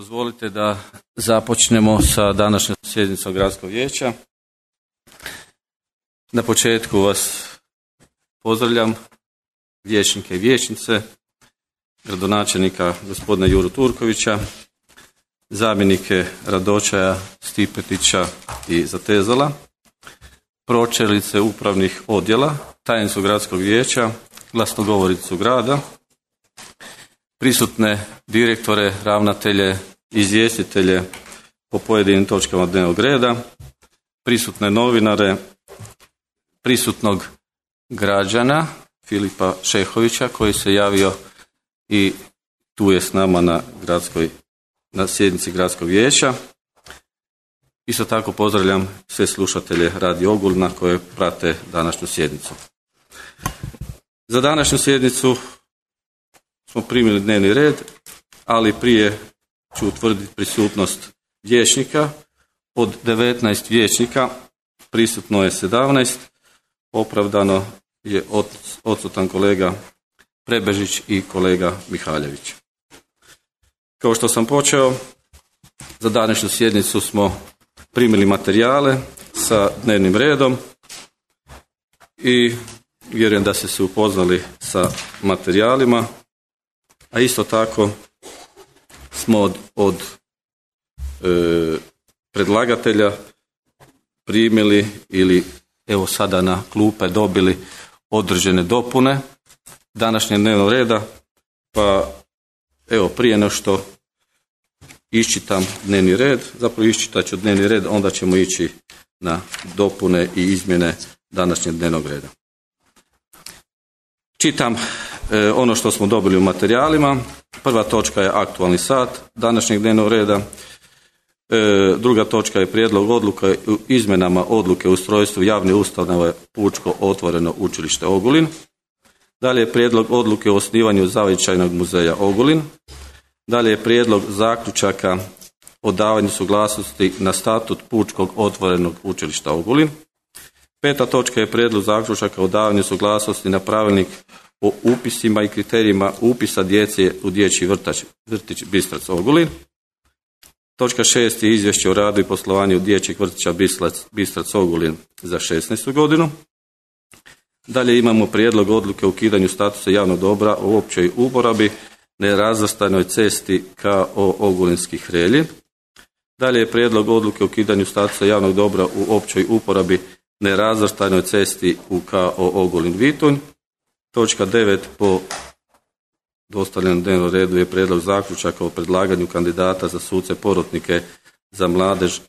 Dozvolite da započnemo sa današnjom sjednicom Gradskog vijeća. Na početku vas pozdravljam, vijećnike i vijećnice, gradonačelnika gospodina Juru Turkovića, zamjenike Radočaja, Stipetića i Zatezala, pročelnice upravnih odjela, tajnicu Gradskog vijeća, glasnogovoricu grada, prisutne direktore, ravnatelje, izvjestitelje po pojedinim točkama dnevnog reda, prisutne novinare, prisutnog građana Filipa Šehovića koji se javio i tu je s nama na sjednici Gradskog vijeća. Isto tako pozdravljam sve slušatelje Radio Ogulina koje prate današnju sjednicu. Za današnju sjednicu smo primili dnevni red, ali prije ću utvrditi prisutnost vijećnika. Od 19 vijećnika prisutno je 17, opravdano je odsutan kolega Prebežić i kolega Mihaljević. Kao što sam počeo, za današnju sjednicu smo primili materijale sa dnevnim redom i vjerujem da ste se upoznali sa materijalima, a isto tako smo od predlagatelja primili ili evo sada na klupe dobili određene dopune današnjeg dnevnog reda, pa evo prije nego što iščitam dnevni red, zapravo iščitat ću dnevni red, onda ćemo ići na dopune i izmjene današnjeg dnevnog reda. Čitam ono što smo dobili u materijalima. Prva točka je aktualni sat današnjeg dnevnog reda. Druga točka je prijedlog odluke o izmjenama odluke o ustrojstvu javne ustanove Pučko otvoreno učilište Ogulin. Dalje je prijedlog odluke o osnivanju Zavičajnog muzeja Ogulin. Dalje je prijedlog zaključaka o davanju suglasnosti na statut Pučkog otvorenog učilišta Ogulin. Peta točka je prijedlog zaključaka o davanju suglasnosti na pravilnik o upisima i kriterijima upisa djece u dječji vrtić Bistrac Ogulin. Točka 6 je izvješće o radu i poslovanju dječjeg vrtića Bistrac Ogulin za 2016. godinu. Dalje imamo prijedlog odluke o ukidanju statusa javnog dobra u općoj uporabi nerazvrstanoj cesti KO Ogulinski Hrelji. Dalje je prijedlog odluke o ukidanju statusa javnog dobra u općoj uporabi nerazvrstanoj cesti u KO Ogulin Vitunj. Točka 9 po dostavljenom dnevnom redu je prijedlog zaključaka o predlaganju kandidata za suce porotnike za mladež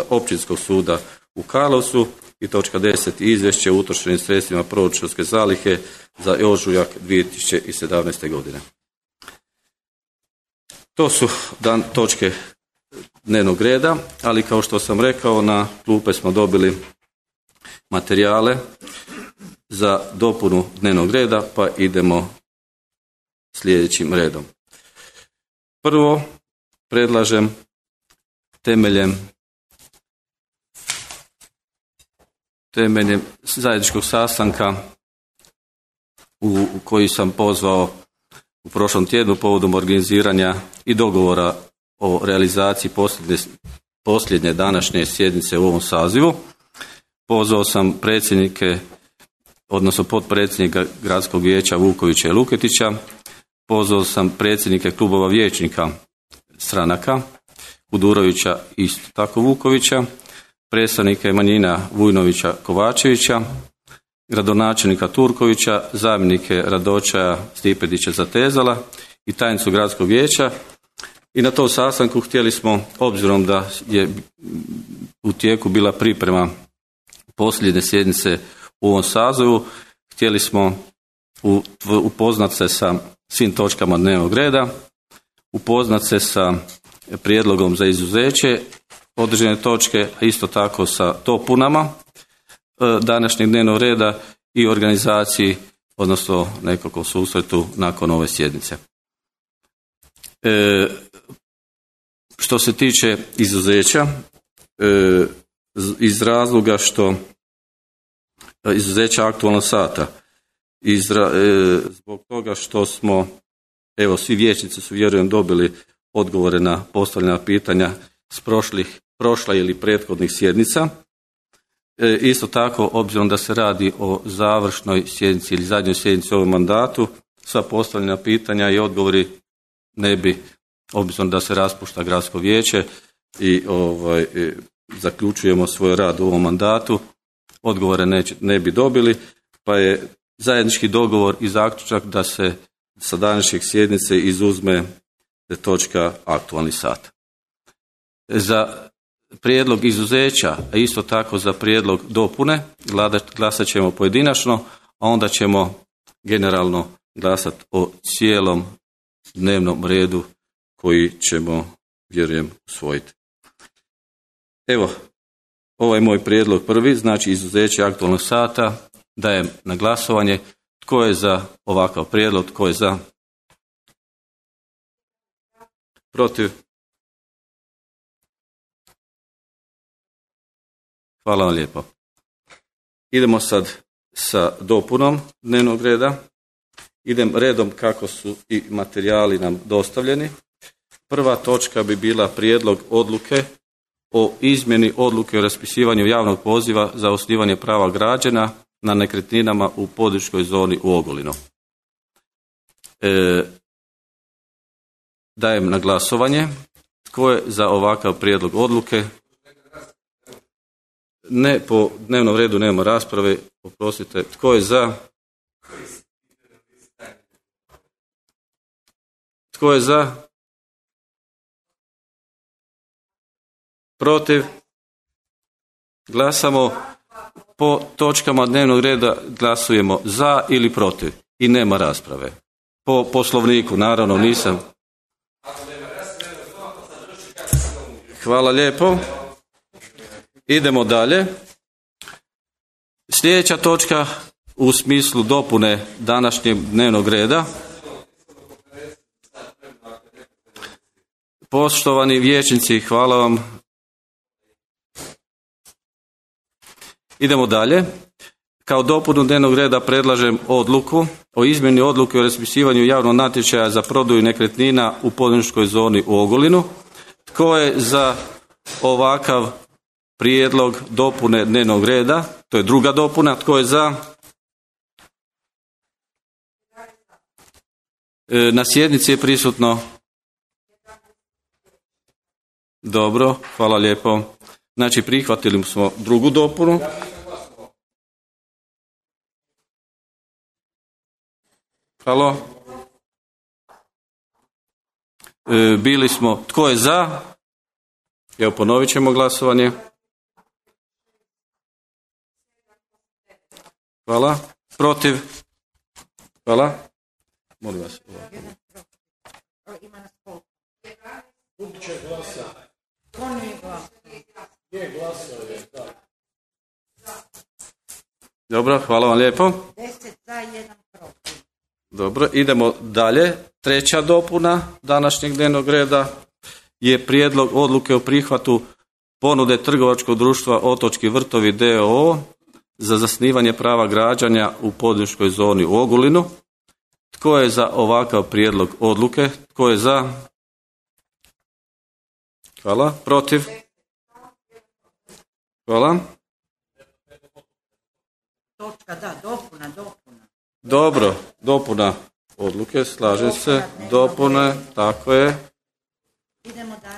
Općinskog suda u Karlovcu. I točka 10 izvješće o utrošenim sredstvima proračunske zalihe za ožujak 2017. godine. To su točke dnevnog reda, ali kao što sam rekao, na klupe smo dobili materijale za dopunu dnevnog reda, pa idemo sljedećim redom. Prvo, predlažem temeljem zajedničkog sastanka u koji sam pozvao u prošlom tjednu povodom organiziranja i dogovora o realizaciji posljednje današnje sjednice u ovom sazivu. Pozvao sam predsjednike, odnosno potpredsjednika Gradskog vijeća Vukovića i Luketića, pozvao sam predsjednike klubova vijećnika stranaka, Kudurovića i isto tako Vukovića, predstavnike manjina Vujnovića Kovačevića, gradonačelnika Turkovića, zamjenike Radočaja, Stipetića, Zatezala i tajnicu Gradskog vijeća. I na tom sastanku htjeli smo, obzirom da je u tijeku bila priprema posljednje sjednice u ovom sazivu, htjeli smo upoznati se sa svim točkama dnevnog reda, upoznati se sa prijedlogom za izuzeće određene točke, a isto tako sa dopunama današnjeg dnevnog reda i organizaciji, odnosno nekako susretu nakon ove sjednice. Što se tiče izuzeća, iz razloga što izuzeća aktualnog sata, zbog toga što smo, evo svi vijećnici su vjerujem dobili odgovore na postavljena pitanja s prošla ili prethodnih sjednica. Isto tako, obzirom da se radi o završnoj sjednici ili zadnjoj sjednici u ovom mandatu, sva postavljena pitanja i odgovori ne bi, obzirom da se raspušta gradsko vijeće i zaključujemo svoj rad u ovom mandatu, odgovore ne bi dobili, pa je zajednički dogovor i zaključak da se sa današnjeg sjednice izuzme točka aktualni sat. Za prijedlog izuzeća, a isto tako za prijedlog dopune, glasat ćemo pojedinačno, a onda ćemo generalno glasati o cijelom dnevnom redu koji ćemo, vjerujem, usvojiti. Evo, ovaj moj prijedlog prvi, znači izuzeće aktualnog sata, dajem na glasovanje. Tko je za ovakav prijedlog? Tko je za? Protiv? Hvala vam lijepo. Idemo sad sa dopunom dnevnog reda. Idem redom kako su i materijali nam dostavljeni. Prva točka bi bila prijedlog odluke o izmjeni odluke o raspisivanju javnog poziva za osnivanje prava građana na nekretninama u poduzetničkoj zoni u Ogulinu. Dajem na glasovanje. Tko je za ovakav prijedlog odluke? Ne, po dnevnom redu nema rasprave, oprostite. Tko je za? Tko je za? Protiv? Glasamo po točkama dnevnog reda, glasujemo za ili protiv i nema rasprave. Po poslovniku, naravno, nisam. Hvala lijepo. Idemo dalje. Sljedeća točka u smislu dopune današnjeg dnevnog reda. Poštovani vijećnici, hvala vam. Idemo dalje. Kao dopunu dnevnog reda predlažem odluku o izmjeni odluke o raspisivanju javnog natječaja za prodaju nekretnina u poduzetničkoj zoni u Ogulinu. Tko je za ovakav prijedlog dopune dnevnog reda? To je druga dopuna. Tko je za? Na sjednici je prisutno. Dobro, hvala lijepo. Znači, prihvatili smo drugu dopunu. Halo? Bili smo, tko je za? Evo, ponovit ćemo glasovanje. Hvala. Protiv? Hvala. Molim vas. Dobro, hvala vam lijepo. 10 za, 1 protiv. Dobro, idemo dalje. Treća dopuna današnjeg dnevnog reda je prijedlog odluke o prihvatu ponude trgovačkog društva Otočki vrtovi d.o.o. za zasnivanje prava građanja u poduzetničkoj zoni u Ogulinu. Tko je za ovakav prijedlog odluke? Tko je za? Hvala. Protiv? Hvala. Točka, da, dopuna. Dobro, dopuna odluke, slažem se. Dopune, tako je.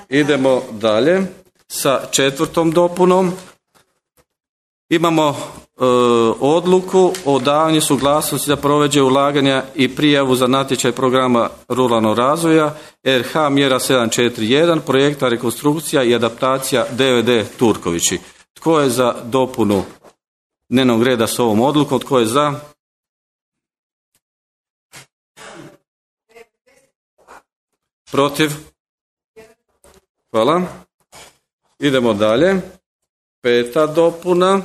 Idemo dalje sa četvrtom dopunom. Imamo odluku o davanju suglasnosti za provođenje ulaganja i prijavu za natječaj programa ruralnog razvoja RH mjera 741 projekta rekonstrukcija i adaptacija DVD Turkovići. Tko je za dopunu dnevnog reda s ovom odlukom? Tko je za? Protiv? Hvala. Idemo dalje. Peta dopuna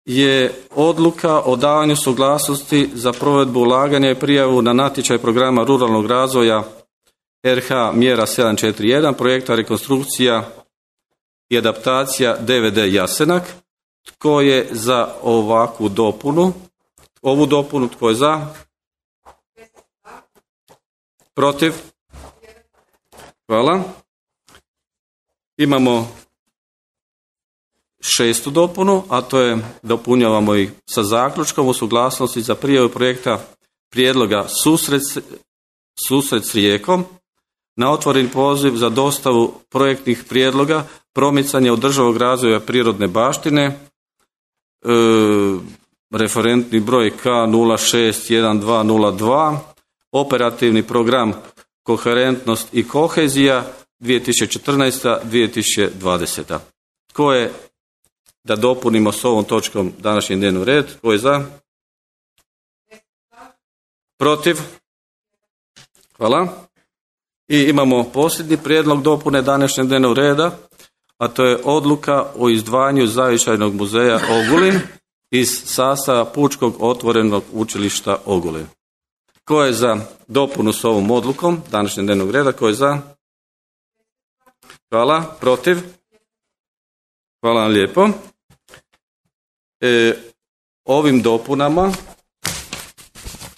je odluka o davanju suglasnosti za provedbu ulaganja i prijavu na natječaj programa ruralnog razvoja RH mjera 741 projekta rekonstrukcija i adaptacija DVD Jasenak. Tko je za ovakvu dopunu? Ovu dopunu, tko je za? Protiv? Hvala. Imamo 6. dopunu, a to je dopunjavamo ih sa zaključkom u suglasnosti za prijavu projekta prijedloga Susret s Rijekom na otvoren poziv za dostavu projektnih prijedloga, promicanje održivog razvoja prirodne baštine, referentni broj K061202, operativni program Koherentnost i kohezija 2014-2020. Tko je, da dopunimo s ovom točkom današnji dnevni red, tko je za? Protiv? Hvala. I imamo posljednji prijedlog dopune današnjeg dnevnog reda, a to je odluka o izdvajanju Zavičajnog muzeja Ogulin iz sastava Pučkog otvorenog učilišta Ogulin. Tko je za dopunu s ovom odlukom današnjeg dnevnog reda? Tko je za? Hvala. Protiv? Hvala vam lijepo. Ovim dopunama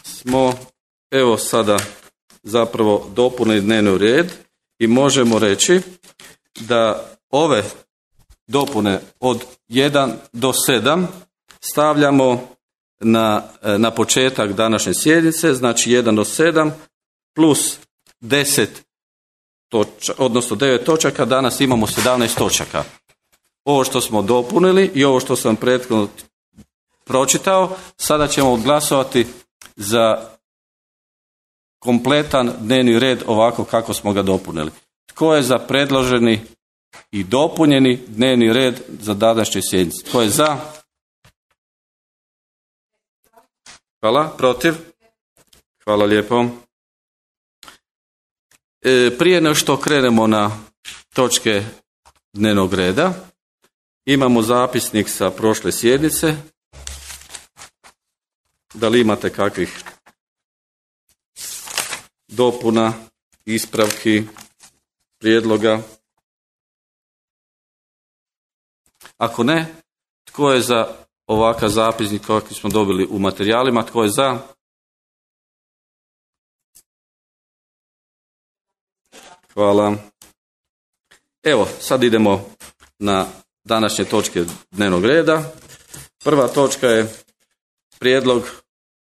smo evo sada zapravo dopunili dnevni red i možemo reći da ove dopune od 1 do 7 stavljamo na početak današnje sjednice, znači 1 do 7 plus 10 odnosno 9 točaka, danas imamo 17 točaka. Ovo što smo dopunili i ovo što sam prethodno pročitao, sada ćemo glasovati za kompletan dnevni red ovako kako smo ga dopunili. Tko je za predloženi i dopunjeni dnevni red za današnju sjednicu? Tko je za? Hvala. Protiv? Hvala lijepo. Prije nego što krenemo na točke dnevnog reda, imamo zapisnik sa prošle sjednice. Da li imate kakvih dopuna, ispravki, prijedloga? Ako ne, tko je za ovakav zapisnik kakvi smo dobili u materijalima? Tko je za? Hvala. Evo, sad idemo na današnje točke dnevnog reda. Prva točka je prijedlog,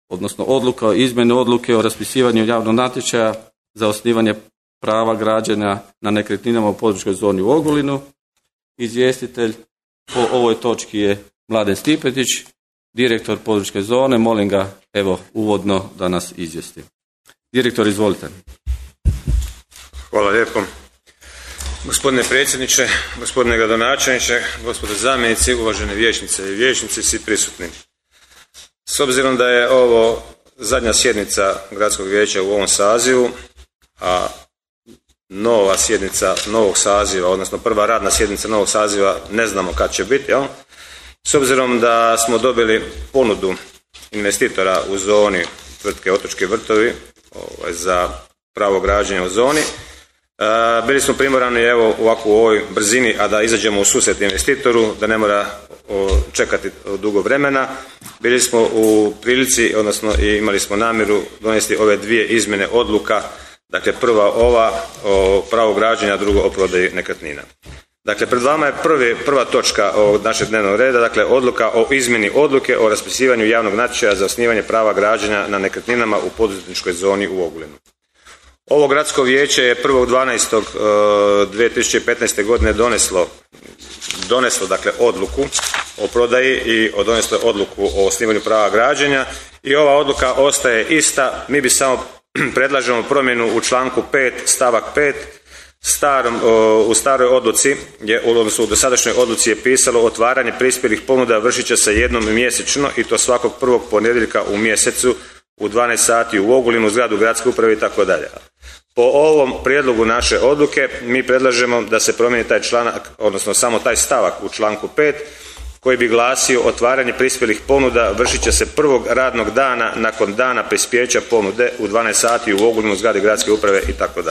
odnosno odluka o izmjeni odluke o raspisivanju javnog natječaja za osnivanje prava građenja na nekretninama u poduzetničkoj zoni u Ogulinu. Izvjestitelj po ovoj točki je Mladen Stipetić, direktor poduzetničke zone. Molim ga, evo, uvodno da nas izvijesti. Direktor, izvolite. Hvala lijepo. Gospodine predsjedniče, gospodine gradonačelniče, gospodo zamjenici, uvažene vijećnice i vijećnici, svi prisutni. S obzirom da je ovo zadnja sjednica gradskog vijeća u ovom sazivu, a nova sjednica novog saziva, odnosno prva radna sjednica novog saziva ne znamo kad će biti, jel? S obzirom da smo dobili ponudu investitora u zoni tvrtke Otočki vrtovi za pravo građenja u zoni, bili smo primorani evo ovako u ovoj brzini, a da izađemo u susret investitoru, da ne mora čekati dugo vremena. Bili smo u prilici, odnosno imali smo namjeru donesti ove dvije izmjene odluka. Dakle, prva ova o pravu građenja, drugo o prodaji nekretnina. Dakle, pred vama je prva točka ovog našeg dnevnog reda, dakle odluka o izmjeni odluke o raspisivanju javnog natječaja za osnivanje prava građenja na nekretninama u poduzetničkoj zoni u Ogulinu. Ovo gradsko vijeće je 1.12.2015. godine doneslo dakle odluku o prodaji i doneslo odluku o osnivanju prava građenja i ova odluka ostaje ista. Mi bi samo predlažemo promjenu u članku 5 stavak 5. U staroj odluci, odnosno u dosadašnjoj odluci je pisalo otvaranje prispjelih ponuda vršit će se jednom mjesečno i to svakog prvog ponedjeljka u mjesecu u 12 sati u Ogulinu, zgradu gradske uprave itd. Po ovom prijedlogu naše odluke mi predlažemo da se promijeni taj članak, odnosno samo taj stavak u članku 5 koji bi glasio otvaranje prispjelih ponuda vršit će se prvog radnog dana nakon dana prispjeća ponude u 12 sati u Ogulinu, zgradi gradske uprave itd.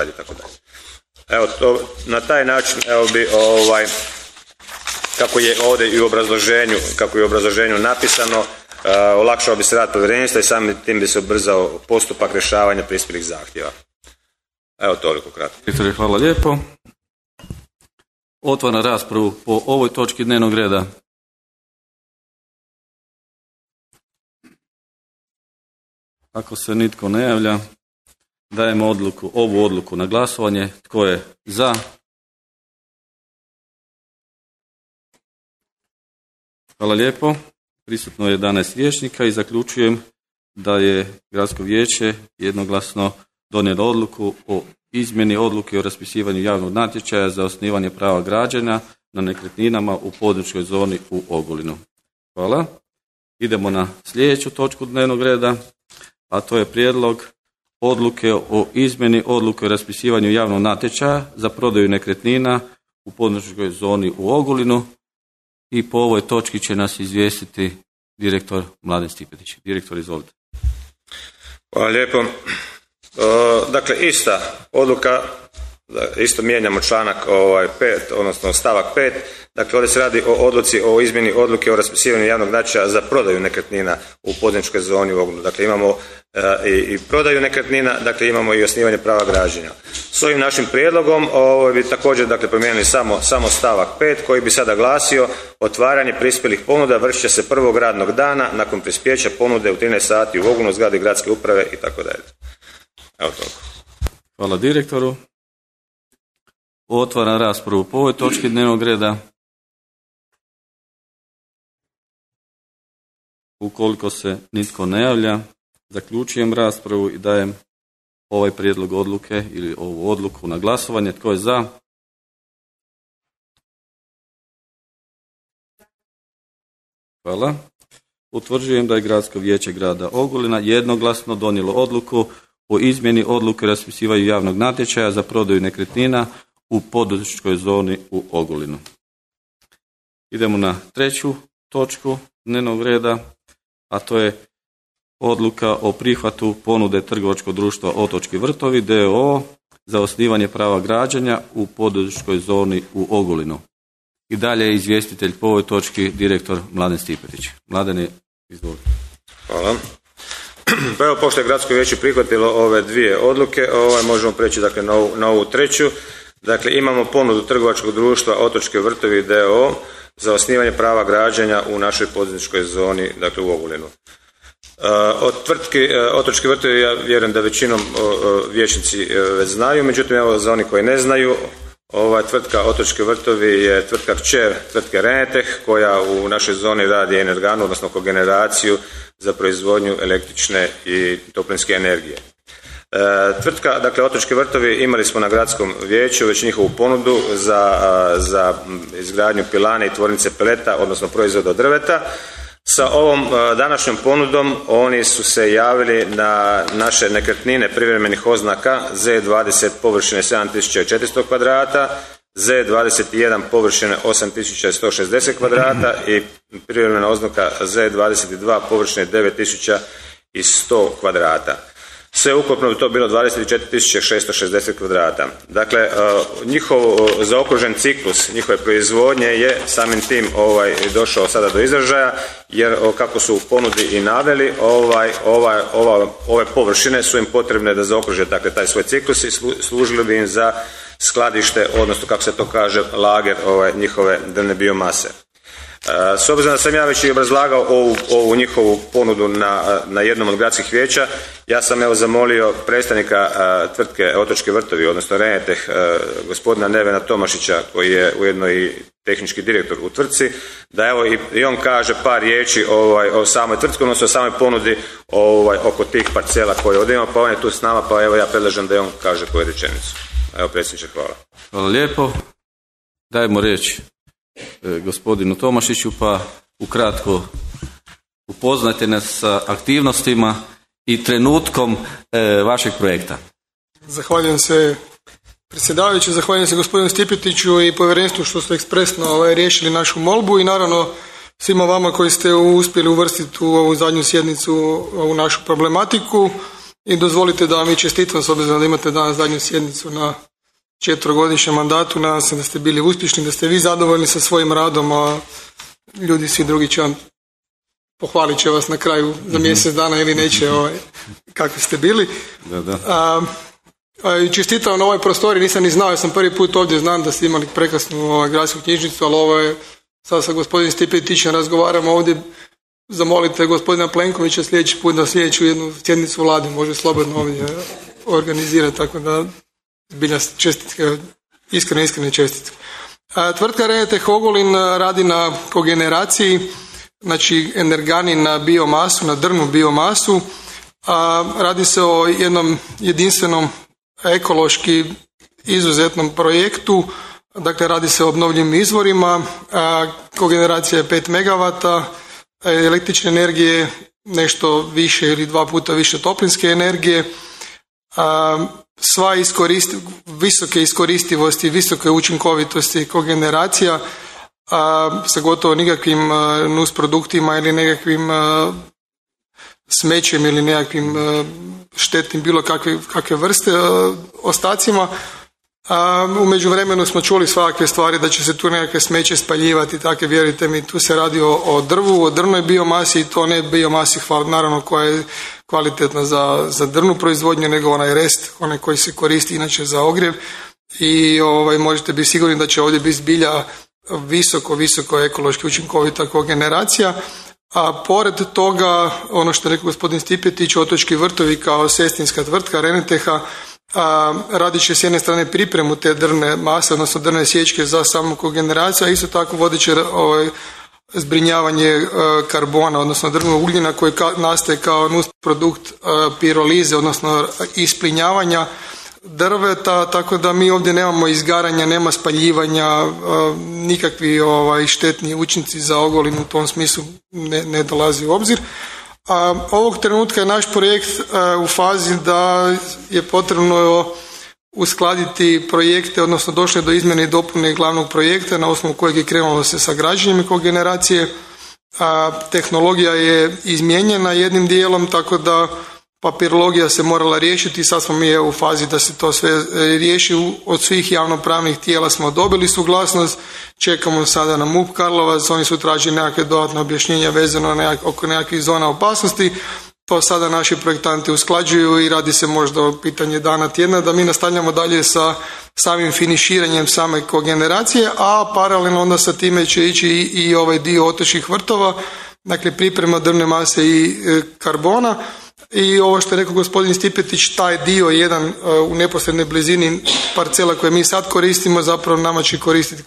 Evo to, na taj način evo bi kako je ovdje i u obrazloženju napisano, olakšao bi se rad povjerenstva i samim tim bi se ubrzao postupak rješavanja prispjelih zahtjeva. Evo toliko kratko. Direktore, hvala lijepo. Otvaram raspravu po ovoj točki dnevnog reda. Ako se nitko ne javlja, dajemo ovu odluku na glasovanje. Tko je za? Hvala lijepo. Prisutno je 11 vijećnika i zaključujem da je Gradsko vijeće jednoglasno donijelo odluku o izmjeni odluke o raspisivanju javnog natječaja za osnivanje prava građenja na nekretninama u poduzetničkoj zoni u Ogulinu. Hvala. Idemo na sljedeću točku dnevnog reda, a to je prijedlog odluke o izmjeni odluke o raspisivanju javnog natječaja za prodaju nekretnina u poduzetničkoj zoni u Ogulinu. I po ovoj točki će nas izvijestiti direktor Mladen Stipetić. Direktor, izvolite. Hvala lijepo. Dakle, ista odluka, isto mijenjamo članak 5, odnosno stavak 5. Dakle, ovdje se radi o odluci o izmjeni odluke o raspisivanju javnog natječaja za prodaju nekretnina u poduzetničkoj zoni u Ogulinu. Dakle, imamo i prodaju nekretnina, dakle imamo i osnivanje prava građenja. S ovim našim prijedlogom bi također promijenili samo stavak 5 koji bi sada glasio: otvaranje prispjelih ponuda vršit će se prvog radnog dana nakon prispjeća ponude u 13 sati u Ogulinu, zgradi gradske uprave itd. Evo toliko. Hvala direktoru. Otvaram raspravu po ovoj točki dnevnog reda. Ukoliko se nitko ne javlja, zaključujem raspravu i dajem ovaj prijedlog odluke ili ovu odluku na glasovanje. Tko je za? Hvala. Utvrđujem da je Gradsko vijeće grada Ogulina jednoglasno donijelo odluku o izmjeni odluke o raspisivanju javnog natječaja za prodaju nekretnina u poduzetničkoj zoni u Ogulinu. Idemo na treću točku dnevnog reda, a to je odluka o prihvatu ponude trgovačkog društva Otočki vrtovi d.o.o. za osnivanje prava građenja u poduzetničkoj zoni u Ogulinu. I dalje je izvjestitelj po ovoj točki direktor Mladen Stipetić. Mladene, izvolite. Hvala. Pa evo, pošto je Gradsko vijeće prihvatilo ove dvije odluke, možemo preći na ovu treću. Dakle, imamo ponudu trgovačkog društva Otočki vrtovi d.o.o. za osnivanje prava građenja u našoj poduzetničkoj zoni, dakle u Ogulinu. Od tvrtki Otočki vrtovi ja vjerujem da većinom vijećnici već znaju, međutim evo za oni koji ne znaju, tvrtka Otočki vrtovi je tvrtka kćer tvrtke Reneteh koja u našoj zoni radi energanu, odnosno kogeneraciju za proizvodnju električne i toplinske energije. Tvrtka, dakle Otočki vrtovi, imali smo na Gradskom vijeću već njihovu ponudu za izgradnju pilane i tvornice peleta, odnosno proizvoda od drveta. Sa ovom današnjom ponudom oni su se javili na naše nekretnine privremenih oznaka Z20 površine 7400 kvadrata, Z21 površine 8160 kvadrata i privremena oznaka Z22 površine 9100 kvadrata. Sve ukupno bi to bilo 24.660 kvadrata. Dakle, njihov zaokružen ciklus njihove proizvodnje je samim tim došao sada do izražaja, jer kako su u ponudi i naveli, ove površine su im potrebne da zaokruže dakle, taj svoj ciklus i služili bi im za skladište, odnosno kako se to kaže, lager njihove drvne biomase. S obzirom da sam ja već i obrazlagao ovu njihovu ponudu na jednom od gradskih vijeća, ja sam zamolio predstavnika tvrtke Otočki vrtovi, odnosno Reneteh, gospodina Nevena Tomašića, koji je ujedno i tehnički direktor u tvrtci, da evo i on kaže par riječi o samoj tvrtki, odnosno o samoj ponudi oko tih parcela koje ovdje ima, pa on je tu s nama, pa evo ja predlažem da i on kaže koju rečenicu. Evo, predsjedniče, hvala. Hvala lijepo. Dajmo riječ gospodinu Tomašiću, pa ukratko upoznajte nas sa aktivnostima i trenutkom vašeg projekta. Zahvaljujem se predsjedavajući, zahvaljujem se gospodinu Stipetiću i povjerenstvu što ste ekspresno riješili našu molbu i naravno svima vama koji ste uspjeli uvrstiti u ovu zadnju sjednicu ovu našu problematiku i dozvolite da vam i čestitam s obzirom da imate danas zadnju sjednicu na 4-godišnjem mandatu. Nadam se da ste bili uspješni, da ste vi zadovoljni sa svojim radom, a ljudi svi drugi će vam pohvalit će vas na kraju za mjesec dana ili neće kakvi ste bili. Da. I čestitam na ovoj prostoriji, nisam ni znao, ja sam prvi put ovdje, znam da ste imali prekrasnu gradsku knjižnicu, ali ovo je, sad sa gospodinom Stipetićem razgovaramo ovdje, zamolite gospodina Plenkovića sljedeći put na sljedeću jednu sjednicu vlade, može slobodno ovdje organizirati, tako da zbilja čestitke, iskrene čestitke. Tvrtka Renetech Ogulin radi na kogeneraciji, znači energani na biomasu, na drvnu biomasu. Radi se o jednom jedinstvenom ekološki izuzetnom projektu, dakle radi se o obnovljivim izvorima, kogeneracija je 5 MW električne energije, nešto više ili 2 puta više toplinske energije, sva visoke iskoristivosti, visoke učinkovitosti kogeneracija sa gotovo nikakvim nusproduktima ili nekakvim smećem ili nekakvim štetnim bilo kakve vrste ostacima. U međuvremenu smo čuli svakakve stvari da će se tu nekakve smeće spaljivati, takve, vjerujte mi, tu se radi o drvu, o drvnoj biomasi i to ne biomasi naravno koja je kvalitetna za drvnu proizvodnju, nego onaj rest, onaj koji se koristi inače za ogrjev i možete biti sigurni da će ovdje biti zbilja visoko ekološki učinkovita kogeneracija. A pored toga, ono što je rekao gospodin Stipetić, Otočki vrtovi kao sestrinska tvrtka Reneteha radit će s jedne strane pripremu te drvne mase, odnosno drvne sječke za samu kogeneraciju, a isto tako vodit će zbrinjavanje karbona, odnosno drvnog ugljena koji nastaje kao nusprodukt pirolize, odnosno isplinjavanja drveta, tako da mi ovdje nemamo izgaranja, nema spaljivanja, nikakvi štetni učinci za Ogulin u tom smislu ne dolazi u obzir. Ovog trenutka je naš projekt u fazi da je potrebno uskladiti projekte, odnosno došlo je do izmjene i dopune glavnog projekta na osnovu kojeg je krenulo se sa građenjem kogeneracije. Tehnologija je izmijenjena jednim dijelom, tako da papirologija se morala riješiti i sad smo mi u fazi da se to sve riješi. Od svih javnopravnih tijela smo dobili suglasnost, čekamo sada na MUP Karlovac, oni su tražili nekakve dodatne objašnjenja vezano oko nekakvih zona opasnosti. To sada naši projektanti usklađuju i radi se možda o pitanje dana tjedna da mi nastavljamo dalje sa samim finiširanjem same kogeneracije, a paralelno onda sa time će ići i ovaj dio otočkih vrtova, dakle priprema drvne mase i karbona. I ovo što je rekao gospodin Stipetić, taj dio jedan u neposrednoj blizini parcela koje mi sad koristimo, zapravo nama će koristiti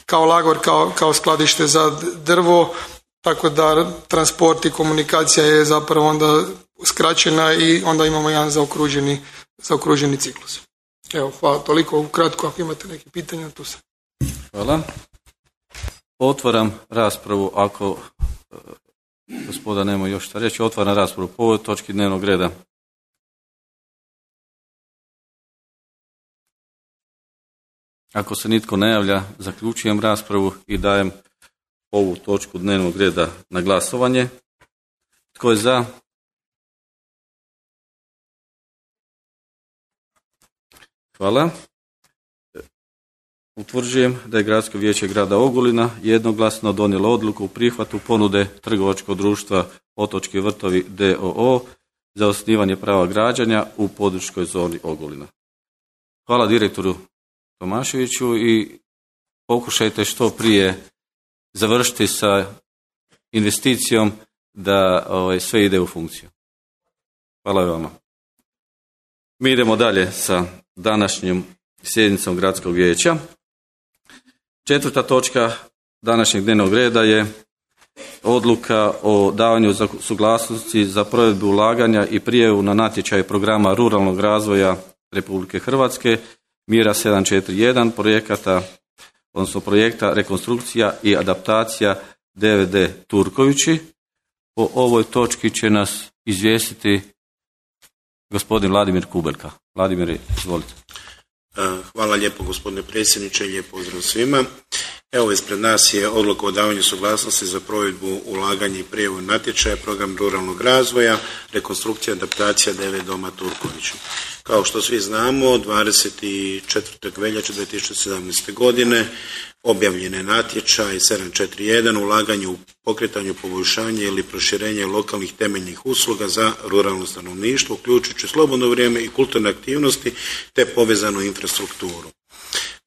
kao lagor, kao skladište za drvo, tako da transport i komunikacija je zapravo onda skraćena i onda imamo jedan zaokruženi ciklus. Evo, hvala toliko, ukratko, ako imate neke pitanja, tu sam. Hvala. Otvaram raspravu, ako gospoda nema još šta reći, otvaram raspravu po ovoj točki dnevnog reda. Ako se nitko ne javlja, zaključujem raspravu i dajem ovu točku dnevnog reda na glasovanje. Tko je za? Hvala. Utvrđujem da je Gradsko vijeće grada Ogulina jednoglasno donijelo odluku u prihvatu ponude trgovačkog društva Otočki vrtovi d.o.o. za osnivanje prava građenja u područnoj zoni Ogulina. Hvala direktoru Tomaševiću i pokušajte što prije završiti sa investicijom da sve ide u funkciju. Hvala vama. Mi idemo dalje sa današnjom sjednicom Gradskog vijeća. 4. točka današnjeg dnevnog reda je odluka o davanju suglasnosti za provedbu ulaganja i prijavu na natječaj programa ruralnog razvoja Republike Hrvatske mjera 741 projekta rekonstrukcija i adaptacija DVD Turkovići. Po ovoj točki će nas izvijestiti gospodin Vladimir Kubelka. Vladimir, izvolite. Hvala lijepo gospodine predsjedniče, lijep pozdrav svima. Evo, ispred nas je odluka o davanju suglasnosti za provedbu ulaganja i prijavu natječaja, program ruralnog razvoja, rekonstrukcija, adaptacija 9 doma Turković. Kao što svi znamo, 24. veljače 2017. godine objavljen je natječaj 741 ulaganje u pokretanju, poboljšanje ili proširenje lokalnih temeljnih usluga za ruralno stanovništvo, uključujući slobodno vrijeme i kulturne aktivnosti te povezanu infrastrukturu.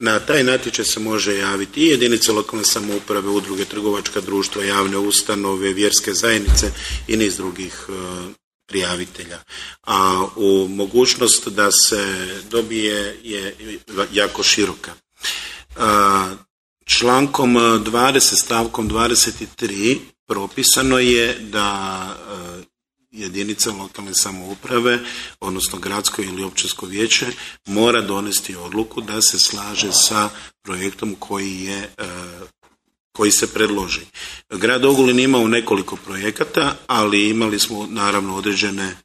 Na taj natječaj se može javiti i jedinice lokalne samouprave, udruge, trgovačka društva, javne ustanove, vjerske zajednice i niz drugih prijavitelja. A u mogućnost da se dobije je jako široka. Člankom 20 stavkom 23 propisano je da jedinica lokalne samouprave, odnosno gradsko ili općinsko vijeće, mora donesti odluku da se slaže sa projektom koji se predloži. Grad Ogulin imao nekoliko projekata, ali imali smo naravno određene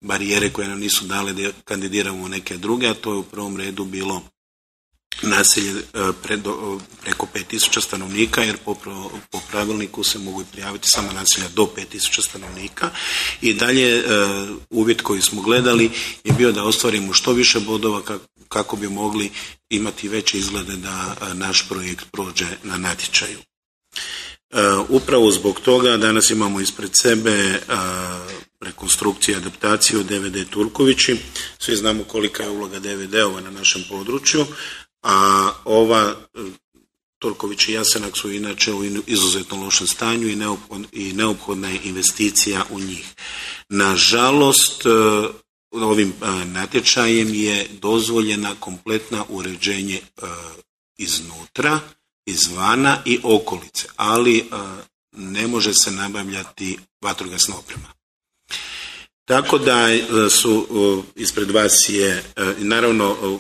barijere koje nam nisu dale da kandidiramo u neke druge, a to je u prvom redu bilo naselje preko 5000 stanovnika, jer po pravilniku se mogu prijaviti samo naselja do 5000 stanovnika. I dalje uvjet koji smo gledali je bio da ostvarimo što više bodova kako bi mogli imati veće izglede da naš projekt prođe na natječaju. Upravo zbog toga danas imamo ispred sebe rekonstrukciju i adaptaciju DVD Turkovići. Svi znamo kolika je uloga DVD-ova na našem području, a ova Turković i Jasenak su inače u izuzetno lošem stanju i neophodna je investicija u njih. Nažalost, ovim natječajem je dozvoljena kompletna uređenje iznutra, izvana i okolice, ali ne može se nabavljati vatrogasna oprema. Tako da su ispred vas je, naravno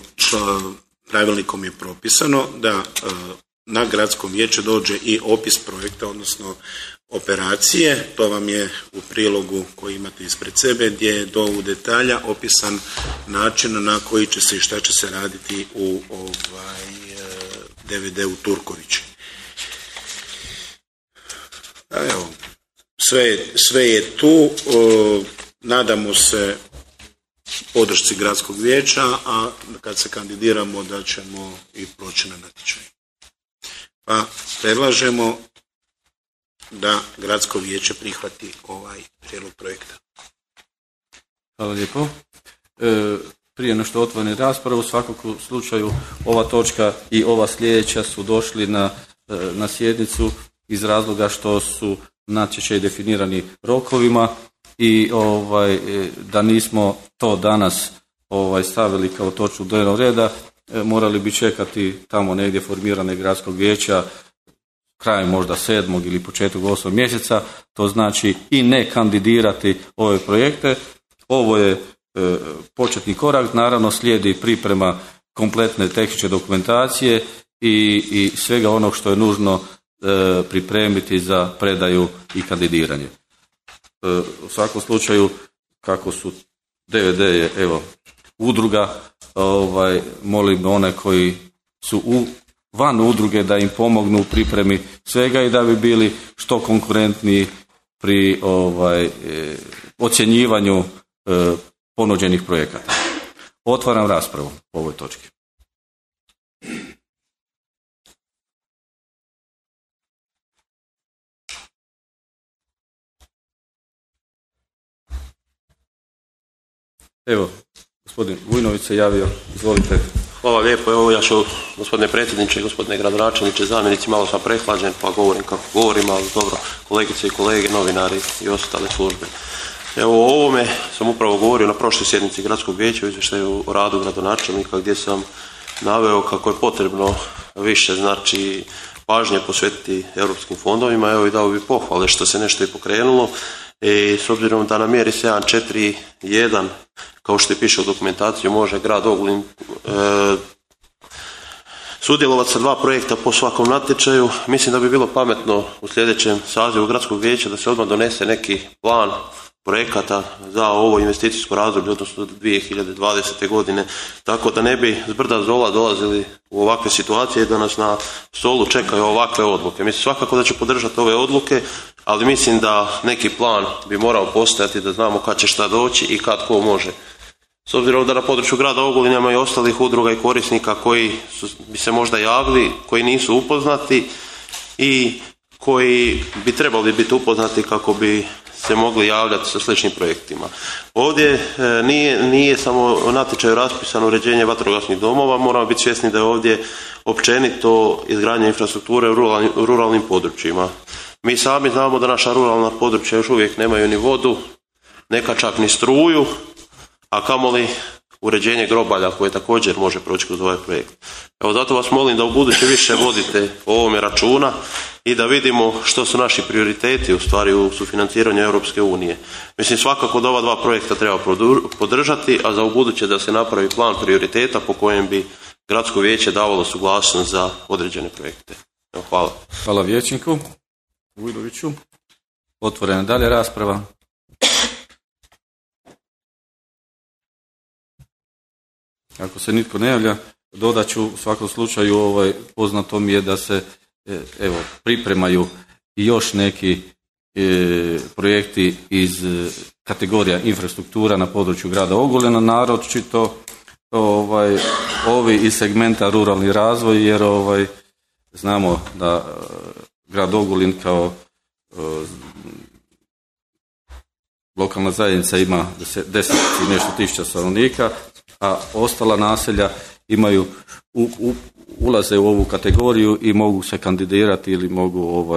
pravilnikom je propisano da na gradskom vijeće dođe i opis projekta, odnosno operacije. To vam je u prilogu koji imate ispred sebe, gdje je do u detalja opisan način na koji će se i šta će se raditi u DVD u Turkovići. Evo, sve je tu. Nadamo se podršci gradskog vijeća, a kad se kandidiramo da ćemo i proći na natječaj. Pa predlažemo da gradsko vijeće prihvati ovaj prijedlog projekta. Hvala lijepo. Prije nešto otvorene rasprave, u svakom slučaju ova točka i ova sljedeća su došli na sjednicu iz razloga što su natječaji definirani rokovima i da nismo to danas stavili kao točku dnevnog reda, morali bi čekati tamo negdje formirane gradskog vijeća krajem možda 7. ili početkom 8. mjeseca, to znači i ne kandidirati ove projekte. Ovo je početni korak, naravno slijedi priprema kompletne tehničke dokumentacije i svega onog što je nužno pripremiti za predaju i kandidiranje. U svakom slučaju, kako su DVD je udruga, molim one koji su van udruge da im pomognu u pripremi svega i da bi bili što konkurentniji pri ocjenjivanju ponuđenih projekata. Otvaram raspravu po ovoj točki. Evo, gospodin Vujnović se javio, izvolite. Hvala lijepo, evo ja ću, gospodine predsjedniče, gospodine gradonačelniče, zamjenici, malo sam prehlađen pa govorim kako govorim, ali dobro, kolegice i kolege, novinari i ostale službe. Evo, o ovome sam upravo govorio na prošloj sjednici gradskog vijeća u izvještaju o radu gradonačelnika, gdje sam naveo kako je potrebno više, znači, pažnje posvetiti europskim fondovima. Evo i dao bi pohvale što se nešto i pokrenulo. I s obzirom da na mjeri 741, kao što je piše u dokumentaciji, može grad Ogulin sudjelovati sa 2 projekta po svakom natječaju, mislim da bi bilo pametno u sljedećem sazivu gradskog vijeća da se odmah donese neki plan projekata za ovo investicijsko razdoblje, odnosno 2020. godine, tako da ne bi zbrda zdola dolazili u ovakve situacije da nas na stolu čekaju ovakve odluke. Mislim svakako da ću podržati ove odluke, ali mislim da neki plan bi morao postojati da znamo kad će šta doći i kad ko može. S obzirom da na području grada Ogulina ima i ostalih udruga i korisnika koji bi se možda javili, koji nisu upoznati i koji bi trebali biti upoznati kako bi se mogli javljati sa sličnim projektima. Ovdje nije samo natječaj raspisano uređenje vatrogasnih domova, moramo biti svjesni da je ovdje općenito izgradnja infrastrukture u ruralnim područjima. Mi sami znamo da naša ruralna područja još uvijek nemaju ni vodu, neka čak ni struju, a kamoli uređenje grobalja koje također može proći kroz ovaj projekt. Evo zato vas molim da ubuduće više vodite o ovome računa i da vidimo što su naši prioriteti u stvari u sufinanciranju Europske unije. Mislim svakako da ova dva projekta treba podržati, a za ubuduće da se napravi plan prioriteta po kojem bi gradsko vijeće davalo suglasnost za određene projekte. Evo, hvala. Hvala vijećniku Vujnoviću. Otvorena dalje rasprava. Ako se nitko ne javlja, dodat ću u svakom slučaju poznato mi je da se pripremaju i još neki projekti iz kategorija infrastruktura na području grada Ogulina, naročito ovi iz segmenta ruralni razvoj, jer znamo da grad Ogulin kao lokalna zajednica ima 10 i nešto tisuća stanovnika, a ostala naselja imaju ulaze u ovu kategoriju i mogu se kandidirati ili mogu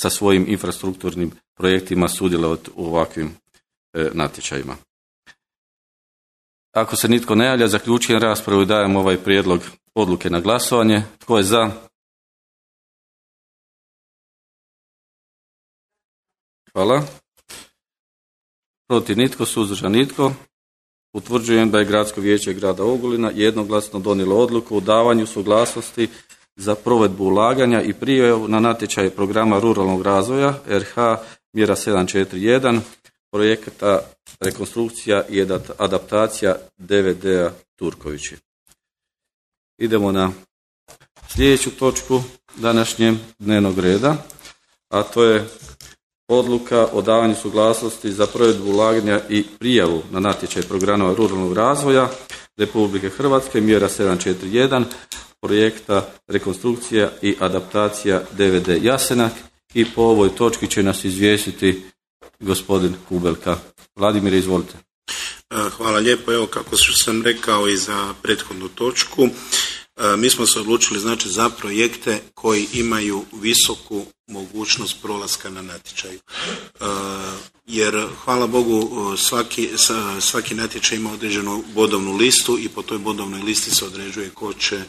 sa svojim infrastrukturnim projektima sudjelovati u ovakvim natječajima. Ako se nitko ne javlja, zaključujem raspravu i dajem ovaj prijedlog odluke na glasovanje. Tko je za? Hvala. Protiv nitko, suzdržan nitko. Utvrđujem da je Gradsko vijeće grada Ogulina jednoglasno donijelo odluku o davanju suglasnosti za provedbu ulaganja i prijavu na natječaj programa ruralnog razvoja RH mjera 741 projekta rekonstrukcija i adaptacija DVD-a Turkovići. Idemo na sljedeću točku današnjeg dnevnog reda, a to je odluka o davanju suglasnosti za provedbu ulaganja i prijavu na natječaj programa ruralnog razvoja Republike Hrvatske mjera 741 projekta rekonstrukcija i adaptacija DVD Jasenak, i po ovoj točki će nas izvijestiti gospodin Kubelka. Vladimir, izvolite. Hvala lijepo. Evo, kako sam rekao i za prethodnu točku, mi smo se odlučili za projekte koji imaju visoku mogućnost prolaska na natječaju. Jer, hvala Bogu, svaki natječaj ima određenu bodovnu listu i po toj bodovnoj listi se određuje ko će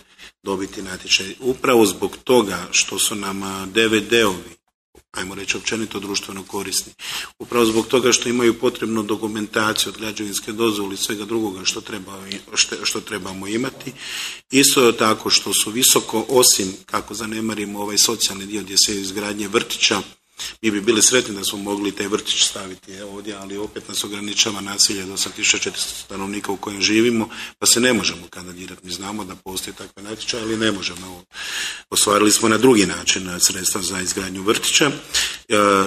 dobiti natječaj. Upravo zbog toga što su nam DVD-ovi, ajmo reći općenito društveno korisni, upravo zbog toga što imaju potrebnu dokumentaciju od građevinske dozvole i svega drugoga što trebamo imati, isto tako što su visoko, osim kako zanemarimo ovaj socijalni dio gdje se izgradnje vrtića, mi bi bili sretni da smo mogli taj vrtić staviti ovdje, ali opet nas ograničava naselje do 8400 stanovnika u kojem živimo, pa se ne možemo kandidirati. Mi znamo da postoji takve natječaje, ali ne možemo. Ostvarili smo na drugi način sredstva za izgradnju vrtića.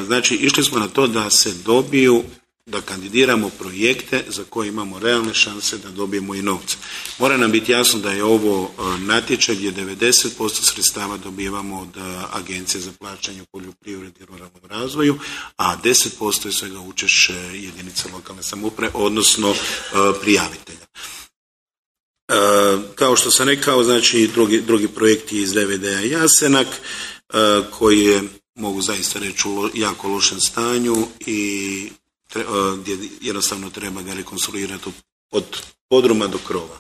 Znači, išli smo na to da se dobiju, da kandidiramo projekte za koje imamo realne šanse da dobijemo i novce. Mora nam biti jasno da je ovo natječaj gdje 90% sredstava dobivamo od Agencije za plaćanje u poljoprivredi i ruralnom razvoju, a 10% je svega učešće jedinica lokalne samouprave, odnosno prijavitelja. Kao što sam rekao, znači drugi projekti iz DVD-a Jasenak, koji je, mogu zaista reći, u jako lošem stanju i gdje jednostavno treba ga rekonstruirati od podruma do krova.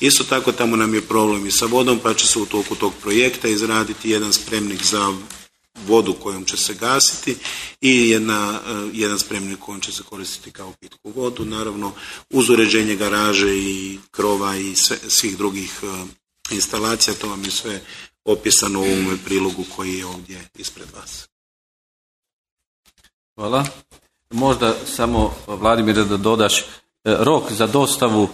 Isto tako tamo nam je problem i sa vodom, pa će se u toku tog projekta izraditi jedan spremnik za vodu kojom će se gasiti i jedan spremnik kojom će se koristiti kao pitku vodu, naravno uz uređenje garaže i krova i svih drugih instalacija. To vam je sve opisano u ovom prilogu koji je ovdje ispred vas. Hvala. možda samo, Vladimire, da dodaš rok za dostavu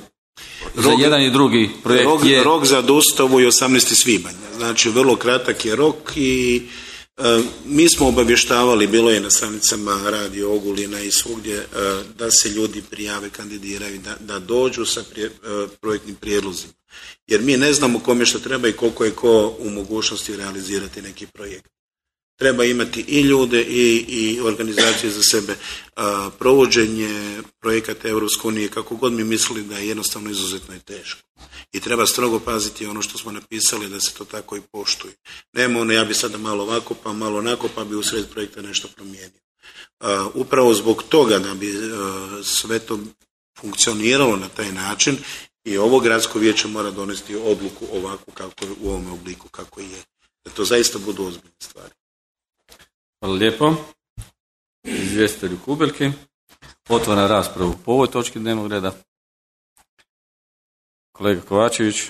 za jedan i drugi projekt Rok za dostavu je 18. svibanj. Znači, vrlo kratak je rok i mi smo obavještavali, bilo je na stranicama Radio Ogulina i svugdje, da se ljudi prijave, kandidiraju, da dođu sa projektnim prijedlozima. Jer mi ne znamo kome što treba i koliko je ko u mogućnosti realizirati neki projekt. Treba imati i ljude i organizacije za sebe. Provođenje projekata Europske unije, kako god mi mislili da je jednostavno izuzetno i teško. I treba strogo paziti ono što smo napisali da se to tako i poštuje. Nema ono ja bi sada malo ovako pa malo onako pa bi usred projekta nešto promijenio. Upravo zbog toga da bi sve to funkcioniralo na taj način i ovo gradsko vijeće mora donesti odluku ovako kako je, u ovom obliku kako je. Da to zaista budu ozbiljne stvari. Hvala lijepo. Izvjestitelju Kubelki. Otvaram raspravu po ovoj točki dnevnog reda. Kolega Kovačević,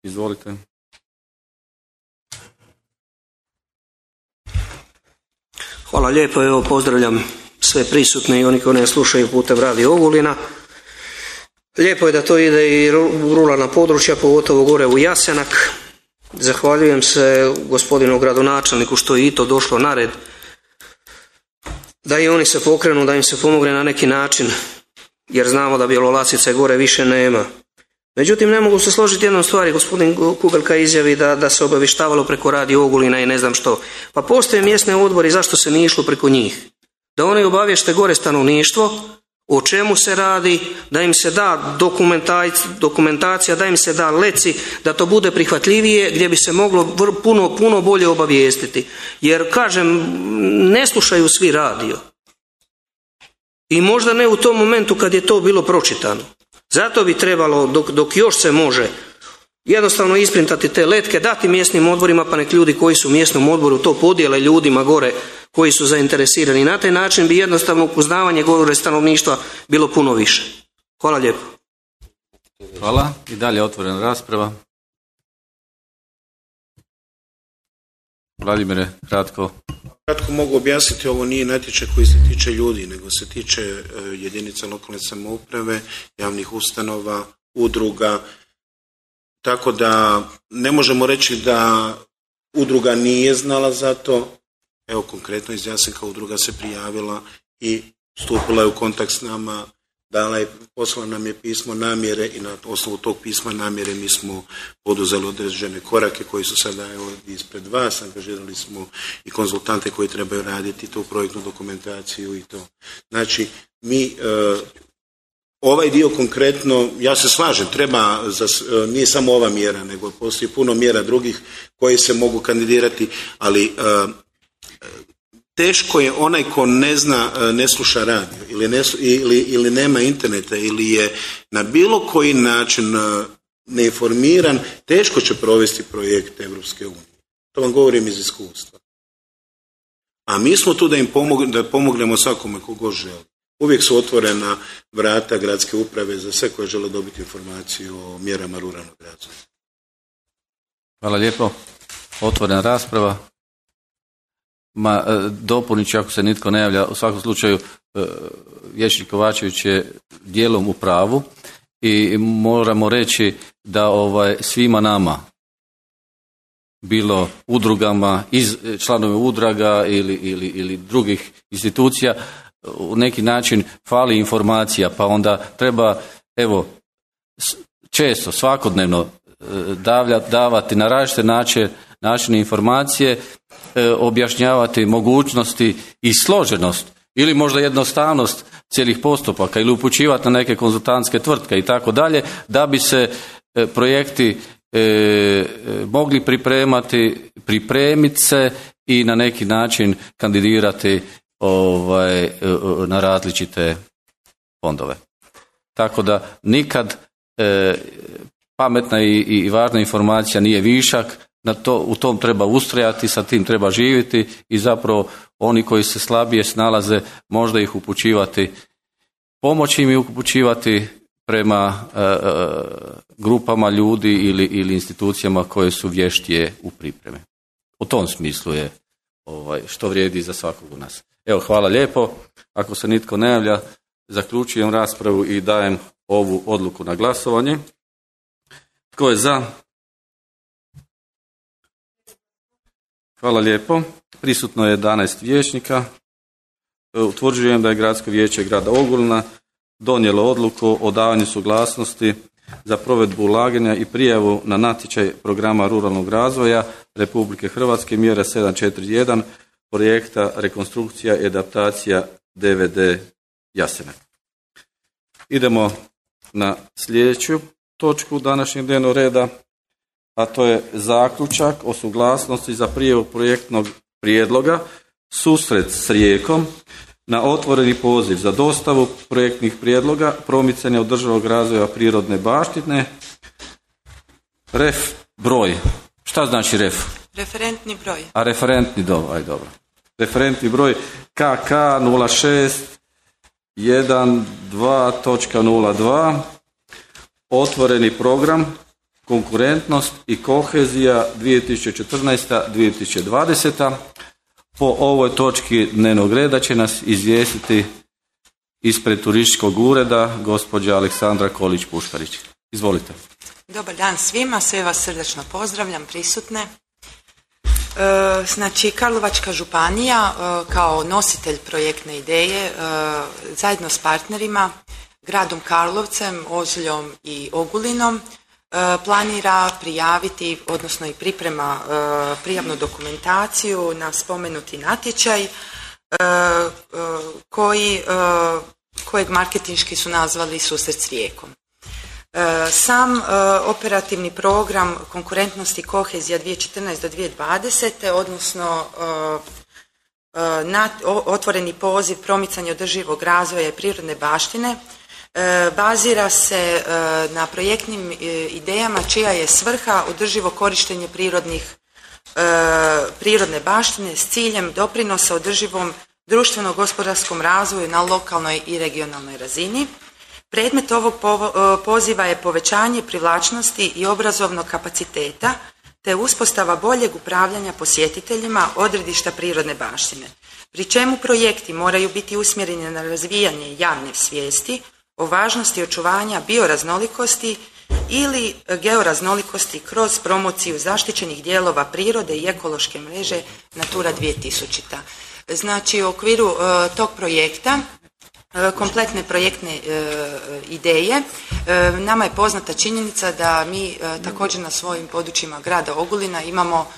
izvolite. Hvala lijepo, evo pozdravljam sve prisutne i oni koji ne slušaju putem Radio Ogulina. Lijepo je da to ide i u ruralna područja, pogotovo gore u Jasenak. Zahvaljujem se gospodinu gradonačelniku što je i to došlo na red, da i oni se pokrenu, da im se pomogne na neki način, jer znamo da Bjelolasice gore više nema. Međutim, ne mogu se složiti jednom stvari, gospodin Kubelka izjavi da se obavještavalo preko Radio Ogulina i ne znam što. Pa postoje mjesne odbori, zašto se nije išlo preko njih? Da oni obavješte gore stanovništvo, o čemu se radi, da im se da dokumentacija, da im se da leci, da to bude prihvatljivije, gdje bi se moglo puno bolje obavijestiti. Jer, kažem, ne slušaju svi radio. I možda ne u tom momentu kad je to bilo pročitano. Zato bi trebalo, dok još se može, jednostavno isprintati te letke, dati mjesnim odborima, pa nek ljudi koji su u mjesnom odboru to podijele ljudima gore koji su zainteresirani. Na taj način bi jednostavno upoznavanje gore stanovništva bilo puno više. Hvala lijepo. Hvala. I dalje otvorena rasprava. Vladimire, kratko. Kratko mogu objasniti, ovo nije natječaj koji se tiče ljudi, nego se tiče jedinica lokalne samouprave, javnih ustanova, udruga, tako da ne možemo reći da udruga nije znala za to. Evo konkretno iz Jasenka udruga se prijavila i stupila je u kontakt s nama, poslala nam je pismo namjere i na osnovu tog pisma namjere mi smo poduzeli određene korake koji su sada ispred vas, angažirali smo i konzultante koji trebaju raditi tu projektnu dokumentaciju i to. Znači, mi ovaj dio konkretno, ja se slažem, treba, nije samo ova mjera, nego postoji puno mjera drugih koji se mogu kandidirati, ali teško je onaj ko ne zna, ne sluša radio ili nema interneta ili je na bilo koji način neinformiran, teško će provesti projekt Europske unije. To vam govorim iz iskustva. A mi smo tu da pomognemo svakome kogo želi. Uvijek su otvorena vrata gradske uprave za sve koje žele dobiti informaciju o mjerama ruralnog razvoja. Hvala lijepo. Otvorena rasprava. Dopunit ću ako se nitko ne javlja. U svakom slučaju vijećnik Kovačević je dijelom u pravu i moramo reći da svima nama, bilo udrugama, članove udruga ili drugih institucija, u neki način fali informacija, pa onda treba često, svakodnevno davati na različite načine informacije, objašnjavati mogućnosti i složenost ili možda jednostavnost cijelih postupaka ili upućivati na neke konzultantske tvrtke i tako dalje, da bi se projekti mogli pripremiti se i na neki način kandidirati na različite fondove. Tako da nikad pametna i važna informacija nije višak, u tom treba ustrajati, sa tim treba živjeti i zapravo oni koji se slabije snalaze možda ih upućivati, pomoći im upućivati prema grupama ljudi ili institucijama koje su vještije u pripremi. U tom smislu je što vrijedi za svakog u nas. Evo, hvala lijepo. Ako se nitko ne javlja, zaključujem raspravu i dajem ovu odluku na glasovanje. Tko je za? Hvala lijepo. Prisutno je 11 vijećnika. Utvrđujem da je Gradsko vijeće grada Ogulina donijelo odluku o davanju suglasnosti za provedbu ulaganja i prijavu na natječaj programa ruralnog razvoja Republike Hrvatske mjera 741 projekta rekonstrukcija i adaptacija DVD Jasenak. Idemo na sljedeću točku današnjeg dnevnog reda, a to je zaključak o suglasnosti za prijavu projektnog prijedloga Susret s Rijekom na otvoreni poziv za dostavu projektnih prijedloga promicanja održivog razvoja prirodne baštine. Ref broj. Šta znači ref? Referentni broj. A referentni dobro. Referentni broj KK 0612.02. Otvoreni program konkurentnost i kohezija 2014-2020. Po ovoj točki dnevnog reda će nas izvijestiti ispred turističkog ureda gospođa Aleksandra Kolić-Puškarić. Izvolite. Dobar dan svima, sve vas srdačno pozdravljam, prisutne. Znači, Karlovačka županija kao nositelj projektne ideje zajedno s partnerima, gradom Karlovcem, Ožuljom i Ogulinom planira prijaviti, odnosno i priprema prijavnu dokumentaciju na spomenuti natječaj kojeg marketinški su nazvali Susret s Rijekom. Sam operativni program konkurentnosti i kohezija 2014 do 2020. odnosno otvoreni poziv promicanja održivog razvoja i prirodne baštine bazira se na projektnim idejama čija je svrha održivo korištenje prirodne baštine s ciljem doprinosa održivom društveno-gospodarskom razvoju na lokalnoj i regionalnoj razini. Predmet ovog poziva je povećanje privlačnosti i obrazovnog kapaciteta te uspostava boljeg upravljanja posjetiteljima odredišta prirodne baštine, pri čemu projekti moraju biti usmjereni na razvijanje javne svijesti o važnosti očuvanja bioraznolikosti ili georaznolikosti kroz promociju zaštićenih dijelova prirode i ekološke mreže Natura 2000. Znači, u okviru tog projekta kompletne projektne ideje, nama je poznata činjenica da mi također na svojim područjima grada Ogulina imamo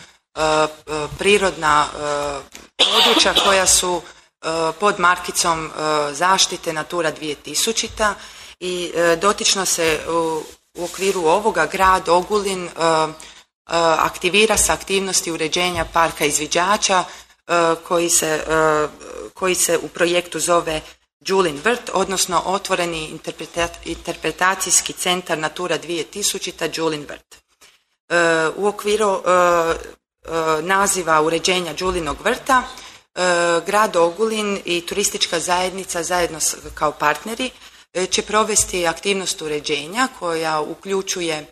prirodna područja koja su pod markicom zaštite Natura 2000 i dotično se u okviru ovoga grad Ogulin aktivira sa aktivnosti uređenja parka izviđača koji se u projektu zove Đulin vrt, odnosno otvoreni interpretacijski centar Natura 2000 Đulin vrt. U okviru naziva uređenja Đulinog vrta grad Ogulin i turistička zajednica zajedno kao partneri će provesti aktivnost uređenja koja uključuje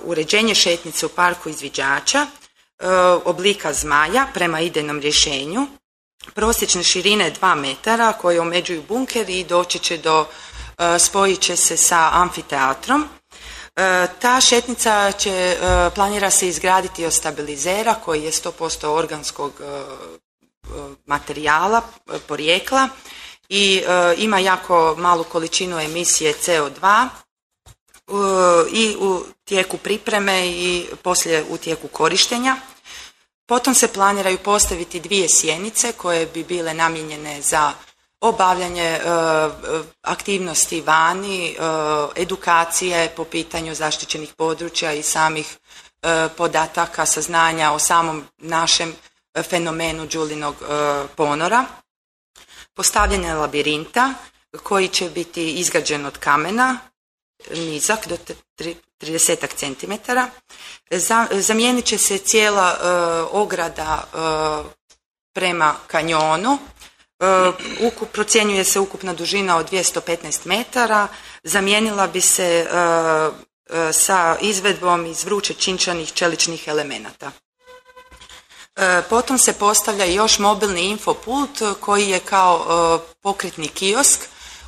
uređenje šetnice u parku izviđača, oblika zmaja prema idejnom rješenju, prosječne širine 2 metara koje omeđuju bunker i doći će spojit će se sa amfiteatrom. Ta šetnica planira se izgraditi od stabilizera koji je 100% organskog materijala, porijekla i ima jako malu količinu emisije CO2 i u tijeku pripreme i poslije u tijeku korištenja. Potom se planiraju postaviti 2 sjenice koje bi bile namijenjene za obavljanje aktivnosti vani, edukacije po pitanju zaštićenih područja i samih podataka, saznanja o samom našem fenomenu Đulinog ponora. Postavljanje labirinta koji će biti izgrađen od kamena, nizak do 30 cm. Zamijenit će se cijela ograda prema kanjonu. Procjenjuje se ukupna dužina od 215 metara. Zamijenila bi se sa izvedbom iz vruće činčanih čeličnih elemenata. Potom se postavlja još mobilni infopult koji je kao pokretni kiosk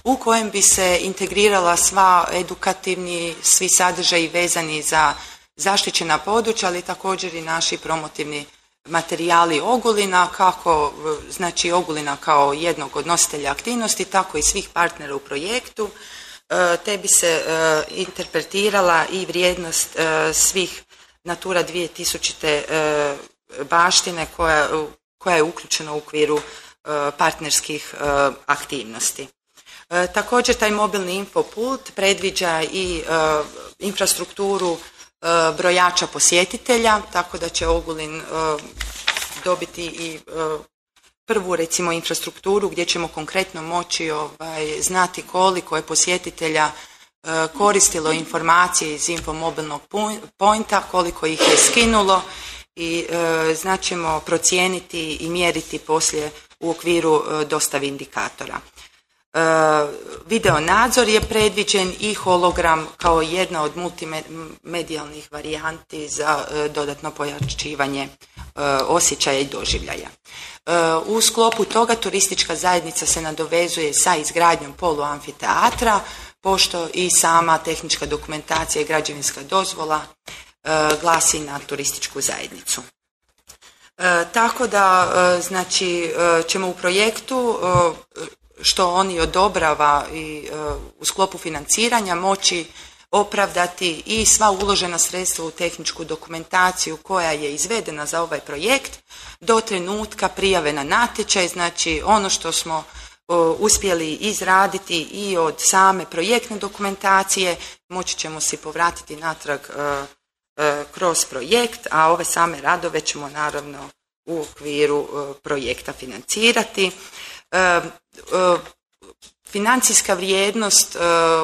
u kojem bi se integrirala sva edukativni, svi sadržaji vezani za zaštićena područja, ali također i naši promotivni materijali Ogulina, kako znači Ogulina kao jednog od nositelja aktivnosti, tako i svih partnera u projektu, te bi se interpretirala i vrijednost svih Natura 2000 baštine koja je uključena u okviru partnerskih aktivnosti. Također taj mobilni infopult predviđa i infrastrukturu brojača posjetitelja, tako da će Ogulin dobiti i prvu recimo infrastrukturu gdje ćemo konkretno moći znati koliko je posjetitelja koristilo informacije iz infomobilnog pointa, koliko ih je skinulo i znaćemo procijeniti i mjeriti poslije u okviru dostave indikatora. Video nadzor je predviđen i hologram kao jedna od multimedijalnih varijanti za dodatno pojačivanje osjećaja i doživljaja. U sklopu toga turistička zajednica se nadovezuje sa izgradnjom poluamfiteatra, pošto i sama tehnička dokumentacija i građevinska dozvola glasi na turističku zajednicu. Tako da znači ćemo u projektu što oni odobrava i u sklopu financiranja moći opravdati i sva uložena sredstva u tehničku dokumentaciju koja je izvedena za ovaj projekt do trenutka prijave na natječaj. Znači ono što smo uspjeli izraditi i od same projektne dokumentacije moći ćemo si povratiti natrag kroz projekt, a ove same radove ćemo naravno u okviru projekta financirati. Financijska vrijednost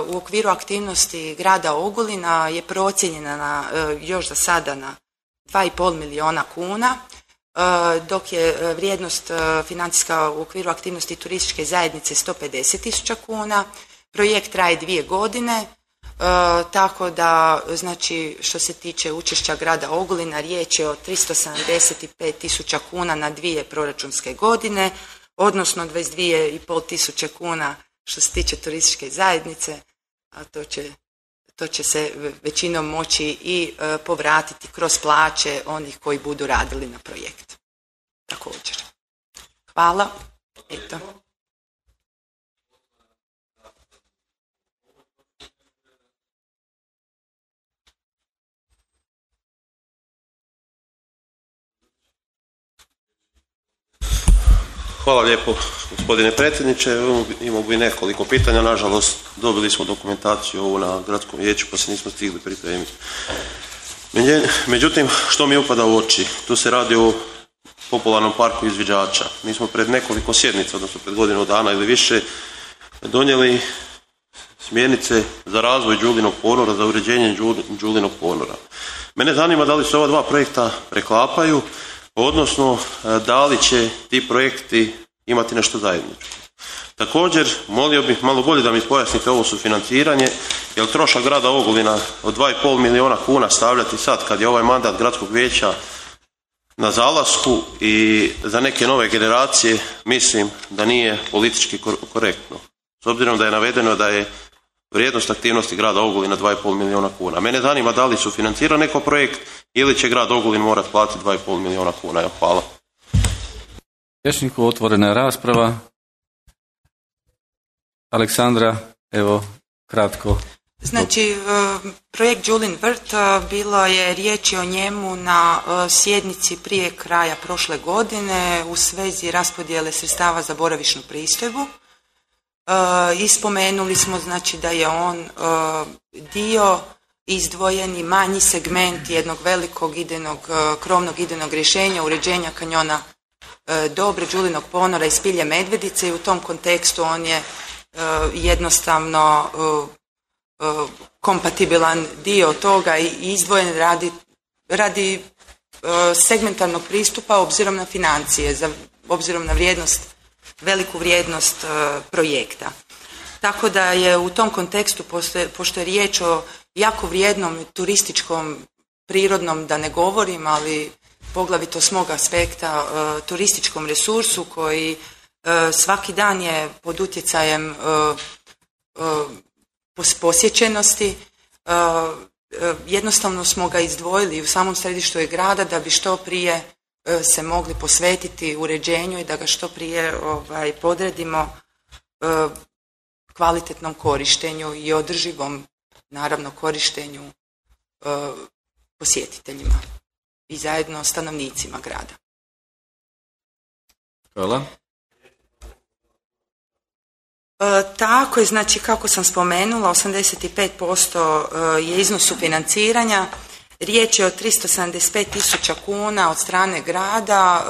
u okviru aktivnosti grada Ogulina je procijenjena još za sada na 2,5 milijuna kuna, dok je vrijednost financijska u okviru aktivnosti turističke zajednice 150.000 kuna. Projekt traje 2 godine, tako da znači što se tiče učešća grada Ogulina riječ je o 375.000 kuna na 2 proračunske godine, odnosno 22.500 kuna što se tiče turističke zajednice, a to će se većinom moći i povratiti kroz plaće onih koji budu radili na projektu. Također. Hvala. Eto. Hvala lijepo gospodine predsjedniče. Imamo bi nekoliko pitanja, nažalost dobili smo dokumentaciju ovu na gradskom vijeću pa se nismo stigli pripremiti. Međutim, što mi upada u oči? Tu se radi o popularnom parku izviđača. Mi smo pred nekoliko sjednica, odnosno pred godinu dana ili više, donijeli smjernice za razvoj Đulinog ponora, za uređenje Đulinog ponora. Mene zanima da li se ova dva projekta preklapaju, odnosno da li će ti projekti imati nešto zajedničko. Također, molio bih malo bolje da mi pojasnite ovo sufinanciranje, jer trošak grada Ogulina od 2,5 milijuna kuna stavljati sad kad je ovaj mandat gradskog vijeća na zalasku i za neke nove generacije mislim da nije politički korektno. S obzirom da je navedeno da je vrijednost aktivnosti grada Ogulina 2,5 milijuna kuna. Mene zanima da li su financira neko projekt ili će grad Ogulin morati platiti 2,5 milijuna kuna. Evo, hvala. Vijećniku otvorena je rasprava. Aleksandra, evo, kratko. Znači, projekt Đulin vrt, bilo je riječi o njemu na sjednici prije kraja prošle godine u svezi raspodjele sredstava za boravišnu pristojbu. Ispomenuli smo znači da je on dio izdvojeni manji segment jednog velikog krovnog idejnog rješenja uređenja kanjona Dobre, Đulinog ponora i Spilje Medvedice i u tom kontekstu on je jednostavno kompatibilan dio toga i izdvojen radi segmentarnog pristupa obzirom na financije, obzirom na veliku vrijednost projekta. Tako da je u tom kontekstu, pošto je riječ o jako vrijednom turističkom, prirodnom da ne govorim, ali poglavito s mog aspekta, turističkom resursu koji svaki dan je pod utjecajem posjećenosti. Jednostavno smo ga izdvojili u samom središtu grada da bi što prije se mogli posvetiti uređenju i da ga što prije podredimo kvalitetnom korištenju i održivom, naravno, korištenju posjetiteljima i zajedno stanovnicima grada. Hvala. Tako je, znači kako sam spomenula, 85% je iznos sufinanciranja. Riječ je o 375.000 kuna od strane grada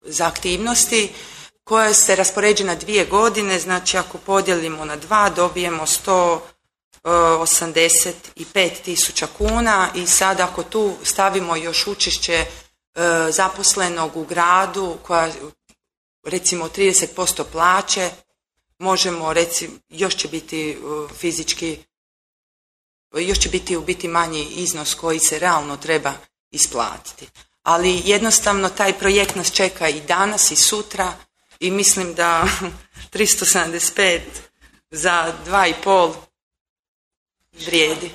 za aktivnosti koje se raspoređuje na 2 godine, znači ako podijelimo na 2 dobijemo 185.000 kuna i sad ako tu stavimo još učešće zaposlenog u gradu koja recimo 30% plaće, možemo reći još će biti fizički, još će biti u biti manji iznos koji se realno treba isplatiti. Ali jednostavno taj projekt nas čeka i danas i sutra i mislim da 375 za 2,5 vrijedi.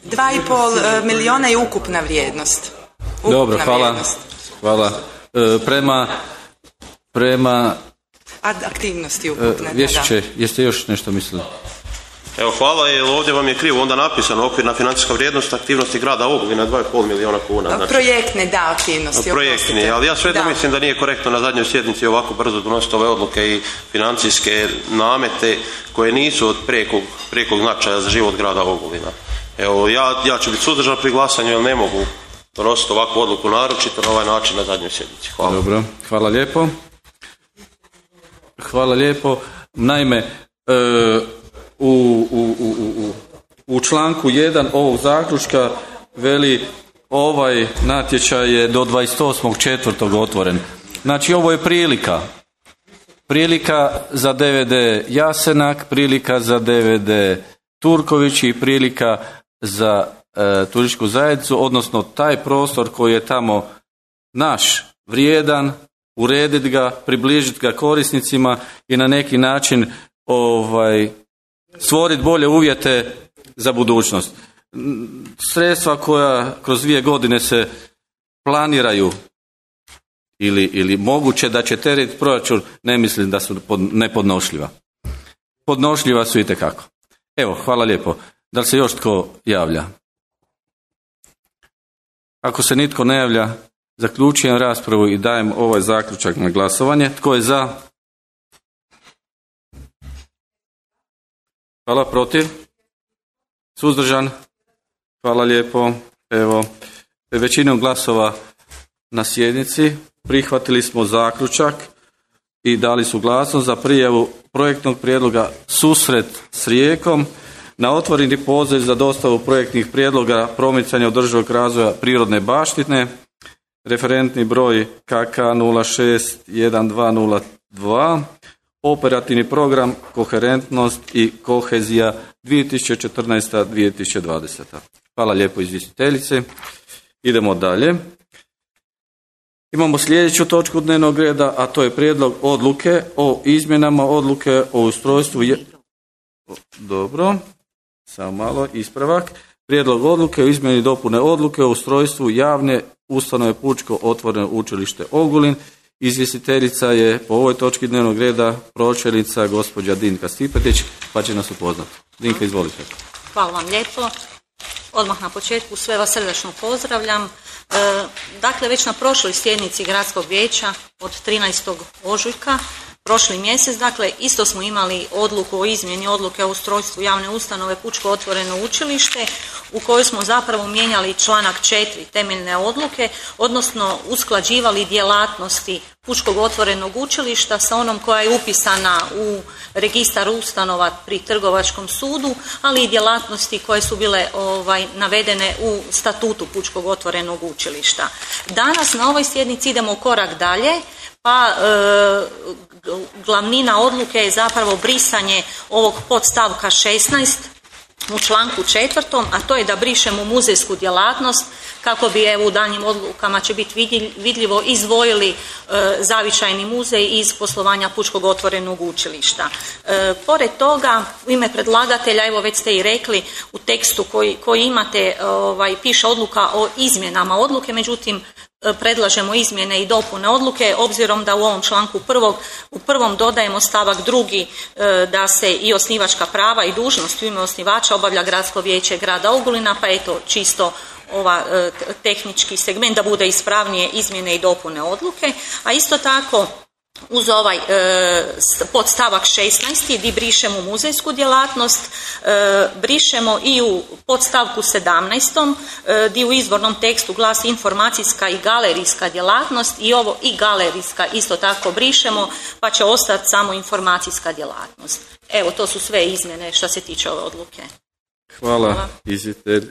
2,5 milijuna je ukupna vrijednost. Dobro, hvala. Prema aktivnosti ukupne. Vješiće, jeste još nešto mislili? Evo, hvala, jer ovdje vam je krivo onda napisano okvirna financijska vrijednost aktivnosti grada Ogulina 2,5 milijuna kuna. Znači, projektne, da, aktivnosti. Projektni, ali ja svejedno mislim da nije korektno na zadnjoj sjednici ovako brzo donositi ove odluke i financijske namete koje nisu od prijekog značaja za život grada Ogulina. Evo, ja ću biti suzdržan pri glasanju jer ne mogu donositi ovakvu odluku naročito na ovaj način na zadnjoj sjednici. Hvala. Dobro, hvala lijepo. Hvala lijepo. Naime, u članku 1 ovog zaključka veli ovaj natječaj je do 28.4. otvoren. Znači ovo je prilika za DVD Jasenak, prilika za DVD Turković i prilika za turističku zajednicu, odnosno taj prostor koji je tamo naš, vrijedan, urediti ga, približiti ga korisnicima i na neki način stvoriti bolje uvjete za budućnost. Sredstva koja kroz 2 godine se planiraju ili moguće da će teretiti proračun, ne mislim da su nepodnošljiva. Podnošljiva su itekako. Evo, hvala lijepo. Da li se još tko javlja? Ako se nitko ne javlja, zaključujem raspravu i dajem ovaj zaključak na glasovanje. Tko je za? Hvala, protiv? Suzdržan? Hvala lijepo. Evo, većinom glasova na sjednici prihvatili smo zaključak i dali suglasnost za prijavu projektnog prijedloga Susret s Rijekom na otvoreni poziv za dostavu projektnih prijedloga promicanja održivog razvoja prirodne baštine, referentni broj KK 061202, operativni program Koherentnost i kohezija 2014-2020. Hvala lijepo izvjestiteljice. Idemo dalje. Imamo sljedeću točku dnevnog reda, a to je prijedlog odluke o izmjenama odluke o ustrojstvu... Dobro, samo malo, ispravak. Prijedlog odluke o izmjeni i dopune odluke o ustrojstvu javne ustanove Pučko otvoreno učilište Ogulin. Izvjestiteljica je po ovoj točki dnevnog reda pročelnica gospođa Dinka Stipetić, pa će nas upoznati. Dinka, izvolite. Hvala vam lijepo. Odmah na početku sve vas srdačno pozdravljam. Dakle, već na prošloj sjednici Gradskog vijeća od 13. ožujka prošli mjesec, dakle, isto smo imali odluku o izmjeni odluke o ustrojstvu javne ustanove Pučko otvoreno učilište u kojoj smo zapravo mijenjali članak 4 temeljne odluke, odnosno usklađivali djelatnosti Pučkog otvorenog učilišta sa onom koja je upisana u registar ustanova pri Trgovačkom sudu, ali i djelatnosti koje su bile navedene u statutu Pučkog otvorenog učilišta. Danas na ovoj sjednici idemo korak dalje, pa glavnina odluke je zapravo brisanje ovog podstavka 16 u članku 4., a to je da brišemo muzejsku djelatnost kako bi u daljnjim odlukama će biti vidljivo izdvojili zavičajni muzej iz poslovanja Pučkog otvorenog učilišta. Pored toga, u ime predlagatelja, evo već ste i rekli, u tekstu koji imate piše odluka o izmjenama odluke, međutim predlažemo izmjene i dopune odluke, obzirom da u ovom članku u prvom dodajemo stavak 2. Da se i osnivačka prava i dužnosti u ime osnivača obavlja Gradsko vijeće grada Ogulina, pa eto čisto tehnički segment da bude ispravnije izmjene i dopune odluke, a isto tako uz ovaj podstavak 16. gdje brišemo muzejsku djelatnost, brišemo i u podstavku 17. gdje u izvornom tekstu glasi informacijska i galerijska djelatnost i ovo i galerijska isto tako brišemo, pa će ostati samo informacijska djelatnost. Evo, to su sve izmjene što se tiče ove odluke. Hvala.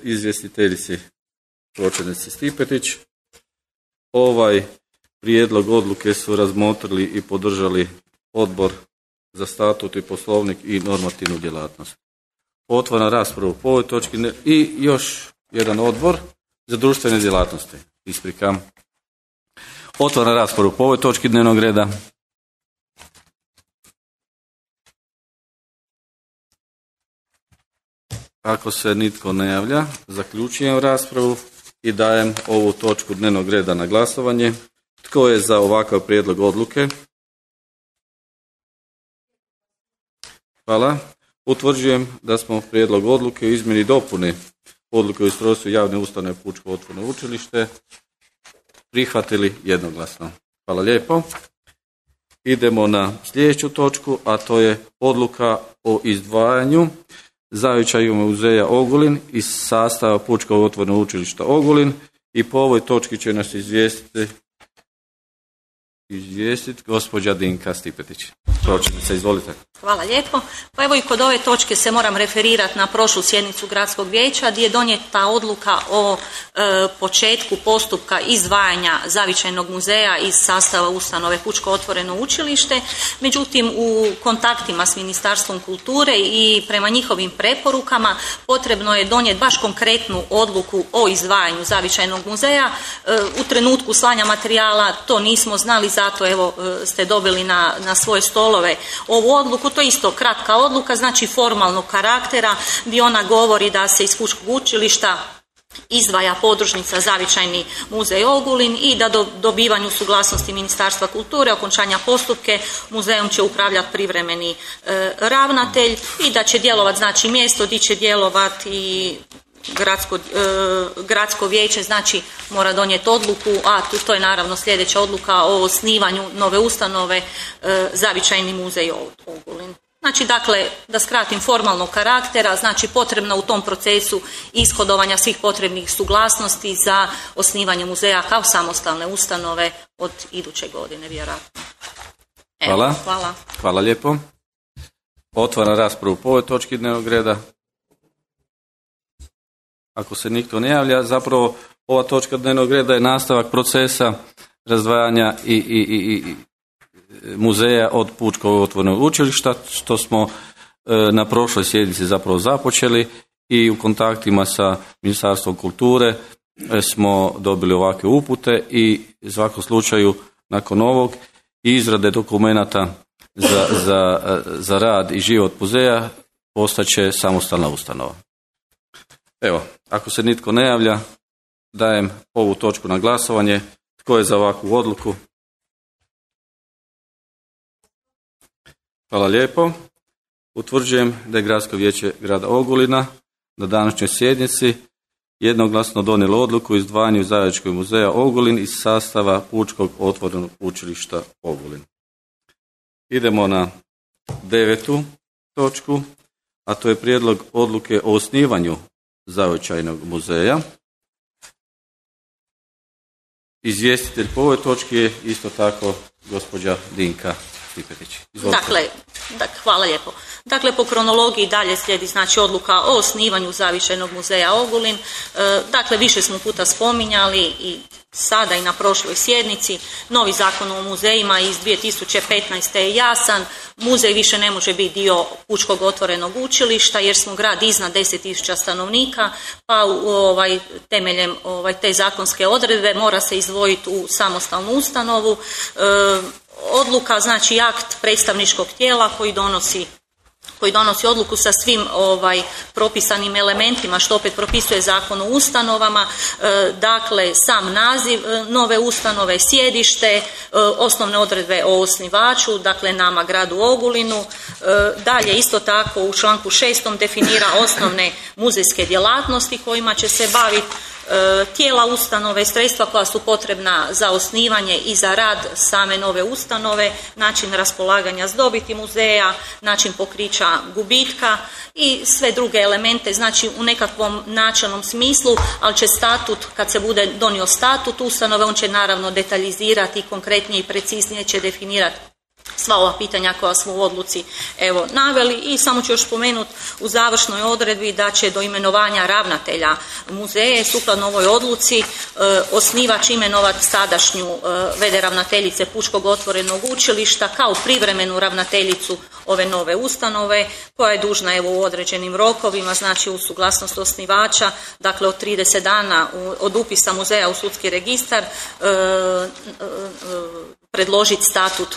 Izvjestiteljici pročelnici Stipetić. Ovaj prijedlog odluke su razmotrili i podržali Odbor za statut i poslovnik i normativnu djelatnost. Otvaram raspravu po ovoj točki i još jedan odbor za društvene djelatnosti. Isprikam. Otvaram raspravu po ovoj točki dnevnog reda. Ako se nitko ne javlja, zaključujem raspravu i dajem ovu točku dnevnog reda na glasovanje. Tko je za ovakav prijedlog odluke? Hvala. Utvrđujem da smo prijedlog odluke o izmjeni i dopuni odluke o ustrojstvu javne ustanove Pučko otvoreno učilište prihvatili jednoglasno. Hvala lijepo. Idemo na sljedeću točku, a to je odluka o izdvajanju zavičajnog muzeja Ogulin iz sastava Pučkog otvorenog učilišta Ogulin i po ovoj točki će nas izvijestiti gospođa Dinka Stipetić. Pročelnica, izvolite. Hvala lijepo. Pa evo i kod ove točke se moram referirati na prošlu sjednicu Gradskog vijeća gdje je donijeta odluka o početku postupka izdvajanja zavičajnog muzeja iz sastava ustanove Pučko otvoreno učilište. Međutim, u kontaktima s Ministarstvom kulture i prema njihovim preporukama potrebno je donijeti baš konkretnu odluku o izdvajanju zavičajnog muzeja. U trenutku slanja materijala to nismo znali, zato evo ste dobili na svoje stolove ovu odluku. To je isto kratka odluka, znači formalnog karaktera, gdje ona govori da se iz Pučkog učilišta izdvaja podružnica Zavičajni muzej Ogulin i da do dobivanju suglasnosti Ministarstva kulture, okončanja postupke, muzejom će upravljati privremeni ravnatelj i da će djelovati, znači mjesto gdje će djelovati i gradsko vijeće, znači mora donijeti odluku, a to je naravno sljedeća odluka o osnivanju nove ustanove Zavičajni muzej Ogulin. Znači, dakle, da skratim, formalnog karaktera, znači potrebno u tom procesu ishodovanja svih potrebnih suglasnosti za osnivanje muzeja kao samostalne ustanove od iduće godine, vjerojatno. Hvala. Hvala lijepo. Otvaram raspravu po ovoj točki dnevnog reda. Ako se nitko ne javlja, zapravo ova točka dnevnog reda je nastavak procesa razdvajanja i muzeja od Pučkog otvorenog učilišta, što smo na prošloj sjednici zapravo započeli i u kontaktima sa Ministarstvom kulture smo dobili ovakve upute i u svakom slučaju nakon ovog izrade dokumenata za rad i život muzeja postaće samostalna ustanova. Evo, ako se nitko ne javlja, dajem ovu točku na glasovanje. Tko je za ovakvu odluku? Hvala lijepo. Utvrđujem da je Gradsko vijeće grada Ogulina na današnjoj sjednici jednoglasno donijelo odluku o izdvajanju Zavičajnog muzeja Ogulin iz sastava Pučkog otvorenog učilišta Ogulin. Idemo na 9. točku, a to je prijedlog odluke o osnivanju Zavičajnog muzeja. Izvjestitelj po ovoj točki je isto tako gospođa Dinka Stipetić. Dakle, hvala lijepo. Dakle, po kronologiji dalje slijedi znači odluka o osnivanju Zavičajnog muzeja Ogulin. Dakle, više smo puta spominjali i sada i na prošloj sjednici. Novi zakon o muzejima iz 2015. je jasan. Muzej više ne može biti dio Pučkog otvorenog učilišta jer smo grad iznad 10.000 stanovnika, pa temeljem te zakonske odredbe mora se izdvojiti u samostalnu ustanovu. Odluka, znači akt predstavničkog tijela koji donosi odluku sa svim propisanim elementima što opet propisuje Zakon o ustanovama, dakle sam naziv nove ustanove, sjedište, osnovne odredbe o osnivaču, dakle nama gradu Ogulinu. Dalje isto tako u članku 6. definira osnovne muzejske djelatnosti kojima će se baviti, tijela ustanove, sredstva koja su potrebna za osnivanje i za rad same nove ustanove, način raspolaganja s dobiti muzeja, način pokrića gubitka i sve druge elemente, znači u nekakvom načelnom smislu, ali će statut, kad se bude donio statut ustanove, on će naravno detaljizirati i konkretnije i preciznije će definirati sva ova pitanja koja smo u odluci naveli. I samo ću još spomenuti u završnoj odredbi da će do imenovanja ravnatelja muzeje sukladno ovoj odluci osnivač imenovati sadašnju v.d. ravnateljice Pučkog otvorenog učilišta kao privremenu ravnateljicu ove nove ustanove koja je dužna u određenim rokovima, znači uz suglasnost osnivača, dakle od 30 dana od upisa muzeja u sudski registar, predložiti statut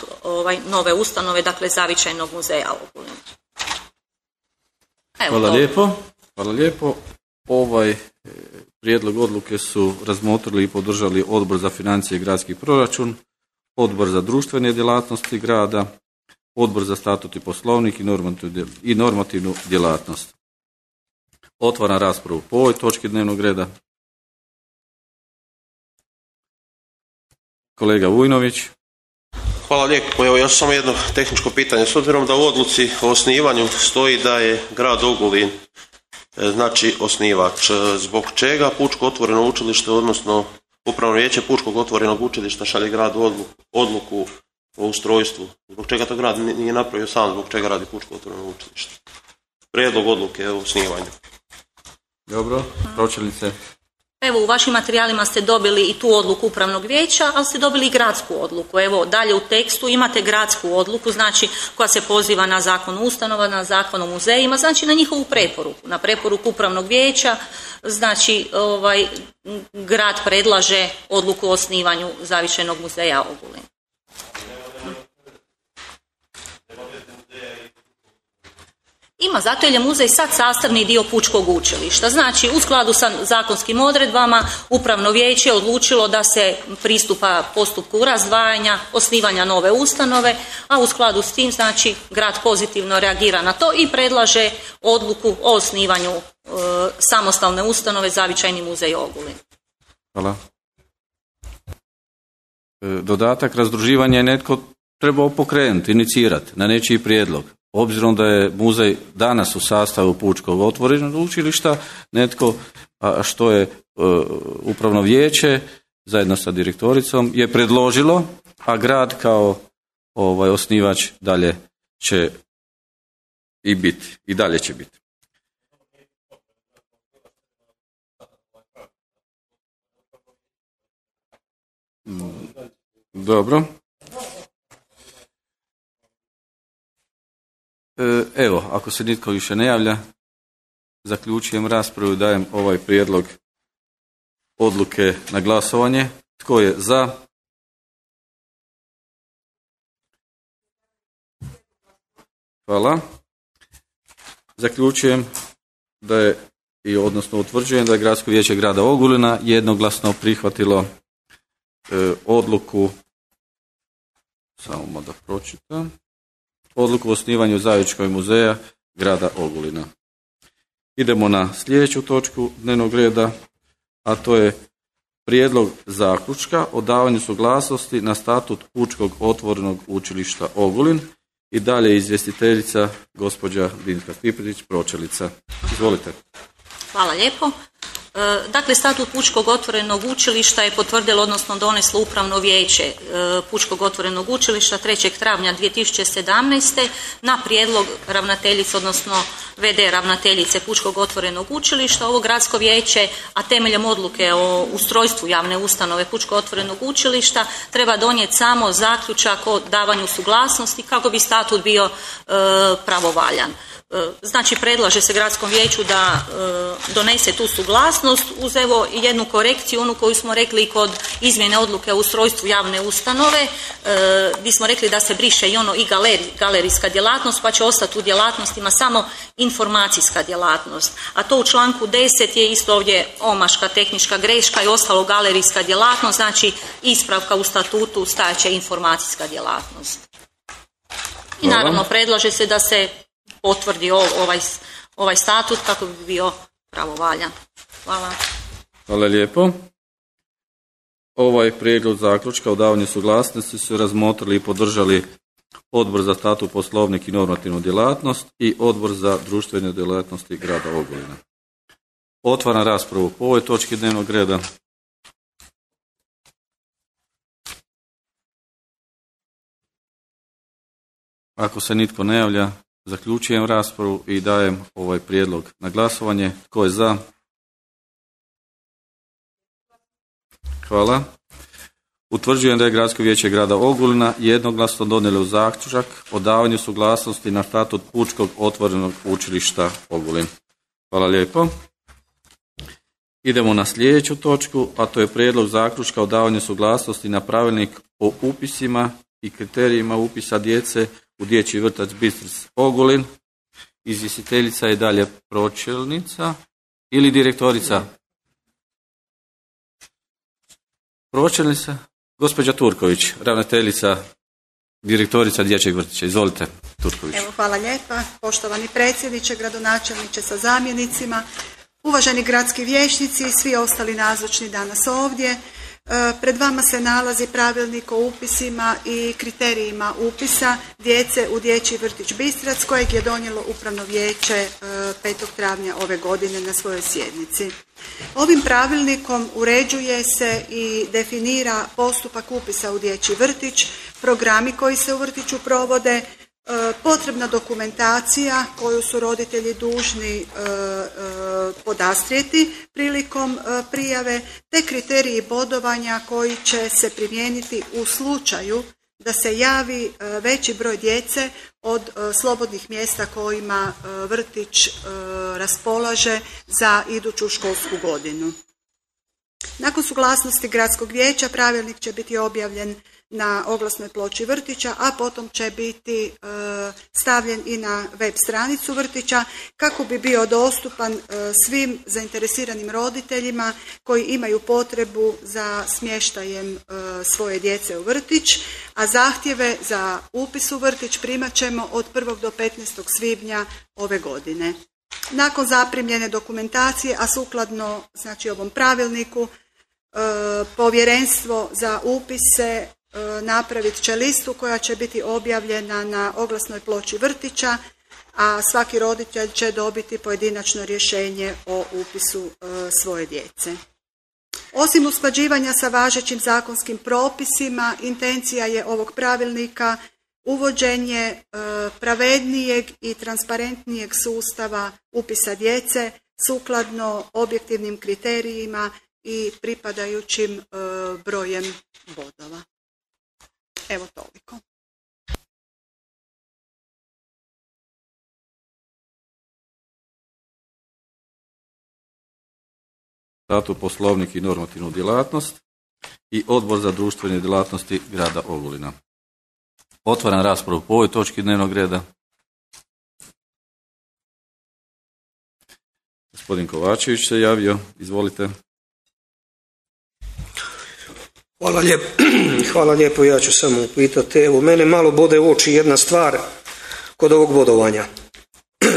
nove ustanove, dakle Zavičajnog muzeja Ogulin. Hvala lijepo. Ovaj prijedlog odluke su razmotrili i podržali Odbor za financije i gradski proračun, Odbor za društvene djelatnosti grada, Odbor za statut i poslovnik i normativnu djelatnost. Otvaram raspravu po ovoj točki dnevnog reda. Kolega Vujnović. Hvala lijepo. Evo još samo jedno tehničko pitanje. S obzirom da u odluci o osnivanju stoji da je grad Ogulin znači osnivač, zbog čega Pučko otvoreno učilište, odnosno Upravno vijeće Pučkog otvorenog učilišta šalje gradu odluku o ustrojstvu? Zbog čega to grad nije napravio sam, zbog čega radi Pučko otvoreno učilište? Prijedlog odluke o osnivanju. Dobro, pročelnice. Evo, u vašim materijalima ste dobili i tu odluku upravnog vijeća, ali ste dobili i gradsku odluku. Evo, dalje u tekstu imate gradsku odluku, znači koja se poziva na Zakon o ustanova, na Zakon o muzejima, znači na njihovu preporuku, na preporuku upravnog vijeća, znači grad predlaže odluku o osnivanju Zavičajnog muzeja Ogulin. Ima, zato jer je muzej sad sastavni dio Pučkog učilišta. Znači, u skladu sa zakonskim odredbama, upravno vijeće je odlučilo da se pristupa postupku razdvajanja, osnivanja nove ustanove, a u skladu s tim, znači, grad pozitivno reagira na to i predlaže odluku o osnivanju samostalne ustanove Zavičajni muzej Ogulin. Hvala. Dodatak, razdruživanje je netko trebao pokrenuti, inicirati na nečiji prijedlog. Obzirom da je muzej danas u sastavu Pučkog otvorenog učilišta, netko, što je upravno vijeće zajedno sa direktoricom je predložilo, a grad kao osnivač dalje će i biti, i dalje će biti. Dobro. Evo, ako se nitko više ne javlja, zaključujem raspravu i dajem ovaj prijedlog odluke na glasovanje. Tko je za? Hvala. Zaključujem da je, odnosno utvrđujem da je Gradsko vijeće grada Ogulina jednoglasno prihvatilo odluku, samo da pročitam, odluku o osnivanju Zavičkog muzeja grada Ogulina. Idemo na sljedeću točku dnevnog reda, a to je prijedlog zaključka o davanju suglasnosti na statut Pučkog otvorenog učilišta Ogulin. I dalje izvjestiteljica gospođa Dinka Stipetić, pročelnica. Izvolite. Hvala lijepo. Dakle, statut Pučkog otvorenog učilišta je potvrdilo, odnosno doneslo Upravno vijeće Pučkog otvorenog učilišta 3. travnja 2017. na prijedlog ravnateljice, odnosno VD ravnateljice Pučkog otvorenog učilišta. Ovo gradsko vijeće, a temeljem odluke o ustrojstvu javne ustanove Pučkog otvorenog učilišta, treba donijeti samo zaključak o davanju suglasnosti kako bi statut bio pravovaljan. Znači, predlaže se gradskom vijeću da donese tu suglasnost uz evo jednu korekciju, onu koju smo rekli kod izmjene odluke o ustrojstvu javne ustanove, gdje smo rekli da se briše i ono i galerijska djelatnost, pa će ostati u djelatnostima samo informacijska djelatnost. A to u članku 10 je isto ovdje omaška, tehnička greška i ostalo galerijska djelatnost, znači ispravka u statutu stajaće informacijska djelatnost. I naravno predlaže se da se potvrdi ovaj statut kako bi bio pravovaljan. Hvala. Hvala lijepo. Ovaj prijedlog zaključka o davanju suglasnosti su razmotrili i podržali Odbor za statut, poslovnik i normativnu djelatnost i Odbor za društvene djelatnosti grada Ogulina. Otvaram raspravu po ovoj točki dnevnog reda. Ako se nitko ne javlja, zaključujem raspravu i dajem ovaj prijedlog na glasovanje. Tko je za? Hvala. Utvrđujem da je Gradsko vijeće grada Ogulina jednoglasno donijelo zaključak o davanju suglasnosti na statut Pučkog otvorenog učilišta Ogulin. Hvala lijepo. Idemo na sljedeću točku, a to je prijedlog zaključka o davanju suglasnosti na pravilnik o upisima i kriterijima upisa djece u dječji vrtac Bistric Ogulin. Izvjestiteljica je dalje pročelnica ili direktorica? Pročelnica? Gospođa Turković, ravnateljica, direktorica dječjeg vrtića. Izvolite, Turković. Evo, hvala lijepa. Poštovani predsjedniče, gradonačelniče sa zamjenicima, uvaženi gradski vijećnici i svi ostali nazočni danas ovdje. Pred vama se nalazi pravilnik o upisima i kriterijima upisa djece u dječji vrtić Bistrac kojeg je donijelo Upravno vijeće 5. travnja ove godine na svojoj sjednici. Ovim pravilnikom uređuje se i definira postupak upisa u dječji vrtić, programi koji se u vrtiću provode, potrebna dokumentacija koju su roditelji dužni podastrijeti prilikom prijave, te kriteriji bodovanja koji će se primijeniti u slučaju da se javi veći broj djece od slobodnih mjesta kojima vrtić raspolaže za iduću školsku godinu. Nakon suglasnosti gradskog vijeća pravilnik će biti objavljen na oglasnoj ploči vrtića, a potom će biti stavljen i na web stranicu vrtića kako bi bio dostupan svim zainteresiranim roditeljima koji imaju potrebu za smještajem svoje djece u vrtić, a zahtjeve za upis u vrtić primat ćemo od 1. do 15. svibnja ove godine. Nakon zaprimljene dokumentacije, a sukladno znači ovom pravilniku, povjerenstvo za upise napravit će listu koja će biti objavljena na oglasnoj ploči vrtića, a svaki roditelj će dobiti pojedinačno rješenje o upisu svoje djece. Osim usklađivanja sa važećim zakonskim propisima, intencija je ovog pravilnika uvođenje pravednijeg i transparentnijeg sustava upisa djece sukladno objektivnim kriterijima i pripadajućim brojem bodova. Evo toliko. Statut, poslovnik i normativnu djelatnost i Odbor za društvene djelatnosti grada Ogulina. Otvaram raspravu po ovoj točki dnevnog reda. Gospodin Kovačević se javio. Izvolite. Hvala lijepo, ja ću samo upitati. Evo, mene malo bode u oči jedna stvar kod ovog bodovanja.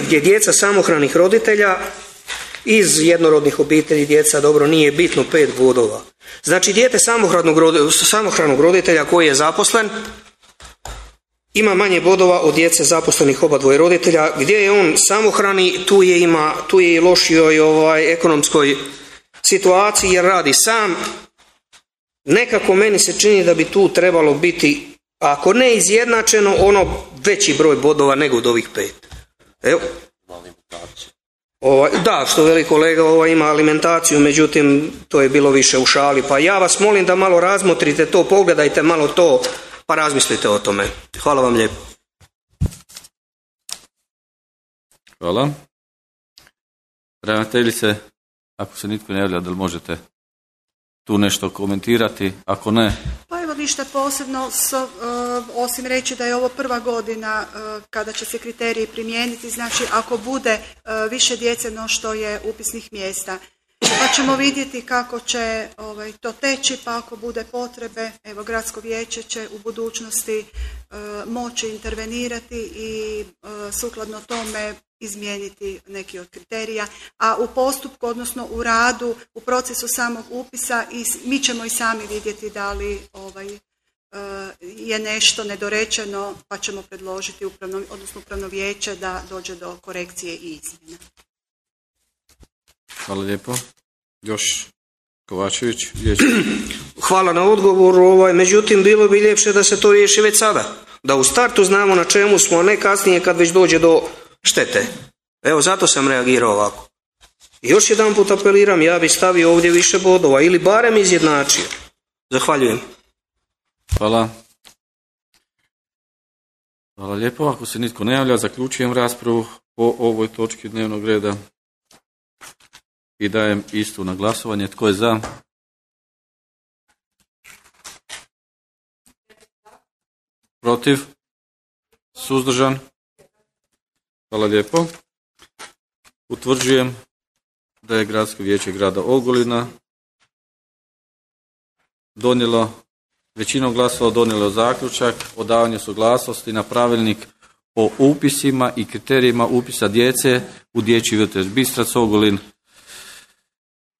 Gdje djeca samohranih roditelja iz jednorodnih obitelji, djeca, dobro, nije bitno, 5 bodova. Znači, dijete samohranog roditelja koji je zaposlen ima manje bodova od djece zaposlenih obadvoje roditelja. Gdje je on samohrani, tu je i lošijoj ekonomskoj situaciji jer radi sam. Nekako meni se čini da bi tu trebalo biti, ako ne izjednačeno, ono veći broj bodova nego od ovih 5. Evo. Da, što veli kolega, ima alimentaciju, međutim to je bilo više u šali. Pa ja vas molim da malo razmotrite to, pogledajte malo to, pa razmislite o tome. Hvala vam lijepo. Hvala. Ravnateljice, ako se nitko ne javlja, da li možete tu nešto komentirati? Ako ne... Pa evo ništa posebno, osim reći da je ovo prva godina kada će se kriteriji primijeniti, znači ako bude više djece no što je upisnih mjesta. Pa ćemo vidjeti kako će to teći, pa ako bude potrebe, evo gradsko vijeće će u budućnosti moći intervenirati i sukladno tome izmijeniti neki od kriterija, a u postupku, odnosno u radu, u procesu samog upisa mi ćemo i sami vidjeti da li je nešto nedorečeno, pa ćemo predložiti upravno vijeće da dođe do korekcije i izmjena. Hvala lijepo. Još Kovačević. Hvala na odgovoru, međutim bilo bi ljepše da se to riješi već sada. Da u startu znamo na čemu smo, a ne kasnije kad već dođe do štete. Evo, zato sam reagirao ovako. I još jedan put apeliram, ja bih stavio ovdje više bodova ili barem izjednačio. Zahvaljujem. Hvala. Hvala lijepo. Ako se nitko ne javlja, zaključujem raspravu po ovoj točki dnevnog reda i dajem istu na glasovanje. Tko je za? Protiv? Suzdržan? Hvala lijepo. Utvrđujem da je Gradsko vijeće grada Ogulina donijelo, većinom glasova donijelo zaključak o davanju suglasnosti na pravilnik o upisima i kriterijima upisa djece u dječji vrtić Bistrac Ogulin.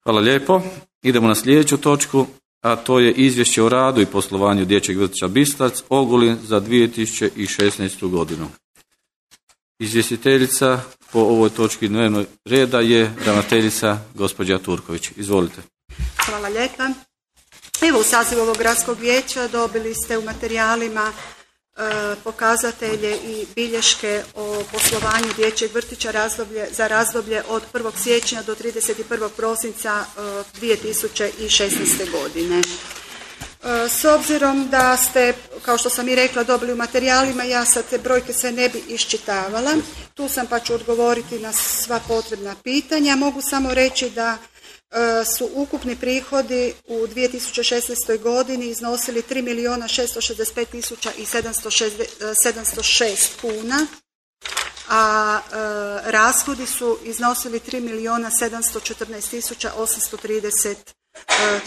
Hvala lijepo. Idemo na sljedeću točku, a to je izvješće o radu i poslovanju dječjeg vrtića Bistrac Ogulin za 2016. godinu. Izvjestiteljica po ovoj točki dnevnog reda je ravnateljica gospođa Turković. Izvolite. Hvala lijepa. Evo, u sazivu ovog gradskog vijeća dobili ste u materijalima pokazatelje i bilješke o poslovanju dječjeg vrtića za razdoblje od 1. siječnja do 31. prosinca 2016. godine. S obzirom da ste, kao što sam i rekla, dobili u materijalima, ja sad te brojke sve ne bi iščitavala. Tu sam pa ću odgovoriti na sva potrebna pitanja. Mogu samo reći da su ukupni prihodi u 2016. godini iznosili 3.665.706 kuna, a rashodi su iznosili 3.714.830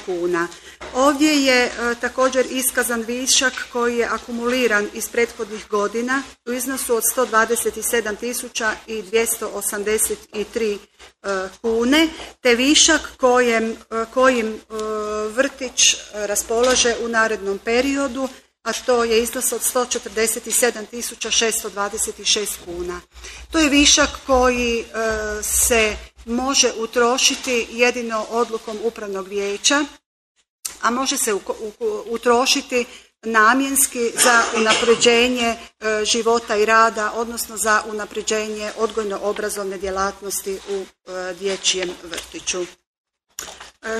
kuna. Ovdje je također iskazan višak koji je akumuliran iz prethodnih godina u iznosu od 127.283 kune, te višak kojim vrtić raspolaže u narednom periodu, a to je iznos od 147.626 kuna. To je višak koji se može utrošiti jedino odlukom upravnog vijeća, a može se utrošiti namjenski za unapređenje života i rada, odnosno za unapređenje odgojno-obrazovne djelatnosti u dječjem vrtiću.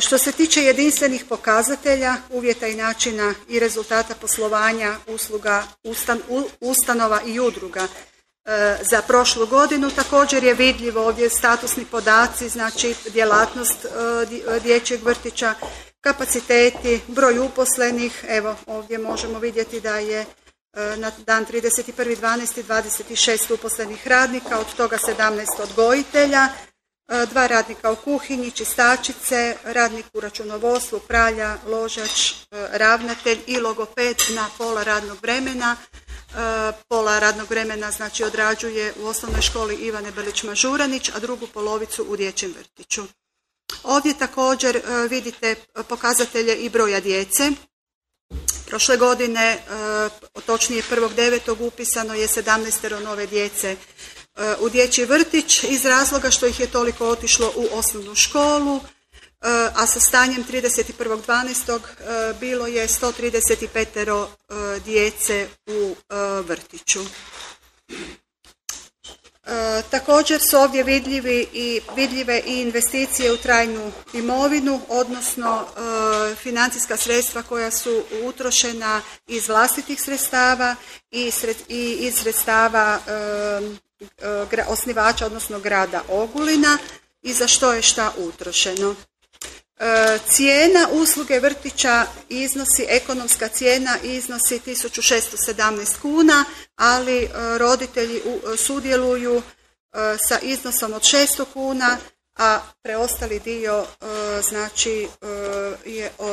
Što se tiče jedinstvenih pokazatelja, uvjeta i načina i rezultata poslovanja usluga ustanova i udruga za prošlu godinu, također je vidljivo ovdje statusni podaci, znači djelatnost dječjeg vrtića, kapaciteti, broj uposlenih. Evo, ovdje možemo vidjeti da je na dan 31.12. 26 uposlenih radnika, od toga 17 odgojitelja, 2 radnika u kuhinji, čistačice, radnik u računovodstvu, pralja, ložač, ravnatelj i logoped na pola radnog vremena. Pola radnog vremena znači odrađuje u osnovnoj školi Ivane Belić-Mažuranić, a drugu polovicu u dječjem vrtiću. Ovdje također vidite pokazatelje i broja djece. Prošle godine, točnije 1.9. upisano je 17 nove djece u dječji vrtić iz razloga što ih je toliko otišlo u osnovnu školu, a sa stanjem 31.12. bilo je 135 djece u vrtiću. Također su ovdje vidljive i investicije u trajnu imovinu, odnosno financijska sredstva koja su utrošena iz vlastitih sredstava i iz sredstava osnivača, odnosno grada Ogulina, i za što je šta utrošeno. Cijena usluge vrtića ekonomska cijena iznosi 1617 kuna, ali roditelji sudjeluju sa iznosom od 600 kuna, a preostali dio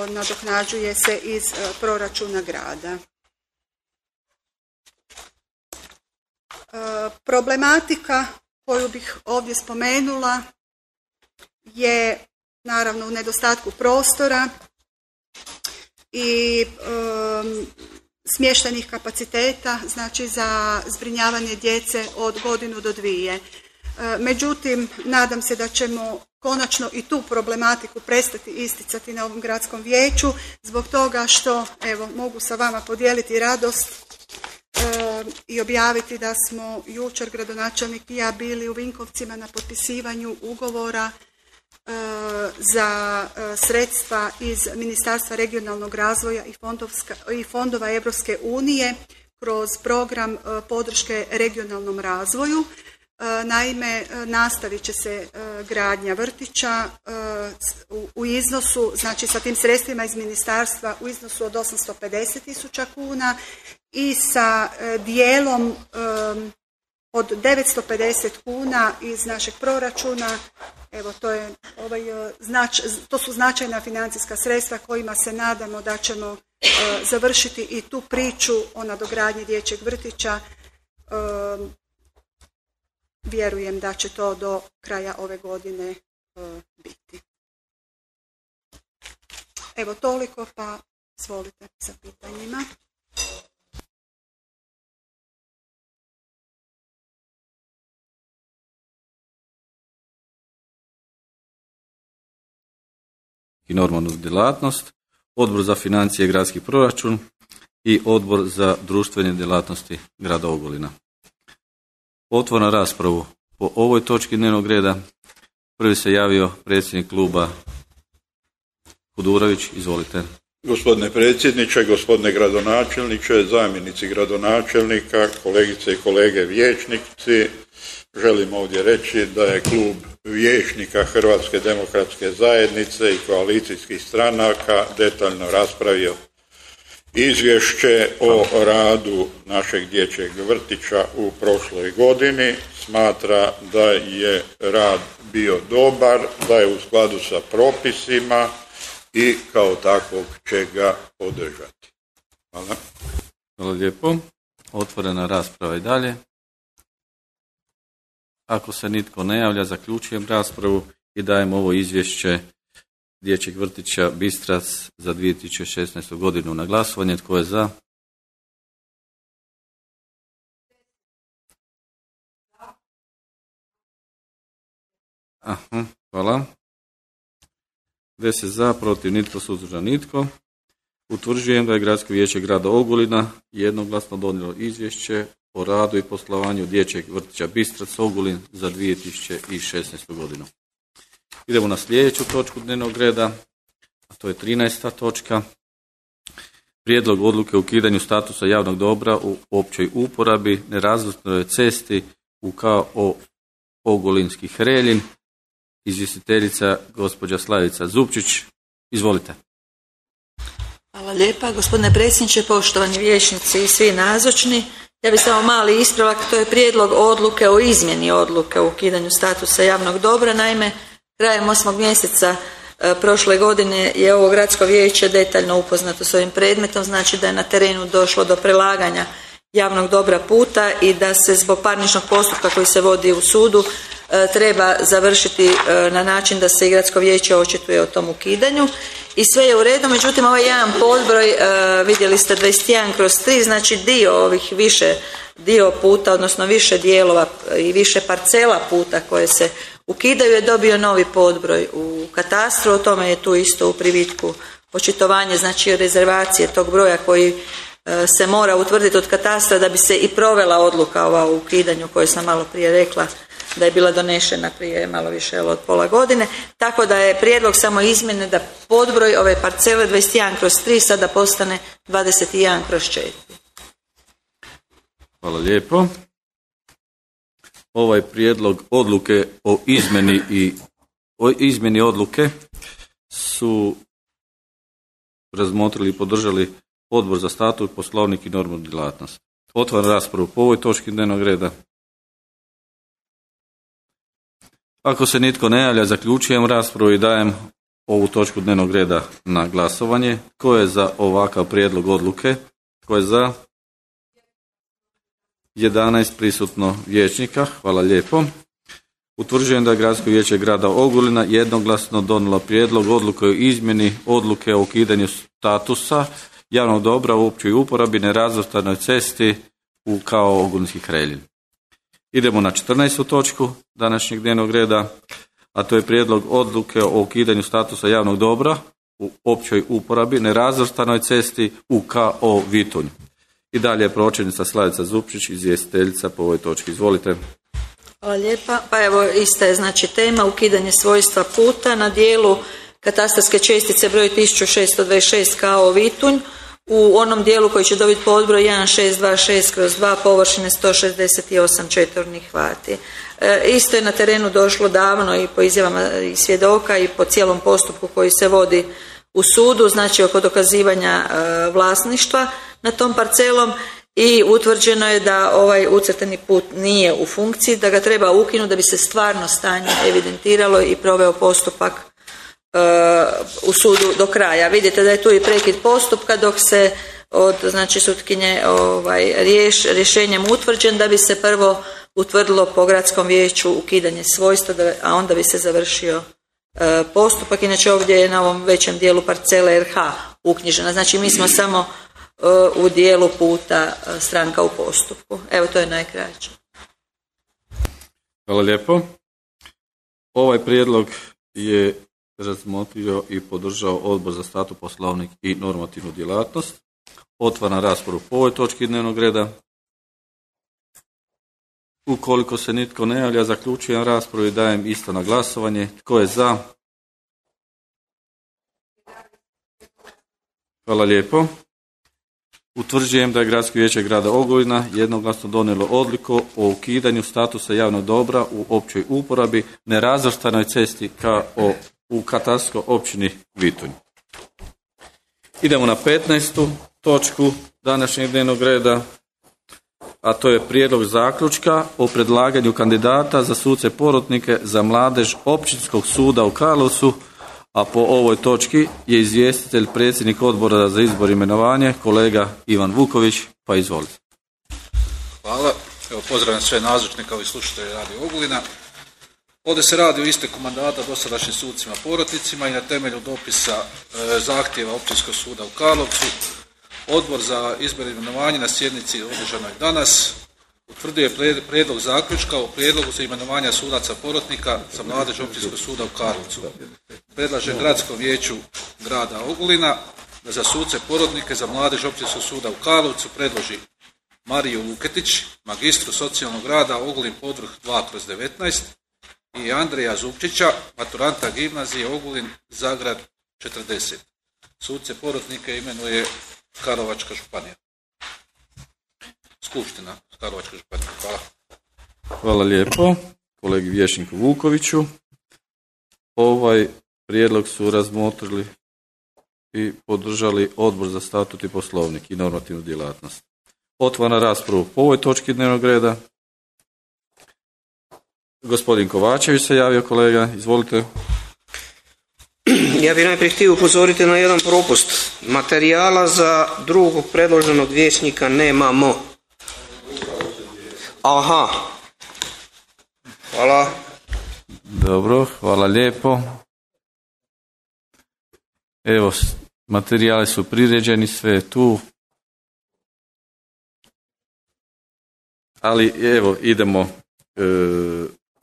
nadoknađuje se iz proračuna grada. Problematika koju bih ovdje spomenula je naravno u nedostatku prostora i smještajnih kapaciteta, znači za zbrinjavanje djece od godinu do 2. Međutim, nadam se da ćemo konačno i tu problematiku prestati isticati na ovom gradskom vijeću, zbog toga što, evo, mogu sa vama podijeliti radost i objaviti da smo jučer gradonačelnik i ja bili u Vinkovcima na potpisivanju ugovora za sredstva iz Ministarstva regionalnog razvoja i fondova Europske unije kroz program podrške regionalnom razvoju. Naime, nastavit će se gradnja vrtića u iznosu, znači sa tim sredstvima iz ministarstva u iznosu od 850.000 kuna i sa dijelom od 950 kuna iz našeg proračuna. Evo, to su značajna financijska sredstva kojima se nadamo da ćemo završiti i tu priču o nadogradnji dječjeg vrtića. Vjerujem da će to do kraja ove godine biti. Evo toliko, pa izvolite sa pitanjima. I normalnu djelatnost, Odbor za financije i gradski proračun i Odbor za društvene djelatnosti grada Ogulina. Otvaram raspravu po ovoj točki dnevnog reda. Prvi se javio predsjednik kluba Kudurović, izvolite. Gospodine predsjedniče, gospodine gradonačelniče, zamjenici gradonačelnika, kolegice i kolege vijećnici, želim ovdje reći da je klub vijećnika Hrvatske demokratske zajednice i koalicijskih stranaka detaljno raspravio izvješće o radu našeg dječjeg vrtića u prošloj godini. Smatra da je rad bio dobar, da je u skladu sa propisima i kao takvog će ga podržati. Hvala. Hvala lijepo. Otvorena rasprava i dalje. Ako se nitko ne javlja, zaključujem raspravu i dajem ovo izvješće dječjeg vrtića Bistrac za 2016. godinu na glasovanje. Tko je za? Hvala. 10 za, protiv nitko, suzdržan nitko. Utvrđujem da je Gradsko vijeće grada Ogulina jednoglasno donijelo izvješće o radu i poslovanju dječjeg vrtića Bistrac Ogulin za 2016. godinu. Idemo na sljedeću točku dnevnog reda, a to je 13. točka. Prijedlog odluke o ukidanju statusa javnog dobra u općoj uporabi nerazvrstanoj cesti u KO Ogulinski Hreljin. Izvjestiteljica gospođa Slavica Zupčić. Izvolite. Hvala lijepa, gospodine predsjedniče, poštovani vijećnici i svi nazočni. Ja bih samo mali ispravak, to je prijedlog odluke o izmjeni odluke o ukidanju statusa javnog dobra. Naime, krajem 8. mjeseca prošle godine je ovo gradsko vijeće detaljno upoznato s ovim predmetom, znači da je na terenu došlo do prelaganja javnog dobra puta i da se zbog parničnog postupka koji se vodi u sudu treba završiti na način da se i gradsko vijeće očituje o tom ukidanju i sve je u redu. Međutim, ovaj jedan podbroj, vidjeli ste 21/3, znači dio puta, odnosno više dijelova i više parcela puta koje se ukidaju je dobio novi podbroj u katastru, o tome je tu isto u privitku očitovanje, znači rezervacije tog broja koji se mora utvrditi od katastra da bi se i provela odluka ova o ukidanju koju sam malo prije rekla da je bila donešena prije malo više od pola godine, tako da je prijedlog samo izmjene da podbroj ove parcele 21/3 sada postane 21/4. Hvala lijepo. Ovaj prijedlog odluke o izmjeni odluke su razmotrili i podržali Odbor za statut, poslovnik i normu djelatnost. Otvaram raspravu po ovoj točki dnevnog reda. Ako se nitko ne javlja, zaključujem raspravu i dajem ovu točku dnevnog reda na glasovanje. Tko je za ovakav prijedlog odluke? Tko je za? 11 prisutno vijećnika. Hvala lijepo. Utvrđujem da je Gradsko vijeće grada Ogulina jednoglasno donijelo prijedlog odluke o izmjeni odluke o ukidanju statusa javnog dobra u općoj uporabi nerazvrstanoj cesti u kao Ogulinski Hreljin. Idemo na 14. točku današnjeg dnevnog reda, a to je prijedlog odluke o ukidanju statusa javnog dobra u općoj uporabi nerazvrstanoj cesti u KO Vitunj. I dalje je pročelnica Slavica Zupčić, izvjestiteljica po ovoj točki. Izvolite. Hvala lijepa. Pa evo, ista je znači tema, ukidanje svojstva puta na dijelu katastarske čestice broj 1626 KO Vitunj u onom dijelu koji će dobiti podbroj 1626/2 površine 168 četvornih vati. Isto je na terenu došlo davno i po izjavama i svjedoka i po cijelom postupku koji se vodi u sudu, znači oko dokazivanja vlasništva nad tom parcelom, i utvrđeno je da ovaj ucrtani put nije u funkciji, da ga treba ukinuti da bi se stvarno stanje evidentiralo i proveo postupak u sudu do kraja. Vidite da je tu i prekid postupka dok se od znači sutkinje rješenjem utvrđen da bi se prvo utvrdilo po gradskom vijeću ukidanje svojstva, a onda bi se završio postupak. Inače ovdje je na ovom većem dijelu parcele RH uknjižena. Znači mi smo samo u dijelu puta stranka u postupku. Evo, to je najkraće. Hvala lijepo. Ovaj prijedlog je razmotrio i podržao Odbor za statut, poslovnik i normativnu djelatnost. Otvaram raspravu po ovoj točki dnevnog reda. Ukoliko se nitko ne javlja, zaključujem raspravu i dajem isto na glasovanje. Tko je za? Hvala lijepo. Utvrđujem da je Gradsko vijeće grada Ogulina jednoglasno donijelo odluku o ukidanju statusa javnog dobra u općoj uporabi nerazvrstanoj cesti u katastarskoj općini Vitunj. Idemo na 15. točku današnjeg dnevnog reda, a to je prijedlog zaključka o predlaganju kandidata za suce porotnike za mladež Općinskog suda u Karlovcu, a po ovoj točki je izvjestitelj predsjednik Odbora za izbor i imenovanje, kolega Ivan Vuković, pa izvolite. Hvala. Evo, pozdravljam sve nazočne kao i slušatelje Radio Ogulina. Ovdje se radi o isteku mandata dosadašnjim sucima porotnicima i na temelju dopisa zahtjeva Općinskog suda u Karlovcu Odbor za izbor i imenovanje na sjednici održanoj danas utvrdio je prijedlog zaključka o prijedlogu za imenovanje sudaca porotnika za mladež Općinskog suda u Karlovcu. Predlaže Gradskom vijeću grada Ogulina da za suce porotnike za mladež Općinskog suda u Karlovcu predloži Mariju Luketić, magistru socijalnog rada Ogulin Podvrh 2/19 i Andreja Zupčića, maturanta gimnazije Ogulin Zagrad 40. Suce porotnike imenuje Karlovačka županija. Skupština Karlovačke županije. Hvala. Hvala lijepo kolegi vijećniku Vukoviću. Ovaj prijedlog su razmotrili i podržali Odbor za statut i poslovnik i normativnu djelatnost. Otvaram raspravu po ovoj točki dnevnog reda. Gospodin Kovačević se javio, kolega, izvolite. Ja bih najprije htio upozoriti na jedan propust. Materijala za drugog predloženog vijećnika nemamo. Aha. Hvala. Dobro, hvala lijepo. Evo, materijali su priređeni, sve je tu. Ali evo, idemo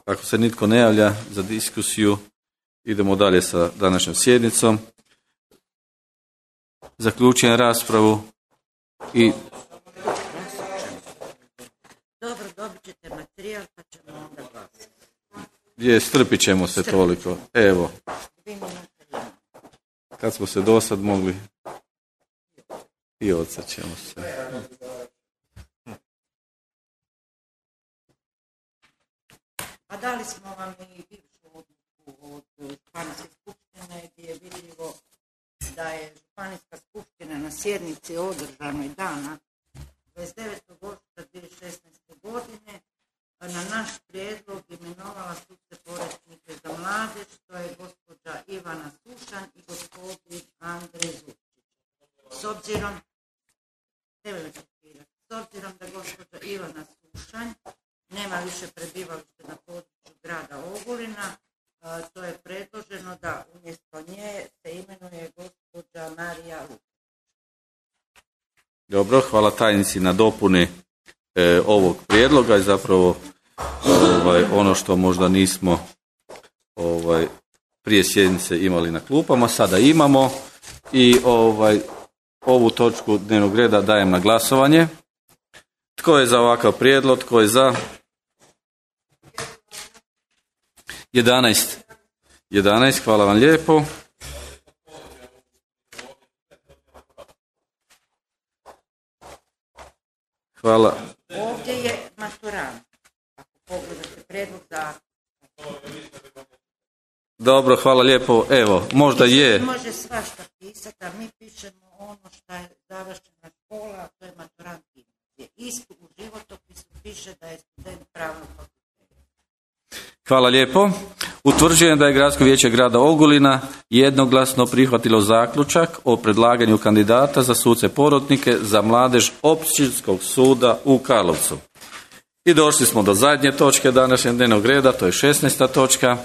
ako se nitko ne javlja za diskusiju, idemo dalje sa današnjom sjednicom. Zaključujem raspravu i... Dobro, dobit ćete materijal pa ćemo onda glasiti. Strpit ćemo se toliko. Evo. Kad smo se do sad mogli i odsjećemo se. A dali smo vam i bivšu odluku od Županijske skupštine gdje je vidljivo da je Županijska skupština na sjednici održanoj dana 29. ožujka 2016. godine na naš prijedlog imenovala suce porotnike za mladež, to je gospođa Ivana Sušanj i gospodin Andrej Zupčić. S obzirom da gospođa Ivana Sušanj nema više prebivalište na području grada Ogulina, to je predloženo da umjesto nje se imenuje gospođa Marija Lukić. Dobro, hvala tajnici na dopuni ovog prijedloga i zapravo ono što možda nismo prije sjednice imali na klupama, sada imamo i ovu točku dnevnog reda dajem na glasovanje. Tko je za ovakav prijedlog? Tko je za? 11. Hvala vam lijepo. Hvala. Ovdje je maturant. Ako pogledate prijedlog za... Dobro, hvala lijepo. Evo, možda je... Može svašta pisati, a mi pišemo ono što je završena škola, a to je maturant gimnazije. Isto u životopisu piše da je student pravnog fakulteta. Hvala lijepo. Utvrđujem da je Gradsko vijeće grada Ogulina jednoglasno prihvatilo zaključak o predlaganju kandidata za suce porotnike za mladež Općinskog suda u Karlovcu. I došli smo do zadnje točke današnjeg dnevnog reda, to je 16. točka.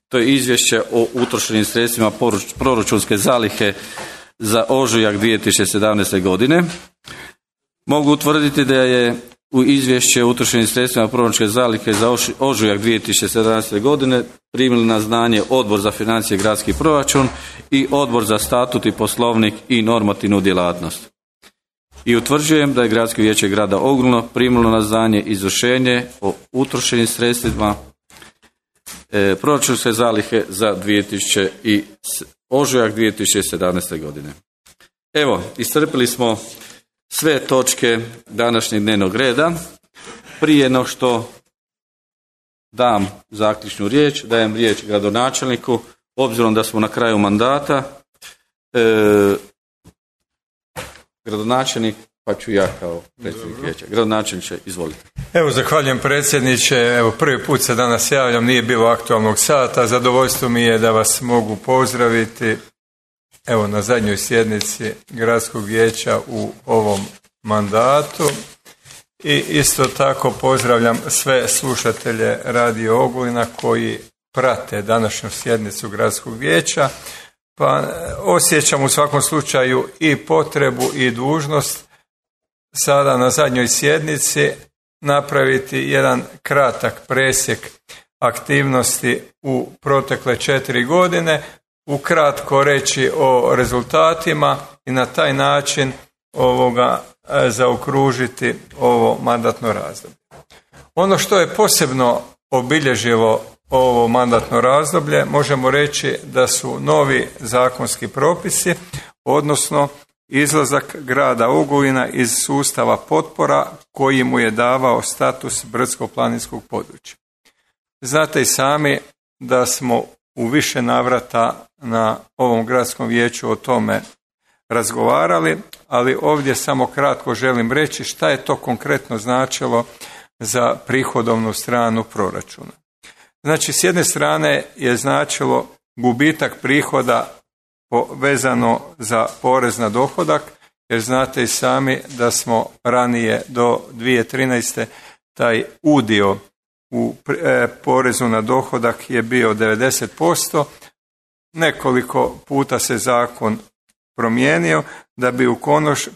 To je izvješće o utrošenim sredstvima proračunske zalihe za ožujak 2017. godine. Mogu utvrditi da je u izvješće o utrošenim sredstvima proračunske zalihe za ožujak 2017. godine primili na znanje Odbor za financije i gradski proračun i Odbor za statut i poslovnik i normativnu djelatnost. I utvrđujem da je Gradsko vijeće grada Ogulina primilo na znanje izvršenje o utrošenim sredstvima proračunske zalihe za ožujak 2017. godine. Evo, iscrpili smo sve točke današnjeg dnevnog reda. Prije no što dam zaključnu riječ, dajem riječ gradonačelniku, obzirom da smo na kraju mandata. Gradonačelnik, pa ću ja kao predsjednik vijeća. Gradonačelniče, izvolite. Evo, zahvaljujem predsjedniče. Evo, prvi put se danas javljam, nije bilo aktualnog sata. Zadovoljstvo mi je da vas mogu pozdraviti evo na zadnjoj sjednici Gradskog vijeća u ovom mandatu. I isto tako pozdravljam sve slušatelje Radio Ogulina koji prate današnju sjednicu Gradskog vijeća. Pa osjećam u svakom slučaju i potrebu i dužnost sada na zadnjoj sjednici napraviti jedan kratak presjek aktivnosti u protekle 4 godine, ukratko reći o rezultatima i na taj način zaokružiti ovo mandatno razdoblje. Ono što je posebno obilježilo ovo mandatno razdoblje, možemo reći da su novi zakonski propisi, odnosno izlazak grada Ogulina iz sustava potpora koji mu je davao status brdsko-planinskog područja. Znate i sami da smo u više navrata na ovom gradskom vijeću o tome razgovarali, ali ovdje samo kratko želim reći šta je to konkretno značilo za prihodovnu stranu proračuna. Znači, s jedne strane je značilo gubitak prihoda vezano za porez na dohodak, jer znate i sami da smo ranije do 2013. taj udio u porezu na dohodak je bio 90%. Nekoliko puta se zakon promijenio da bi u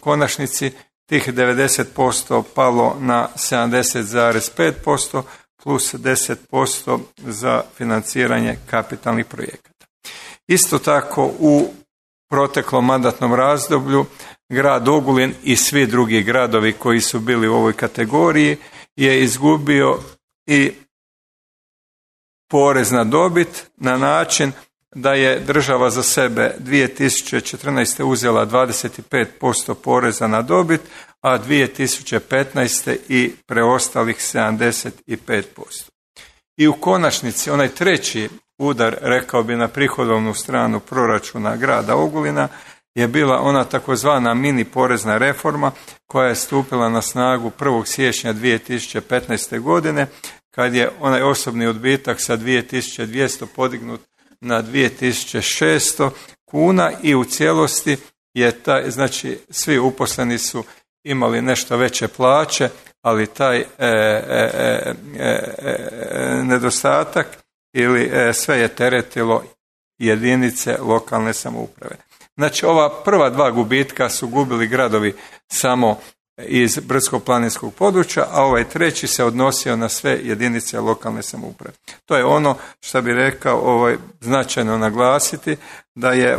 konačnici tih 90% palo na 70,5%, plus 10% za financiranje kapitalnih projekata. Isto tako u proteklom mandatnom razdoblju grad Ogulin i svi drugi gradovi koji su bili u ovoj kategoriji je izgubio i porez na dobit na način da je država za sebe 2014. uzela 25% poreza na dobit, a 2015. i preostalih 75%. I u konačnici onaj treći udar, rekao bi, na prihodovnu stranu proračuna grada Ogulina je bila ona takozvana mini porezna reforma koja je stupila na snagu 1. siječnja 2015. godine, kad je onaj osobni odbitak sa 2200 podignut na 2600 kuna i u cijelosti je taj, znači svi uposleni su imali nešto veće plaće, ali taj nedostatak ili sve je teretilo jedinice lokalne samouprave. Znači ova prva dva gubitka su gubili gradovi samo iz brdsko-planinskog područja, a ovaj treći se odnosio na sve jedinice lokalne samouprave. To je ono što bi rekao značajno naglasiti, da je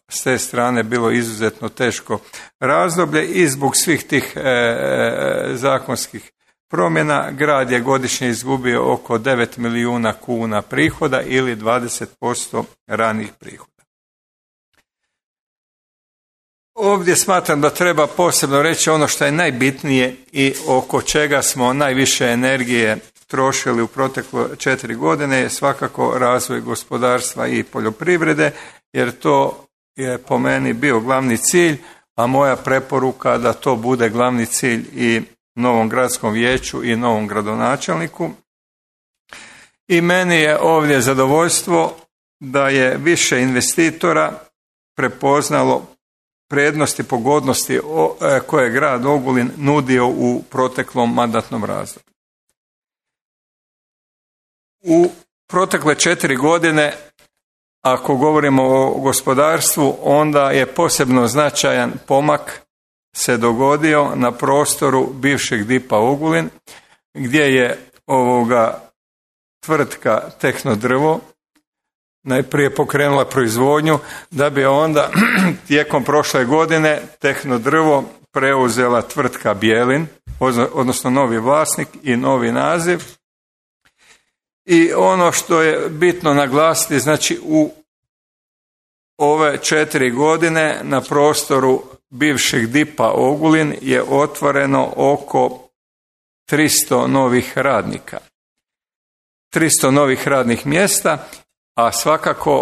s te strane bilo izuzetno teško razdoblje i zbog svih tih zakonskih promjena grad je godišnje izgubio oko 9 milijuna kuna prihoda ili 20% ranih prihoda. Ovdje smatram da treba posebno reći ono što je najbitnije i oko čega smo najviše energije trošili u proteklo 4 godine je svakako razvoj gospodarstva i poljoprivrede, jer to je po meni bio glavni cilj, a moja preporuka da to bude glavni cilj i novom gradskom vijeću i novom gradonačelniku. I meni je ovdje zadovoljstvo da je više investitora prepoznalo prednosti, pogodnosti koje je grad Ogulin nudio u proteklom mandatnom razdoblju. U protekle 4 godine, ako govorimo o gospodarstvu, onda je posebno značajan pomak se dogodio na prostoru bivšeg DIP-a Ogulin, gdje je tvrtka Tehnodrvo najprije pokrenula proizvodnju, da bi onda tijekom prošle godine Tehnodrvo preuzela tvrtka Bjelin, odnosno novi vlasnik i novi naziv. I ono što je bitno naglasiti, znači u ove 4 godine na prostoru bivšeg DIP-a Ogulin je otvoreno oko 300 novih radnika. 300 novih radnih mjesta, a svakako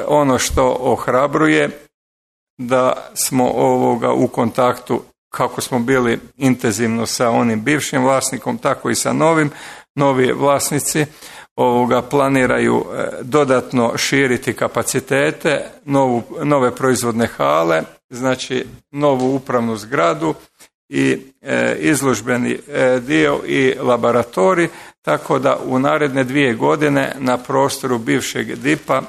ono što ohrabruje da smo u kontaktu, kako smo bili intenzivno sa onim bivšim vlasnikom, tako i sa novi vlasnici planiraju dodatno širiti kapacitete, nove proizvodne hale, znači novu upravnu zgradu i izložbeni dio i laboratorij, tako da u naredne 2 godine na prostoru bivšeg DIP-a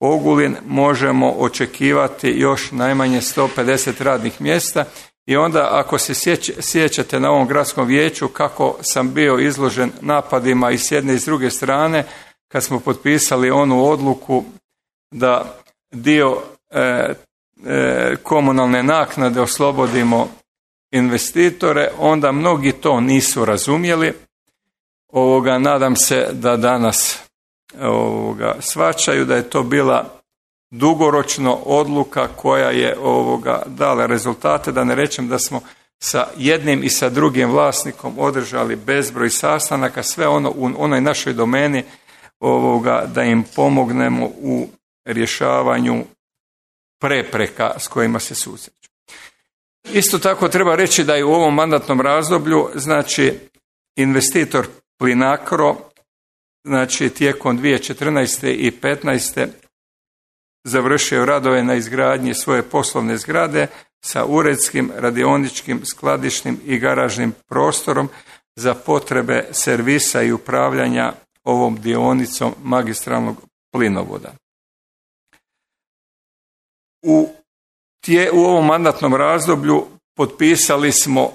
Ogulin možemo očekivati još najmanje 150 radnih mjesta. I onda ako se sjećate na ovom gradskom vijeću kako sam bio izložen napadima i s jedne i s druge strane, kad smo potpisali onu odluku da dio komunalne naknade oslobodimo investitore, onda mnogi to nisu razumjeli. Nadam se da danas shvaćaju da je to bila dugoročno odluka koja je dala rezultate, da ne rečem da smo sa jednim i sa drugim vlasnikom održali bezbroj sastanaka, sve ono u onoj našoj domeni da im pomognemo u rješavanju prepreka s kojima se susreću. Isto tako treba reći da je u ovom mandatnom razdoblju, znači, investitor Plinacro, znači tijekom 2014. i 2015. završio radove na izgradnji svoje poslovne zgrade sa uredskim, radioničkim, skladišnim i garažnim prostorom za potrebe servisa i upravljanja ovom dionicom magistralnog plinovoda. U ovom mandatnom razdoblju potpisali smo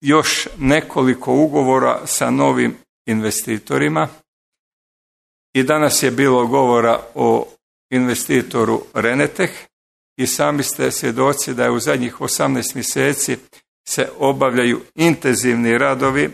još nekoliko ugovora sa novim investitorima i danas je bilo govora o investitoru Renetech i sami ste svjedoci da je u zadnjih 18 mjeseci se obavljaju intenzivni radovi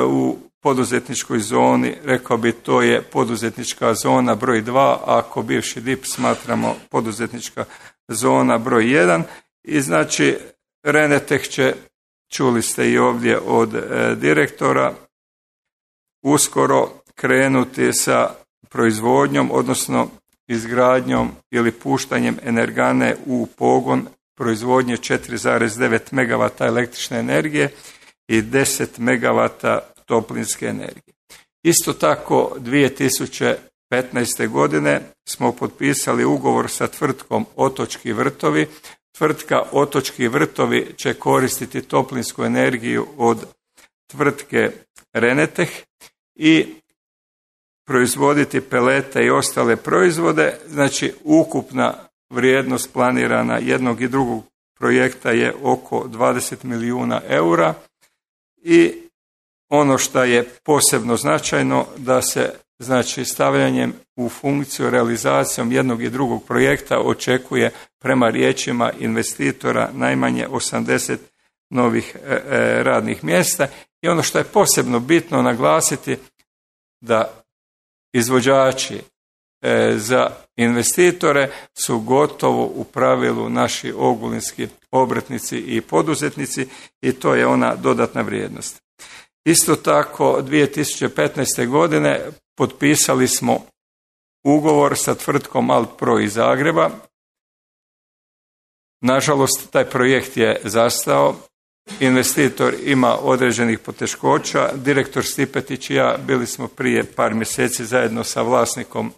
u poduzetničkoj zoni, rekao bi to je poduzetnička zona broj 2, ako bivši DIP smatramo poduzetnička zona broj 1 i znači Renetech će, čuli ste i ovdje od direktora, uskoro krenuti sa proizvodnjom, odnosno izgradnjom ili puštanjem energane u pogon proizvodnje 4,9 MW električne energije i 10 MW toplinske energije. Isto tako 2015. godine smo potpisali ugovor sa tvrtkom Otočki vrtovi. Tvrtka Otočki vrtovi će koristiti toplinsku energiju od tvrtke Renetech i proizvoditi pelete i ostale proizvode. Znači ukupna vrijednost planirana jednog i drugog projekta je oko 20 milijuna eura i ono što je posebno značajno da se znači stavljanjem u funkciju realizacijom jednog i drugog projekta očekuje prema riječima investitora najmanje 80 novih radnih mjesta i ono što je posebno bitno naglasiti da izvođači za investitore su gotovo u pravilu naši ogulinski obrtnici i poduzetnici i to je ona dodatna vrijednost. Isto tako 2015. godine potpisali smo ugovor sa tvrtkom Altpro iz Zagreba. Nažalost, taj projekt je zastao. Investitor ima određenih poteškoća. Direktor Stipetić i ja bili smo prije par mjeseci zajedno sa vlasnikom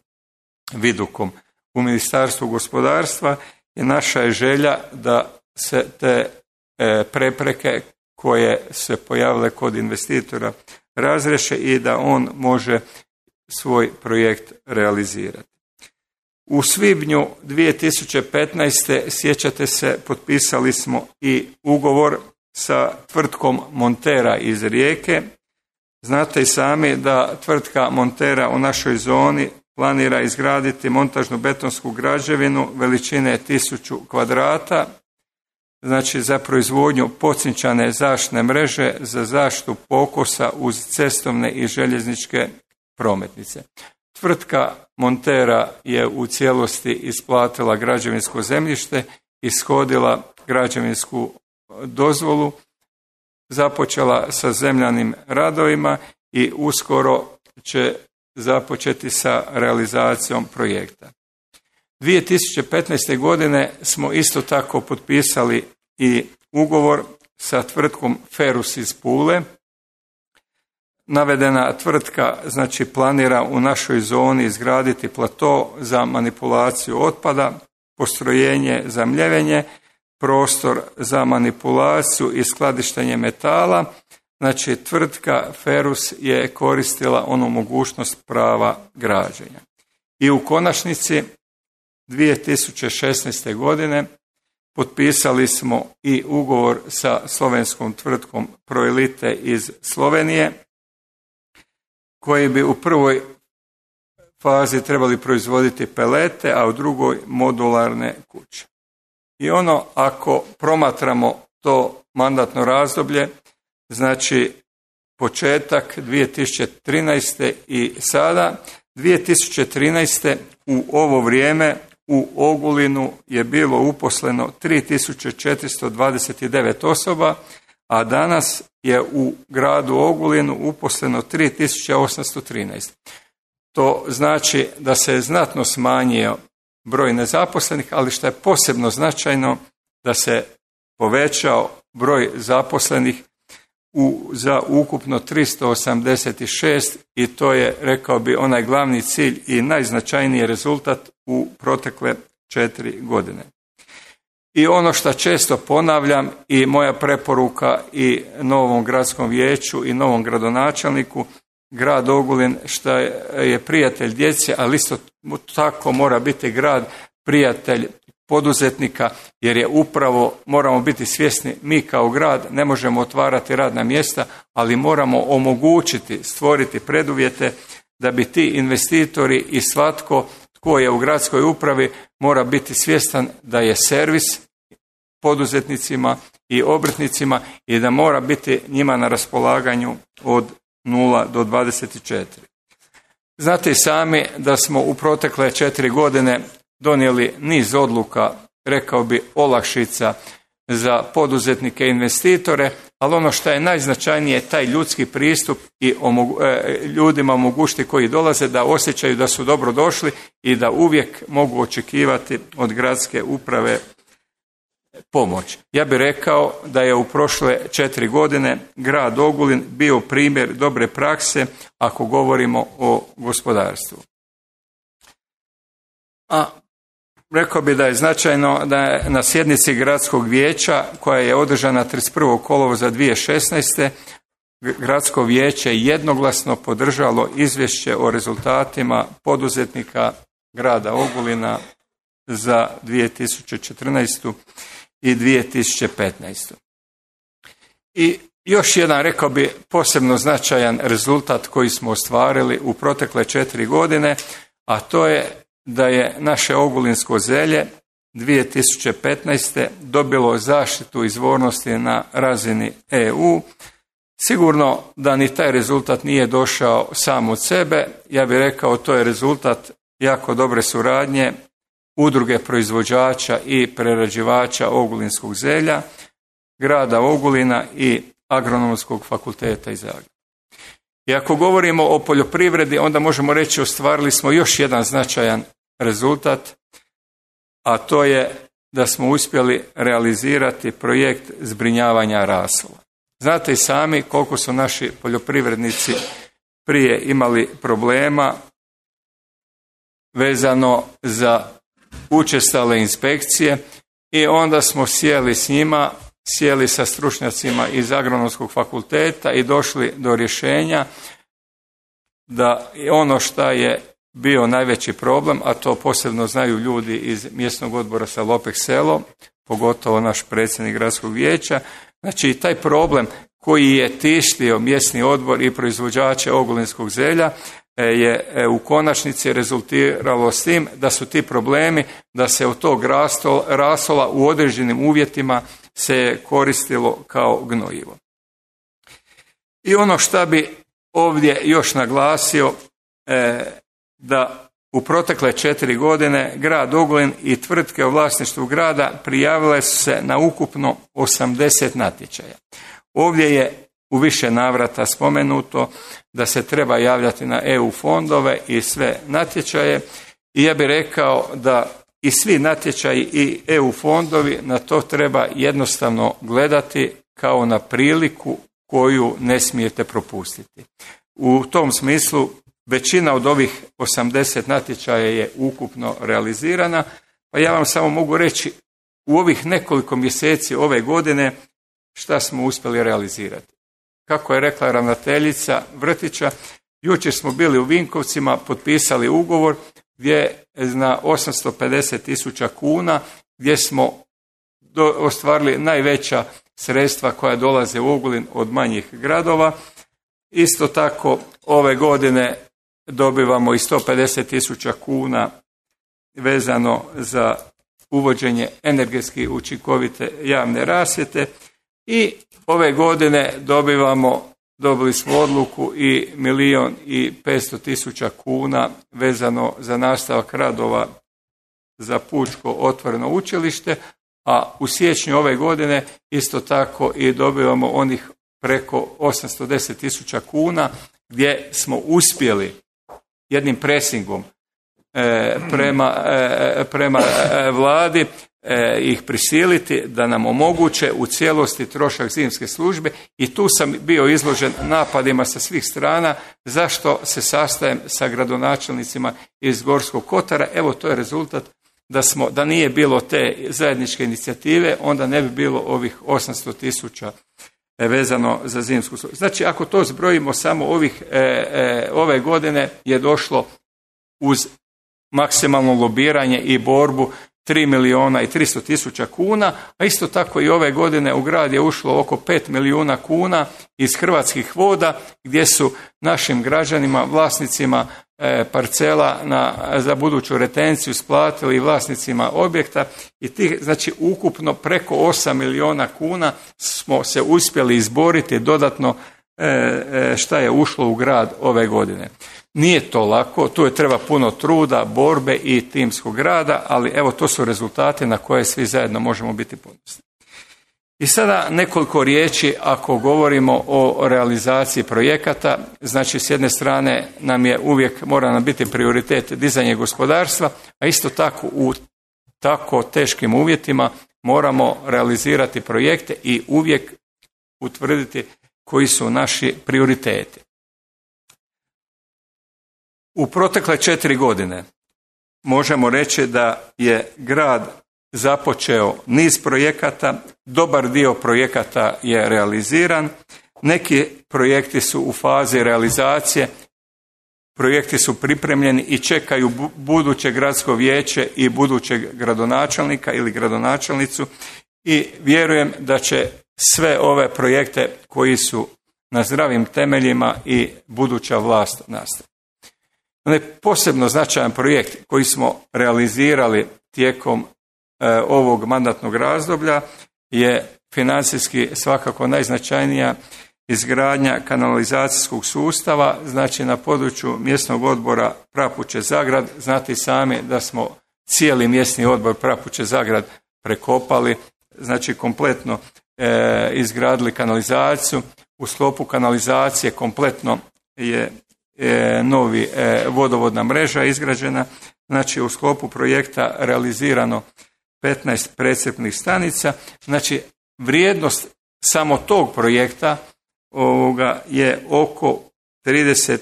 Vidukom u Ministarstvu gospodarstva i naša je želja da se te prepreke koje se pojavile kod investitora razriješe i da on može svoj projekt realizirati. U svibnju 2015. sjećate se, potpisali smo i ugovor sa tvrtkom Montera iz Rijeke. Znate i sami da tvrtka Montera u našoj zoni planira izgraditi montažnu betonsku građevinu veličine 1000 kvadrata, znači za proizvodnju pocinčane zaštitne mreže za zaštitu pokosa uz cestovne i željezničke prometnice. Tvrtka Montera je u cijelosti isplatila građevinsko zemljište, ishodila građevinsku dozvolu, započela sa zemljanim radovima i uskoro će započeti sa realizacijom projekta. 2015. godine smo isto tako potpisali i ugovor sa tvrtkom Ferus iz Pule. Navedena tvrtka znači planira u našoj zoni izgraditi plato za manipulaciju otpada, postrojenje za mljevenje, prostor za manipulaciju i skladištenje metala. Znači tvrtka Ferus je koristila onu mogućnost prava građenja. I u konačnici 2016. godine potpisali smo i ugovor sa slovenskom tvrtkom Proelite iz Slovenije, koji bi u prvoj fazi trebali proizvoditi pelete, a u drugoj modularne kuće. I ono, ako promatramo to mandatno razdoblje, znači početak 2013. i sada, 2013. u ovo vrijeme u Ogulinu je bilo uposleno 3429 osoba, a danas je u gradu Ogulinu uposleno 3813. To znači da se je znatno smanjio broj nezaposlenih, ali što je posebno značajno da se povećao broj zaposlenih za ukupno 386 i to je, rekao bi, onaj glavni cilj i najznačajniji rezultat u protekle 4 godine. I ono što često ponavljam i moja preporuka i novom gradskom vijeću i novom gradonačelniku, grad Ogulin što je prijatelj djece, ali isto tako mora biti grad prijatelj poduzetnika, jer je upravo, moramo biti svjesni, mi kao grad ne možemo otvarati radna mjesta, ali moramo omogućiti, stvoriti preduvjete da bi ti investitori i svatko tko je u gradskoj upravi mora biti svjestan da je servis poduzetnicima i obrtnicima i da mora biti njima na raspolaganju od 0 do 24. Znate i sami da smo u protekle 4 godine donijeli niz odluka, rekao bi olakšica za poduzetnike i investitore, ali ono što je najznačajnije, taj ljudski pristup i ljudima omogućiti koji dolaze da osjećaju da su dobro došli i da uvijek mogu očekivati od gradske uprave pomoć. Ja bih rekao da je u prošle 4 godine grad Ogulin bio primjer dobre prakse ako govorimo o gospodarstvu. A rekao bi da je značajno da je na sjednici gradskog vijeća koja je održana 31. kolovoza 2016. gradsko vijeće jednoglasno podržalo izvješće o rezultatima poduzetnika grada Ogulina za 2014. i 2015. I još jedan, rekao bi, posebno značajan rezultat koji smo ostvarili u protekle 4 godine, a to je da je naše ogulinsko zelje 2015. dobilo zaštitu izvornosti na razini EU. Sigurno da ni taj rezultat nije došao sam od sebe, ja bih rekao to je rezultat jako dobre suradnje udruge proizvođača i prerađivača ogulinskog zelja, grada Ogulina i Agronomskog fakulteta iz Zagreba. I ako govorimo o poljoprivredi, onda možemo reći ostvarili smo još jedan značajan rezultat, a to je da smo uspjeli realizirati projekt zbrinjavanja rasula. Znate i sami koliko su naši poljoprivrednici prije imali problema vezano za učestale inspekcije i onda smo sjeli s njima, sjeli sa stručnjacima iz Agronomskog fakulteta i došli do rješenja da ono što je bio najveći problem, a to posebno znaju ljudi iz mjesnog odbora sa Lopek selo, pogotovo naš predsjednik gradskog vijeća, znači taj problem koji je tištio mjesni odbor i proizvođače ogulinskog zelja je u konačnici rezultiralo s tim da su ti problemi da se od tog rasola u određenim uvjetima se koristilo kao gnojivo. I ono što bi ovdje još naglasio, da u protekle 4 godine grad Ogulin i tvrtke u vlasništvu grada prijavile su se na ukupno 80 natječaja. Ovdje je u više navrata spomenuto da se treba javljati na EU fondove i sve natječaje i ja bih rekao da i svi natječaji i EU fondovi na to treba jednostavno gledati kao na priliku koju ne smijete propustiti. U tom smislu većina od ovih 80 natječaja je ukupno realizirana, pa ja vam samo mogu reći u ovih nekoliko mjeseci ove godine šta smo uspjeli realizirati. Kako je rekla ravnateljica vrtića, jučer smo bili u Vinkovcima, potpisali ugovor gdje na 850.000 kuna gdje smo ostvarili najveća sredstva koja dolaze u Ogulin od manjih gradova. Isto tako ove godine dobivamo i 150.000 kuna vezano za uvođenje energetski učinkovite javne rasvjete i ove godine dobili smo odluku i 1.500.000 kuna vezano za nastavak radova za Pučko otvoreno učilište, a u siječnju ove godine isto tako i dobivamo onih preko 810.000 kuna gdje smo uspjeli jednim presingom prema vladi ih prisiliti da nam omoguće u cijelosti trošak zimske službe i tu sam bio izložen napadima sa svih strana zašto se sastajem sa gradonačelnicima iz Gorskog kotara. Evo to je rezultat da nije bilo te zajedničke inicijative, onda ne bi bilo ovih 800.000 vezano za zimsku službu. Znači ako to zbrojimo samo ove godine je došlo uz maksimalno lobiranje i borbu 3 milijuna i 300 tisuća kuna, a isto tako i ove godine u grad je ušlo oko 5 milijuna kuna iz Hrvatskih voda, gdje su našim građanima, vlasnicima parcela za buduću retenciju isplatili vlasnicima objekta i tih, znači ukupno preko 8 milijuna kuna smo se uspjeli izboriti dodatno šta je ušlo u grad ove godine. Nije to lako, tu je treba puno truda, borbe i timskog rada, ali evo to su rezultati na koje svi zajedno možemo biti ponosni. I sada nekoliko riječi ako govorimo o realizaciji projekata. Znači s jedne strane mora nam biti prioritet dizanje gospodarstva, a isto tako u tako teškim uvjetima moramo realizirati projekte i uvijek utvrditi koji su naši prioriteti. U protekle 4 godine možemo reći da je grad započeo niz projekata, dobar dio projekata je realiziran, neki projekti su u fazi realizacije, projekti su pripremljeni i čekaju buduće gradsko vijeće i budućeg gradonačelnika ili gradonačelnicu i vjerujem da će sve ove projekte koji su na zdravim temeljima i buduća vlast nastaviti. Onaj posebno značajan projekt koji smo realizirali tijekom ovog mandatnog razdoblja je financijski svakako najznačajnija izgradnja kanalizacijskog sustava, znači na području mjesnog odbora Prapuče-Zagrad. Znate i sami da smo cijeli mjesni odbor Prapuče-Zagrad prekopali, znači kompletno izgradili kanalizaciju. U sklopu kanalizacije kompletno je novi vodovodna mreža izgrađena, znači u sklopu projekta realizirano 15 precrpnih stanica, znači vrijednost samo tog projekta je oko 30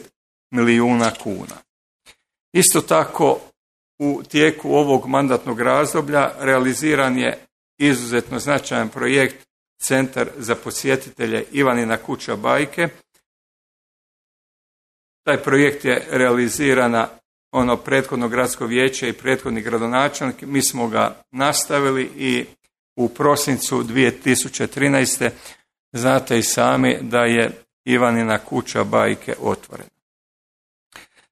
milijuna kuna. Isto tako u tijeku ovog mandatnog razdoblja realiziran je izuzetno značajan projekt Centar za posjetitelje Ivanina kuća bajke. Taj projekt je realizirana prethodno gradsko vijeće i prethodni gradonačelnik. Mi smo ga nastavili i u prosincu 2013. znate i sami da je Ivanina kuća bajke otvorena.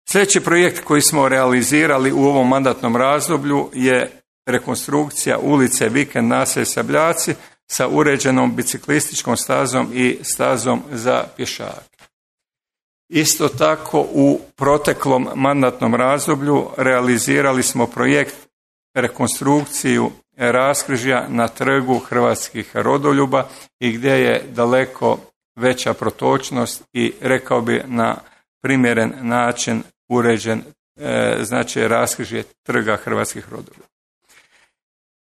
Sljedeći projekt koji smo realizirali u ovom mandatnom razdoblju je rekonstrukcija ulice Vikend naselje Sabljaci sa uređenom biciklističkom stazom i stazom za pješake. Isto tako u proteklom mandatnom razdoblju realizirali smo projekt rekonstrukciju raskrižja na trgu hrvatskih rodoljuba i gdje je daleko veća protočnost i rekao bi na primjeren način uređen znači raskrižje trga hrvatskih rodoljuba.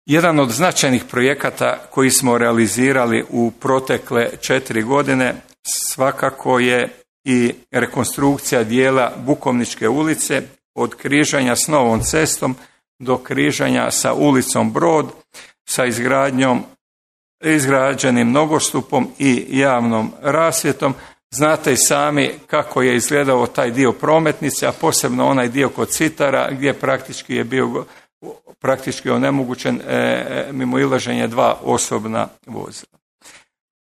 Jedan od značajnih projekata koji smo realizirali u protekle 4 godine svakako je i rekonstrukcija dijela Bukovničke ulice od križanja s Novom cestom do križanja sa ulicom Brod sa izgrađenim nogostupom i javnom rasvjetom. Znate i sami kako je izgledao taj dio prometnice, a posebno onaj dio kod Citara gdje praktički je bio onemogućen mimo ilaženje 2 osobna vozila.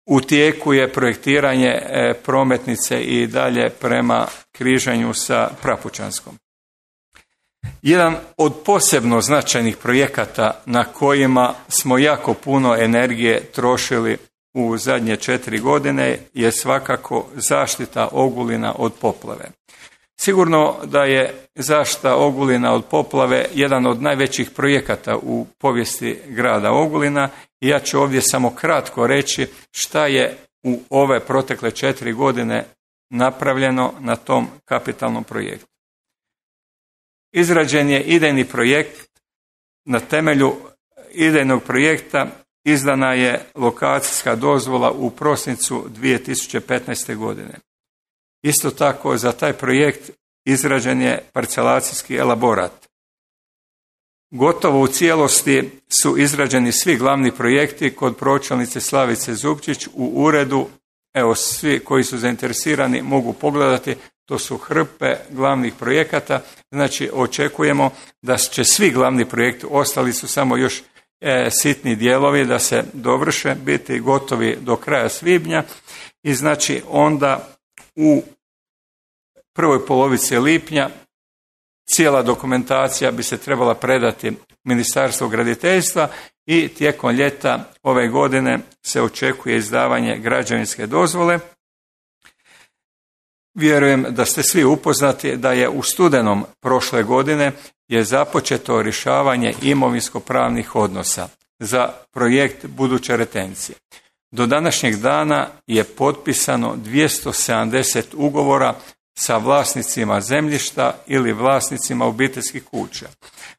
U tijeku je projektiranje prometnice i dalje prema križanju sa Prapučanskom. Jedan od posebno značajnih projekata na kojima smo jako puno energije trošili u zadnje 4 godine je svakako zaštita Ogulina od poplave. Sigurno da je zaštita Ogulina od poplave jedan od najvećih projekata u povijesti grada Ogulina i ja ću ovdje samo kratko reći šta je u ove protekle 4 godine napravljeno na tom kapitalnom projektu. Izrađen je idejni projekt, na temelju idejnog projekta izdana je lokacijska dozvola u prosincu 2015. godine. Isto tako za taj projekt izrađen je parcelacijski elaborat. Gotovo u cijelosti su izrađeni svi glavni projekti kod pročelnice Slavice Zupčić u uredu. Evo, svi koji su zainteresirani mogu pogledati. to su hrpe glavnih projekata, znači očekujemo da će svi glavni projekti, ostali su samo još sitni dijelovi da se dovrše, biti gotovi do kraja svibnja i znači onda u prvoj polovici lipnja cijela dokumentacija bi se trebala predati Ministarstvu graditeljstva i tijekom ljeta ove godine se očekuje izdavanje građevinske dozvole. Vjerujem da ste svi upoznati da je u studenom prošle godine je započeto rješavanje imovinsko-pravnih odnosa za projekt buduće retencije. Do današnjeg dana je potpisano 270 ugovora sa vlasnicima zemljišta ili vlasnicima obiteljskih kuća.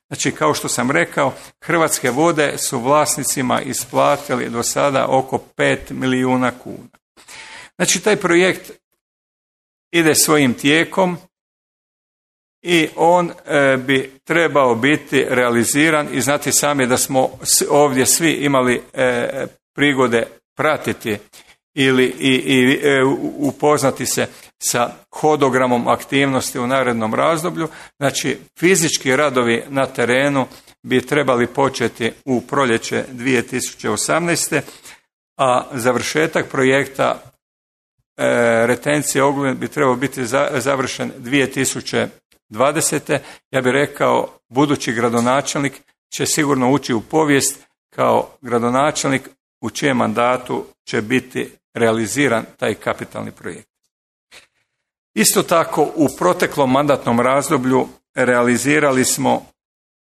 Znači, kao što sam rekao, Hrvatske vode su vlasnicima isplatili do sada oko 5 milijuna kuna. Znači, taj projekt ide svojim tijekom i on bi trebao biti realiziran i znati sami da smo ovdje svi imali prigode pratiti ili upoznati se sa hodogramom aktivnosti u narednom razdoblju. Znači, fizički radovi na terenu bi trebali početi u proljeće 2018. a završetak projekta retencije Ogulin bi trebao biti završen 2020. Ja bih rekao, budući gradonačelnik će sigurno ući u povijest kao gradonačelnik u čijem mandatu će biti realiziran taj kapitalni projekt. Isto tako, u proteklom mandatnom razdoblju realizirali smo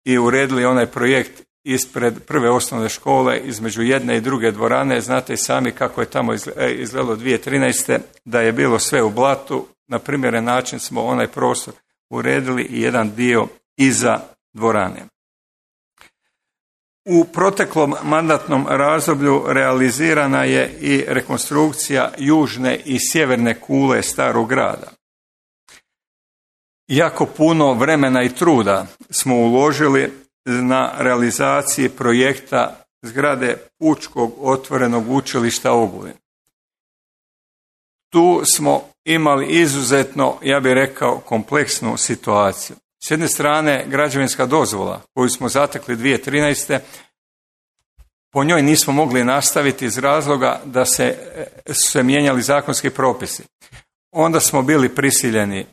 i uredili onaj projekt ispred prve osnovne škole između jedne i druge dvorane. Znate i sami kako je tamo izgledalo 2013. da je bilo sve u blatu. Na primjeren način smo onaj prostor uredili i jedan dio iza dvorane. U proteklom mandatnom razdoblju realizirana je i rekonstrukcija južne i sjeverne kule Starog grada. Jako puno vremena i truda smo uložili na realizaciji projekta zgrade Pučkog otvorenog učilišta Ogulin. Tu smo imali izuzetno, ja bih rekao, kompleksnu situaciju. S jedne strane, građevinska dozvola koju smo zatekli 2013. po njoj nismo mogli nastaviti iz razloga da su se mijenjali zakonski propisi. Onda smo bili prisiljeni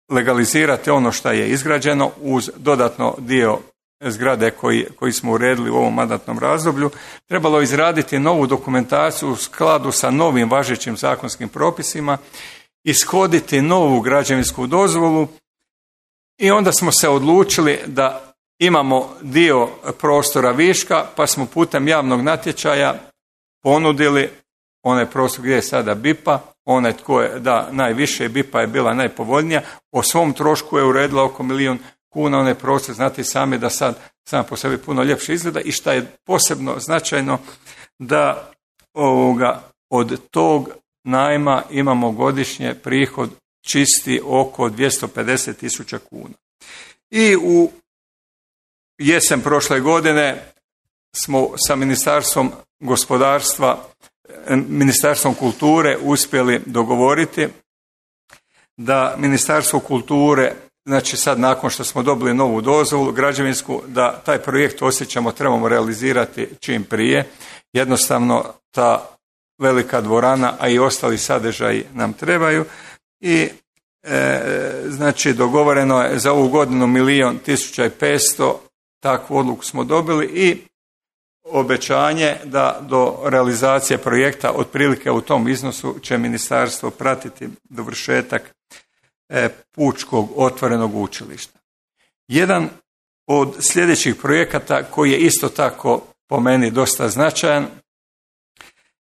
legalizirati ono što je izgrađeno uz dodatno dio zgrade koji smo uredili u ovom mandatnom razdoblju. Trebalo izraditi novu dokumentaciju u skladu sa novim važećim zakonskim propisima, ishoditi novu građevinsku dozvolu i onda smo se odlučili da imamo dio prostora viška, pa smo putem javnog natječaja ponudili onaj prostor gdje je sada BIPA, onaj tko je da najviše, BIPA je bila najpovoljnija, o svom trošku je uredila oko 1 milijun kuna onaj prostor, znate sami da sad sam po sebi puno ljepše izgleda i šta je posebno značajno da od tog najma imamo godišnje prihod čisti oko 250.000 kuna. I u jesen prošle godine smo sa Ministarstvom gospodarstva, Ministarstvom kulture uspjeli dogovoriti da Ministarstvo kulture, znači sad nakon što smo dobili novu dozvolu građevinsku, da taj projekt osjećamo trebamo realizirati čim prije. Jednostavno ta velika dvorana, a i ostali sadržaji nam trebaju i znači dogovoreno je za ovu godinu 1.105.000, takvu odluku smo dobili i obećanje da do realizacije projekta otprilike u tom iznosu će ministarstvo pratiti dovršetak Pučkog otvorenog učilišta. Jedan od sljedećih projekata koji je isto tako po meni dosta značajan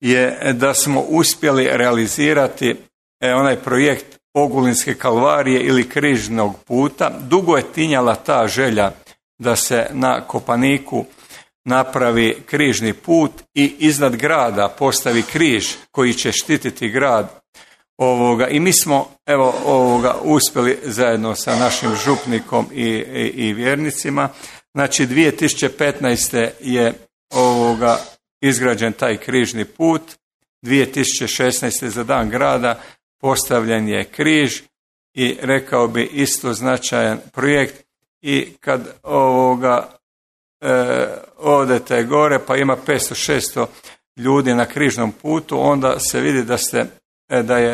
je da smo uspjeli realizirati onaj projekt Ogulinske kalvarije ili križnog puta. Dugo je tinjala ta želja da se na Kopaniku napravi križni put i iznad grada postavi križ koji će štititi grad. I mi smo uspjeli zajedno sa našim župnikom i vjernicima. Znači 2015. je izgrađen taj križni put, 2016. za dan grada postavljen je križ i rekao bi isto značajan projekt i kad odete gore pa ima 500-600 ljudi na križnom putu, onda se vidi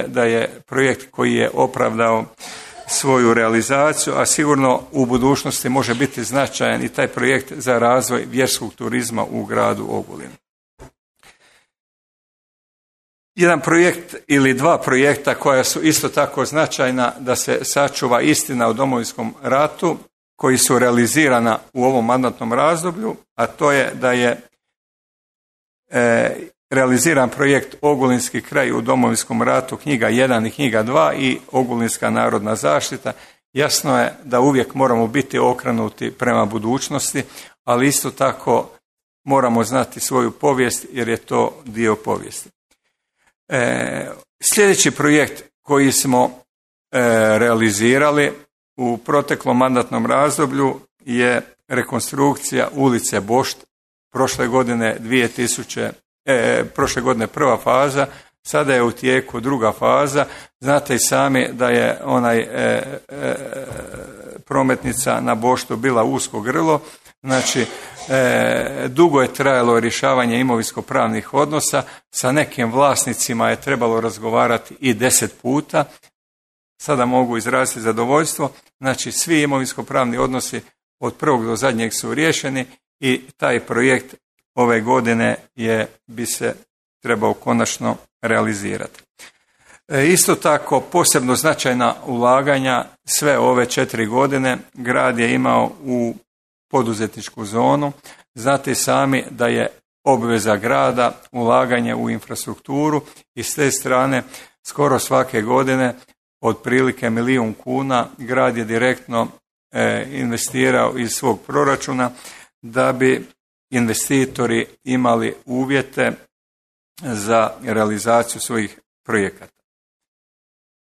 da je projekt koji je opravdao svoju realizaciju, a sigurno u budućnosti može biti značajan i taj projekt za razvoj vjerskog turizma u gradu Ogulinu. Jedan projekt ili dva projekta koja su isto tako značajna da se sačuva istina o Domovinskom ratu, koji su realizirana u ovom mandatnom razdoblju, a to je da je realiziran projekt Ogulinski kraj u Domovinskom ratu, knjiga 1 i knjiga 2 i Ogulinska narodna zaštita. Jasno je da uvijek moramo biti okrenuti prema budućnosti, ali isto tako moramo znati svoju povijest jer je to dio povijesti. Sljedeći projekt koji smo realizirali u proteklom mandatnom razdoblju je rekonstrukcija ulice Bošt. Prošle godine prva faza, sada je u tijeku druga faza. Znate i sami da je prometnica na Boštu bila usko grlo, znači dugo je trajalo rješavanje imovinsko-pravnih odnosa, sa nekim vlasnicima je trebalo razgovarati i 10 puta. Sada mogu izraziti zadovoljstvo, znači svi imovinsko-pravni odnosi od prvog do zadnjeg su riješeni i taj projekt ove godine bi se trebao konačno realizirati. Isto tako posebno značajna ulaganja sve ove 4 godine grad je imao u poduzetničku zonu. Znate sami da je obveza grada ulaganje u infrastrukturu i s te strane skoro svake godine otprilike 1 milijun kuna grad je direktno investirao iz svog proračuna da bi investitori imali uvjete za realizaciju svojih projekata.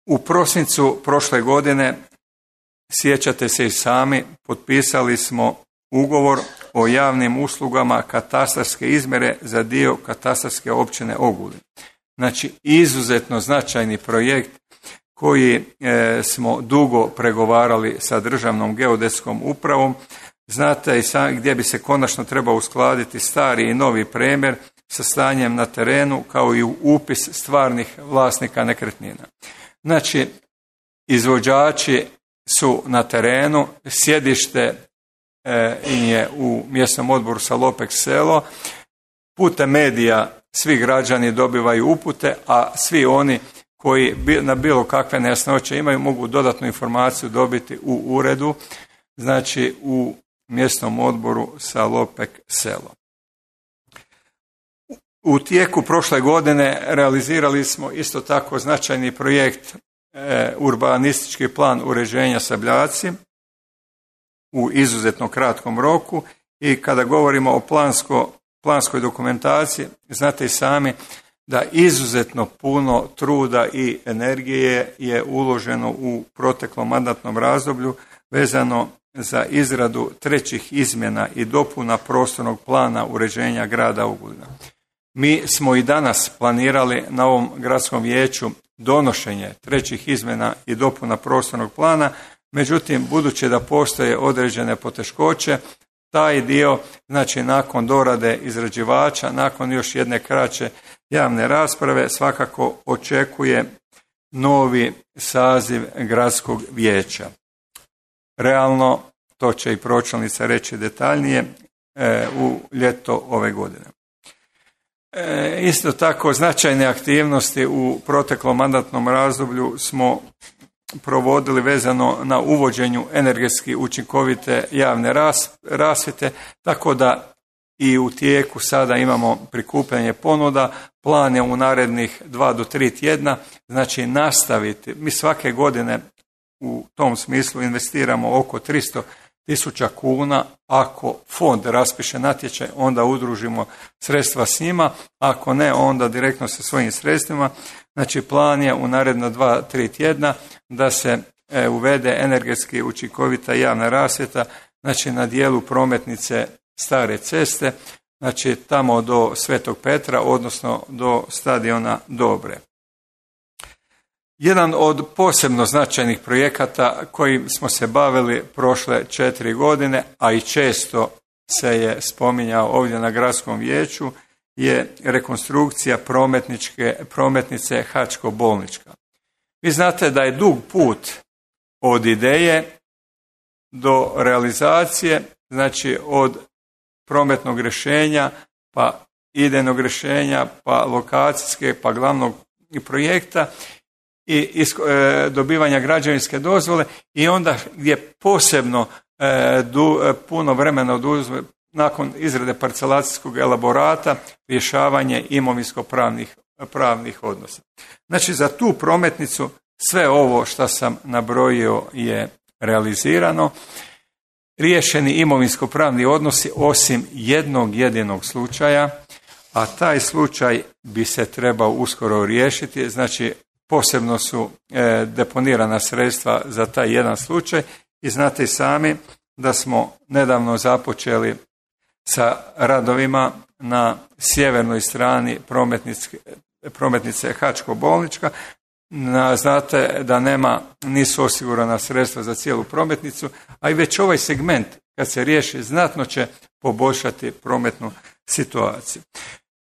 U prosincu prošle godine, sjećate se i sami, potpisali smo ugovor o javnim uslugama katastarske izmjere za dio katastarske općine Ogulin. Znači, izuzetno značajni projekt koji smo dugo pregovarali sa Državnom geodetskom upravom. Znate i sami gdje bi se konačno trebao uskladiti stari i novi premjer sa stanjem na terenu kao i upis stvarnih vlasnika nekretnina. Znači, izvođači su na terenu, sjedište je u mjesnom odboru Salopek selo, putem medija svi građani dobivaju upute, a svi oni koji na bilo kakve nejasnoće imaju mogu dodatnu informaciju dobiti u uredu, znači u mjesnom odboru Salopek selo. U tijeku prošle godine realizirali smo isto tako značajni projekt urbanistički plan uređenja Sabljaci u izuzetno kratkom roku i kada govorimo o planskoj dokumentaciji, znate i sami da izuzetno puno truda i energije je uloženo u proteklom mandatnom razdoblju vezano za izradu trećih izmjena i dopuna prostornog plana uređenja grada Ogulina. Mi smo i danas planirali na ovom gradskom vijeću donošenje trećih izmjena i dopuna prostornog plana, međutim, budući da postoje određene poteškoće, taj dio, znači nakon dorade izrađivača, nakon još jedne kraće javne rasprave, svakako očekuje novi saziv gradskog vijeća. Realno, to će i pročelnica reći detaljnije, u ljeto ove godine. Isto tako značajne aktivnosti u proteklom mandatnom razdoblju smo provodili vezano na uvođenju energetski učinkovite javne rasvjete, tako da i u tijeku sada imamo prikupljanje ponuda, plan je u narednih 2 do 3 tjedna, znači nastaviti. Mi svake godine u tom smislu investiramo oko 300.000 kuna, ako fond raspiše natječaj, onda udružimo sredstva s njima, ako ne, onda direktno sa svojim sredstvima. Znači, plan je u naredno 2-3 tjedna da se uvede energetski učinkovita javna rasvjeta, znači na dijelu prometnice Stare ceste, znači tamo do Svetog Petra, odnosno do stadiona Dobre. Jedan od posebno značajnih projekata kojim smo se bavili prošle 4 godine, a i često se je spominjao ovdje na gradskom vijeću, je rekonstrukcija prometnice Hačko-Bolnička. Vi znate da je dug put od ideje do realizacije, znači od prometnog rješenja, pa idejnog rješenja, pa lokacijske, pa glavnog projekta i dobivanja građevinske dozvole i onda gdje posebno puno vremena oduzme nakon izrade parcelacijskog elaborata rješavanje imovinsko-pravnih odnosa. Znači za tu prometnicu sve ovo što sam nabrojio je realizirano. Riješeni imovinsko-pravni odnosi osim jednog jedinog slučaja, a taj slučaj bi se trebao uskoro riješiti, znači posebno su deponirana sredstva za taj jedan slučaj i znate i sami da smo nedavno započeli sa radovima na sjevernoj strani prometnice Hačko-Bolnička. Znate da nisu osigurana sredstva za cijelu prometnicu, a i već ovaj segment kad se riješi znatno će poboljšati prometnu situaciju.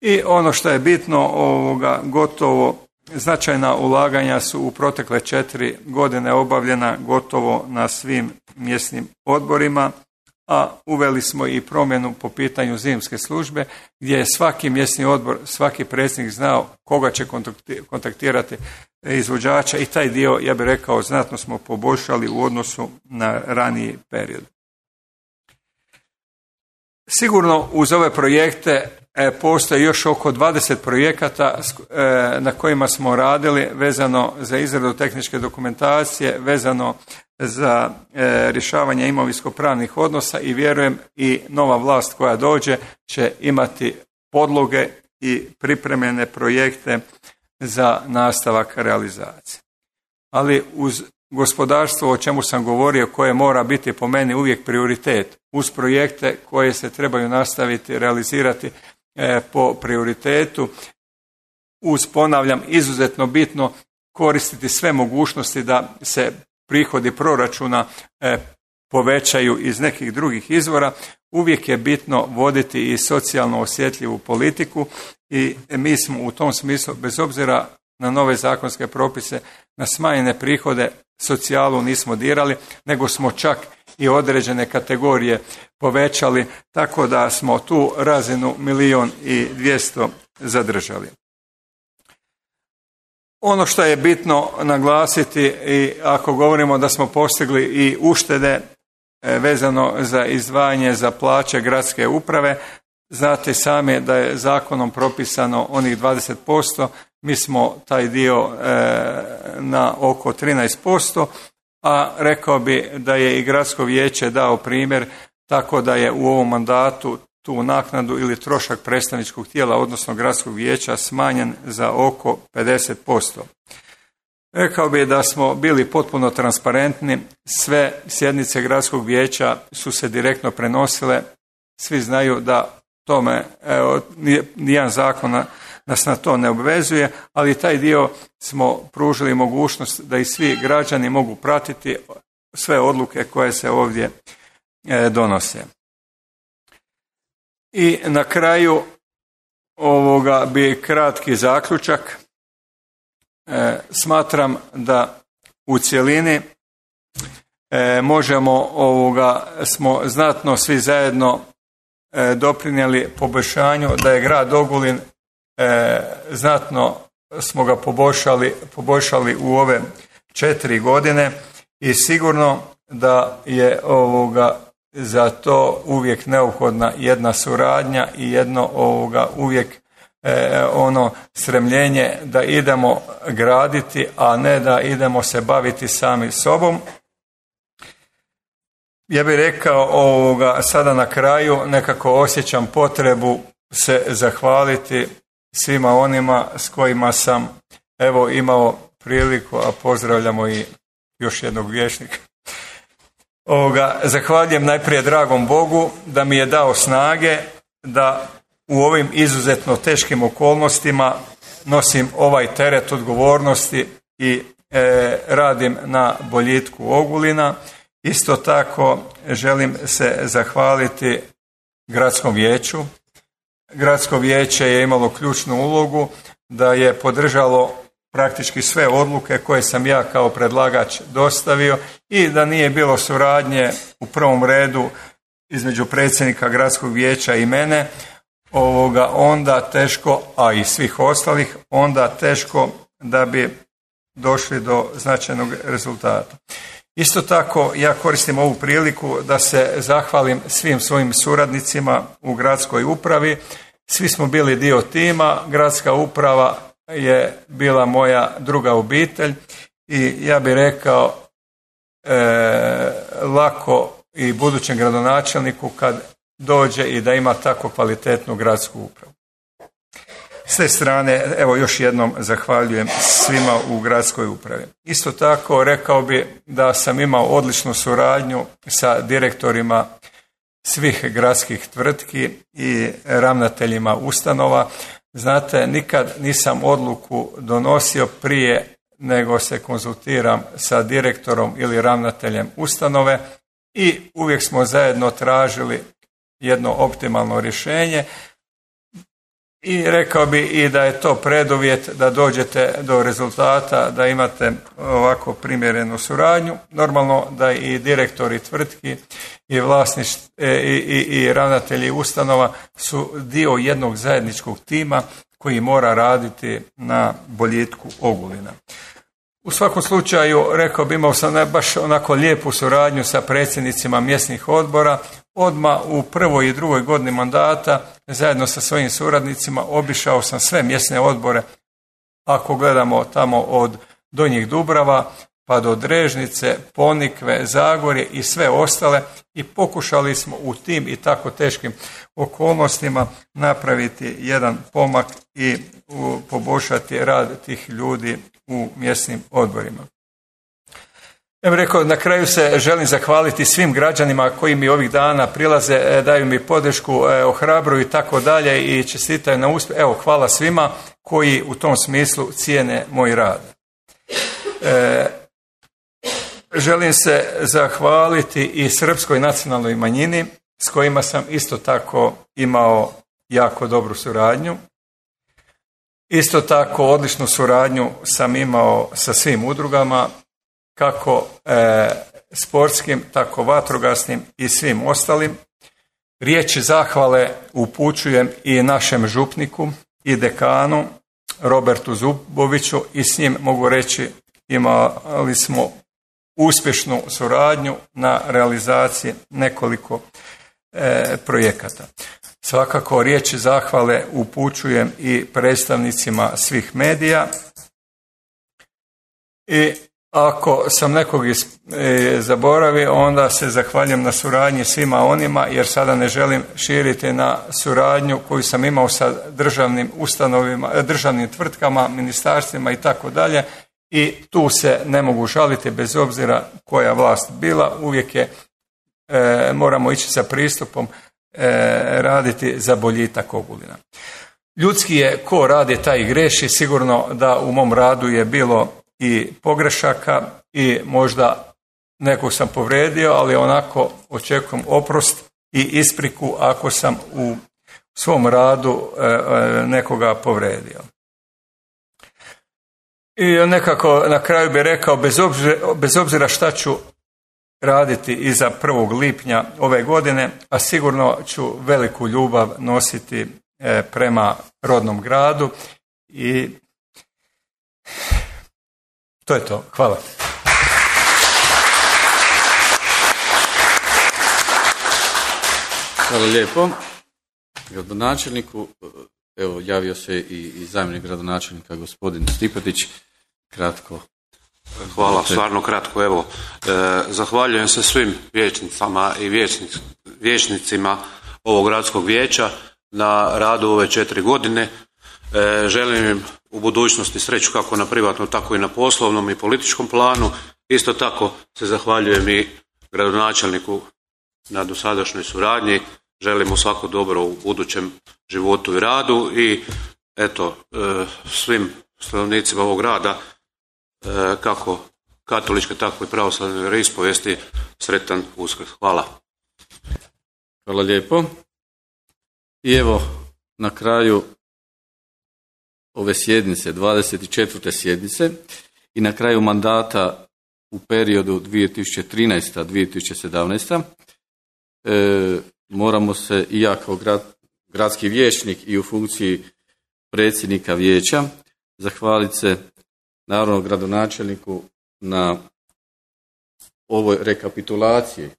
I ono što je bitno, gotovo značajna ulaganja su u protekle 4 godine obavljena gotovo na svim mjesnim odborima, a uveli smo i promjenu po pitanju zimske službe, gdje je svaki mjesni odbor, svaki predsjednik znao koga će kontaktirati izvođača i taj dio, ja bih rekao, znatno smo poboljšali u odnosu na raniji period. Sigurno uz ove projekte postoji još oko 20 projekata na kojima smo radili vezano za izradu tehničke dokumentacije, vezano za rješavanje imovinsko-pravnih odnosa i vjerujem i nova vlast koja dođe će imati podloge i pripremljene projekte za nastavak realizacije. Ali uz gospodarstvo, o čemu sam govorio, koje mora biti po meni uvijek prioritet, uz projekte koje se trebaju nastaviti realizirati po prioritetu, uz, ponavljam, izuzetno bitno koristiti sve mogućnosti da se prihodi proračuna povećaju iz nekih drugih izvora, uvijek je bitno voditi i socijalno osjetljivu politiku i mi smo u tom smislu, bez obzira na nove zakonske propise, na smanjene prihode, socijalu nismo dirali, nego smo čak i određene kategorije povećali, tako da smo tu razinu 1.200.000 zadržali. Ono što je bitno naglasiti, i ako govorimo da smo postigli i uštede vezano za izdvajanje za plaće gradske uprave, znate sami da je zakonom propisano onih 20%, mi smo taj dio na oko 13%, a rekao bi da je i gradsko vijeće dao primjer, tako da je u ovom mandatu tu naknadu ili trošak predstavničkog tijela, odnosno gradskog vijeća, smanjen za oko 50%. Rekao bi da smo bili potpuno transparentni, sve sjednice gradskog vijeća su se direktno prenosile, svi znaju da tome, nijedan zakon nas na to ne obvezuje, ali taj dio smo pružili mogućnost da i svi građani mogu pratiti sve odluke koje se ovdje donose. I na kraju ovoga bi kratki zaključak. Smatram da u cjelini smo znatno svi zajedno doprinijeli poboljšanju, da je grad Ogulin znatno smo ga poboljšali u ove 4 godine i sigurno da je za to uvijek neophodna jedna suradnja i jedno uvijek stremljenje da idemo graditi, a ne da idemo se baviti sami sobom. Ja bih rekao sada na kraju, nekako osjećam potrebu se zahvaliti svima onima s kojima sam imao priliku, a pozdravljamo i još jednog vijećnika. Zahvaljujem najprije dragom Bogu da mi je dao snage da u ovim izuzetno teškim okolnostima nosim ovaj teret odgovornosti i radim na boljitku Ogulina. Isto tako želim se zahvaliti gradskom vijeću. Gradsko vijeće je imalo ključnu ulogu da je podržalo praktički sve odluke koje sam ja kao predlagač dostavio i da nije bilo suradnje u prvom redu između predsjednika gradskog vijeća i mene, onda teško, a i svih ostalih, onda teško da bi došli do značajnog rezultata. Isto tako ja koristim ovu priliku da se zahvalim svim svojim suradnicima u gradskoj upravi. Svi smo bili dio tima, gradska uprava je bila moja druga obitelj i ja bih rekao lako i budućem gradonačelniku kad dođe i da ima tako kvalitetnu gradsku upravu. S te strane, evo još jednom zahvaljujem svima u gradskoj upravi. Isto tako rekao bi da sam imao odličnu suradnju sa direktorima svih gradskih tvrtki i ravnateljima ustanova. Znate, nikad nisam odluku donosio prije nego se konzultiram sa direktorom ili ravnateljem ustanove i uvijek smo zajedno tražili jedno optimalno rješenje i rekao bi i da je to preduvjet da dođete do rezultata, da imate ovako primjerenu suradnju. Normalno da i direktori tvrtki i ravnatelji ustanova su dio jednog zajedničkog tima koji mora raditi na boljitku Ogulina. U svakom slučaju, rekao bi, imao sam baš onako lijepu suradnju sa predsjednicima mjesnih odbora. Odmah u prvoj i drugoj godini mandata, zajedno sa svojim suradnicima, obišao sam sve mjesne odbore, ako gledamo tamo od Donjih Dubrava pa do Drežnice, Ponikve, Zagorje i sve ostale i pokušali smo u tim i tako teškim okolnostima napraviti jedan pomak i poboljšati rad tih ljudi u mjesnim odborima. Ja bih rekao, na kraju se želim zahvaliti svim građanima koji mi ovih dana prilaze, daju mi podršku, ohrabruju i tako dalje i čestitaju na uspjeh. Evo, hvala svima koji u tom smislu cijene moj rad. Želim se zahvaliti i srpskoj nacionalnoj manjini s kojima sam isto tako imao jako dobru suradnju. Isto tako odličnu suradnju sam imao sa svim udrugama, kako sportskim, tako vatrogasnim i svim ostalim. Riječi zahvale upućujem i našem župniku i dekanu Robertu Zuboviću i s njim mogu reći imali smo uspješnu suradnju na realizaciji nekoliko projekata. Svakako riječi zahvale upućujem i predstavnicima svih medija i ako sam nekog zaboravio, onda se zahvaljujem na suradnji svima onima, jer sada ne želim širiti na suradnju koju sam imao sa državnim ustanovima, državnim tvrtkama, ministarstvima i tako dalje. I tu se ne mogu žaliti bez obzira koja vlast bila, uvijek je moramo ići sa pristupom raditi za boljitak Ogulina. Ljudski je ko radi taj i greši, sigurno da u mom radu je bilo i pogrešaka i možda nekog sam povrijedio, ali onako očekujem oprost i ispriku ako sam u svom radu nekoga povrijedio. I nekako na kraju bih rekao, bez obzira šta ću raditi iza 1. lipnja ove godine, a sigurno ću veliku ljubav nositi prema rodnom gradu i to je to. Hvala. Hvala lijepo gradonačelniku. Evo, javio se i zamjenik gradonačelnika gospodin Stipetić. Kratko. Hvala, stvarno kratko. Evo, zahvaljujem se svim vijećnicama i vijećnicima ovog gradskog vijeća na radu ove 4 godine. Želim im u budućnosti sreću kako na privatnom, tako i na poslovnom i političkom planu. Isto tako se zahvaljujem i gradonačelniku na dosadašnjoj suradnji. Želim mu svako dobro u budućem životu i radu i eto, svim stanovnicima ovog grada kako katoličke, tako i pravoslavne vjeroispovijesti. Sretan Uskrs. Hvala. Hvala lijepo. I evo, na kraju ove sjednice, 24. sjednice i na kraju mandata u periodu 2013-2017 moramo se i ja kao gradski vijećnik i u funkciji predsjednika vijeća zahvaliti se naravno gradonačelniku na ovoj rekapitulaciji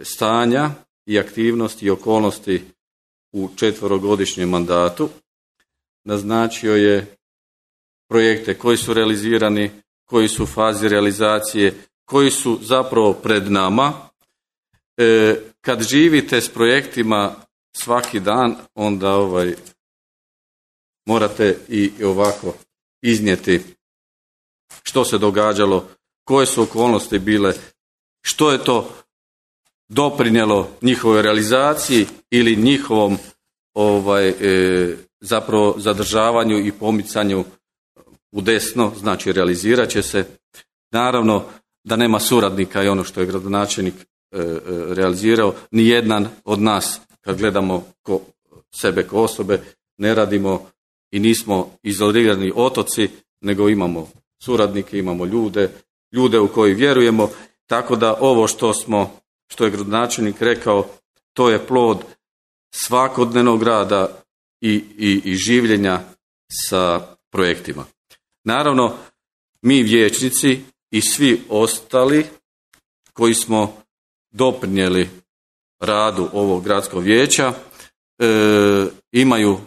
stanja i aktivnosti i okolnosti u 4-godišnjem mandatu. Naznačio je projekte koji su realizirani, koji su u fazi realizacije, koji su zapravo pred nama. Kad živite s projektima svaki dan, onda morate i ovako iznijeti što se događalo, koje su okolnosti bile, što je to doprinijelo njihovoj realizaciji ili njihovom zapravo zadržavanju i pomicanju u desno, znači realizirat će se. Naravno da nema suradnika i ono što je gradonačelnik realizirao, ni jedan od nas kad gledamo sebe ko osobe ne radimo i nismo izolirani otoci, nego imamo suradnike, imamo ljude u koji vjerujemo, tako da ovo što je gradonačelnik rekao, to je plod svakodnevnog rada i življenja sa projektima. Naravno, mi vijećnici i svi ostali koji smo doprinijeli radu ovog gradskog vijeća imaju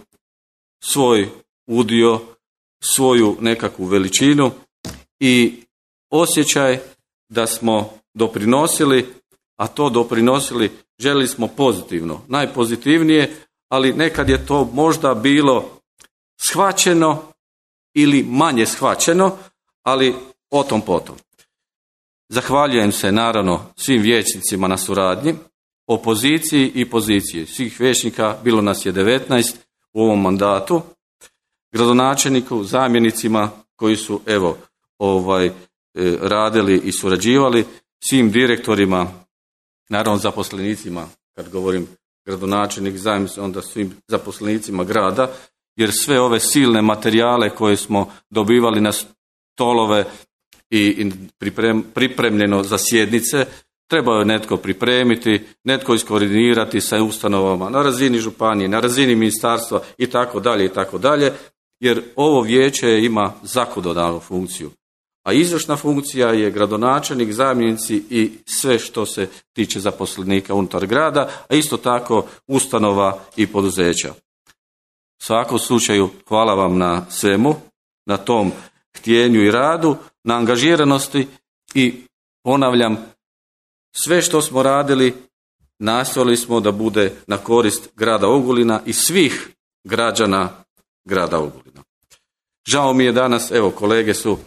svoj udio, svoju nekakvu veličinu i osjećaj da smo doprinosili, a to doprinosili željeli smo pozitivno, najpozitivnije, ali nekad je to možda bilo shvaćeno ili manje shvaćeno, ali o tom potom. Zahvaljujem se naravno svim vijećnicima na suradnji, opoziciji i poziciji. Svih vijećnika, bilo nas je 19 u ovom mandatu, gradonačelniku, zamjenicima koji su radili i surađivali, svim direktorima, naravno zaposlenicima, kad govorim gradonačelnik, zamjenik, onda svim zaposlenicima grada, jer sve ove silne materijale koje smo dobivali na stolove i pripremljeno za sjednice, trebao je netko pripremiti, netko iskoordinirati sa ustanovama na razini županije, na razini ministarstva i tako dalje, jer ovo vijeće ima zakonodavnu funkciju. A izvršna funkcija je gradonačelnik, zamjenici i sve što se tiče zaposlenika unutar grada, a isto tako ustanova i poduzeća. U svakom slučaju hvala vam na svemu, na tom htjenju i radu, na angažiranosti i ponavljam, sve što smo radili nastojali smo da bude na korist grada Ogulina i svih građana grada Ogulina. Žao mi je danas, kolege su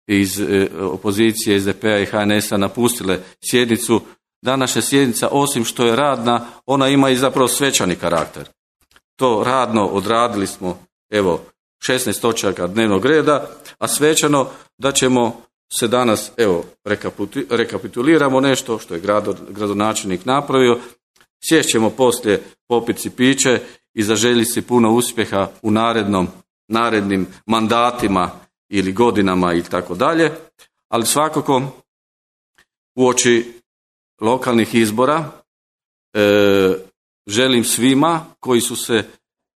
iz opozicije SDP-a i HNS-a napustile sjednicu. Današnja sjednica, osim što je radna, ona ima i zapravo svečani karakter. To radno odradili smo, 16 točaka dnevnog reda, a svečano da ćemo se danas, rekapituliramo nešto što je gradonačelnik napravio, sješćemo poslije, popit si piće i zaželjiti si puno uspjeha u narednim mandatima ili godinama i tako dalje, ali svakako uoči lokalnih izbora želim svima koji su se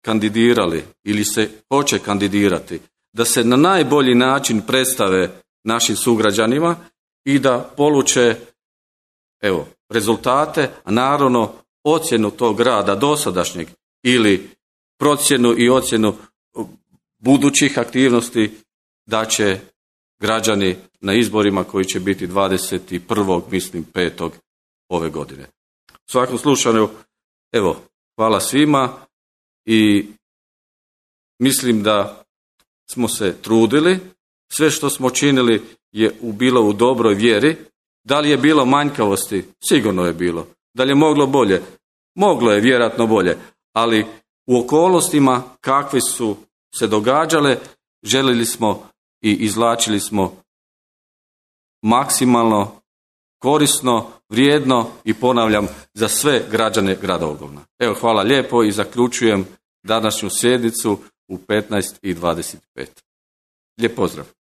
kandidirali ili se hoće kandidirati da se na najbolji način predstave našim sugrađanima i da poluče rezultate, a naravno ocjenu tog rada dosadašnjeg ili procjenu i ocjenu budućih aktivnosti da će građani na izborima koji će biti 21.5. ove godine. U svakom slučaju, hvala svima i mislim da smo se trudili, sve što smo činili je bilo u dobroj vjeri. Da li je bilo manjkavosti? Sigurno je bilo. Da li je moglo bolje? Moglo je vjerojatno bolje, ali u okolnostima kakve su se događale, željeli smo i izvlačili smo maksimalno korisno, vrijedno i ponavljam za sve građane grada Ogulina. Evo, hvala lijepo i zaključujem današnju sjednicu u 15:25. Lijep pozdrav.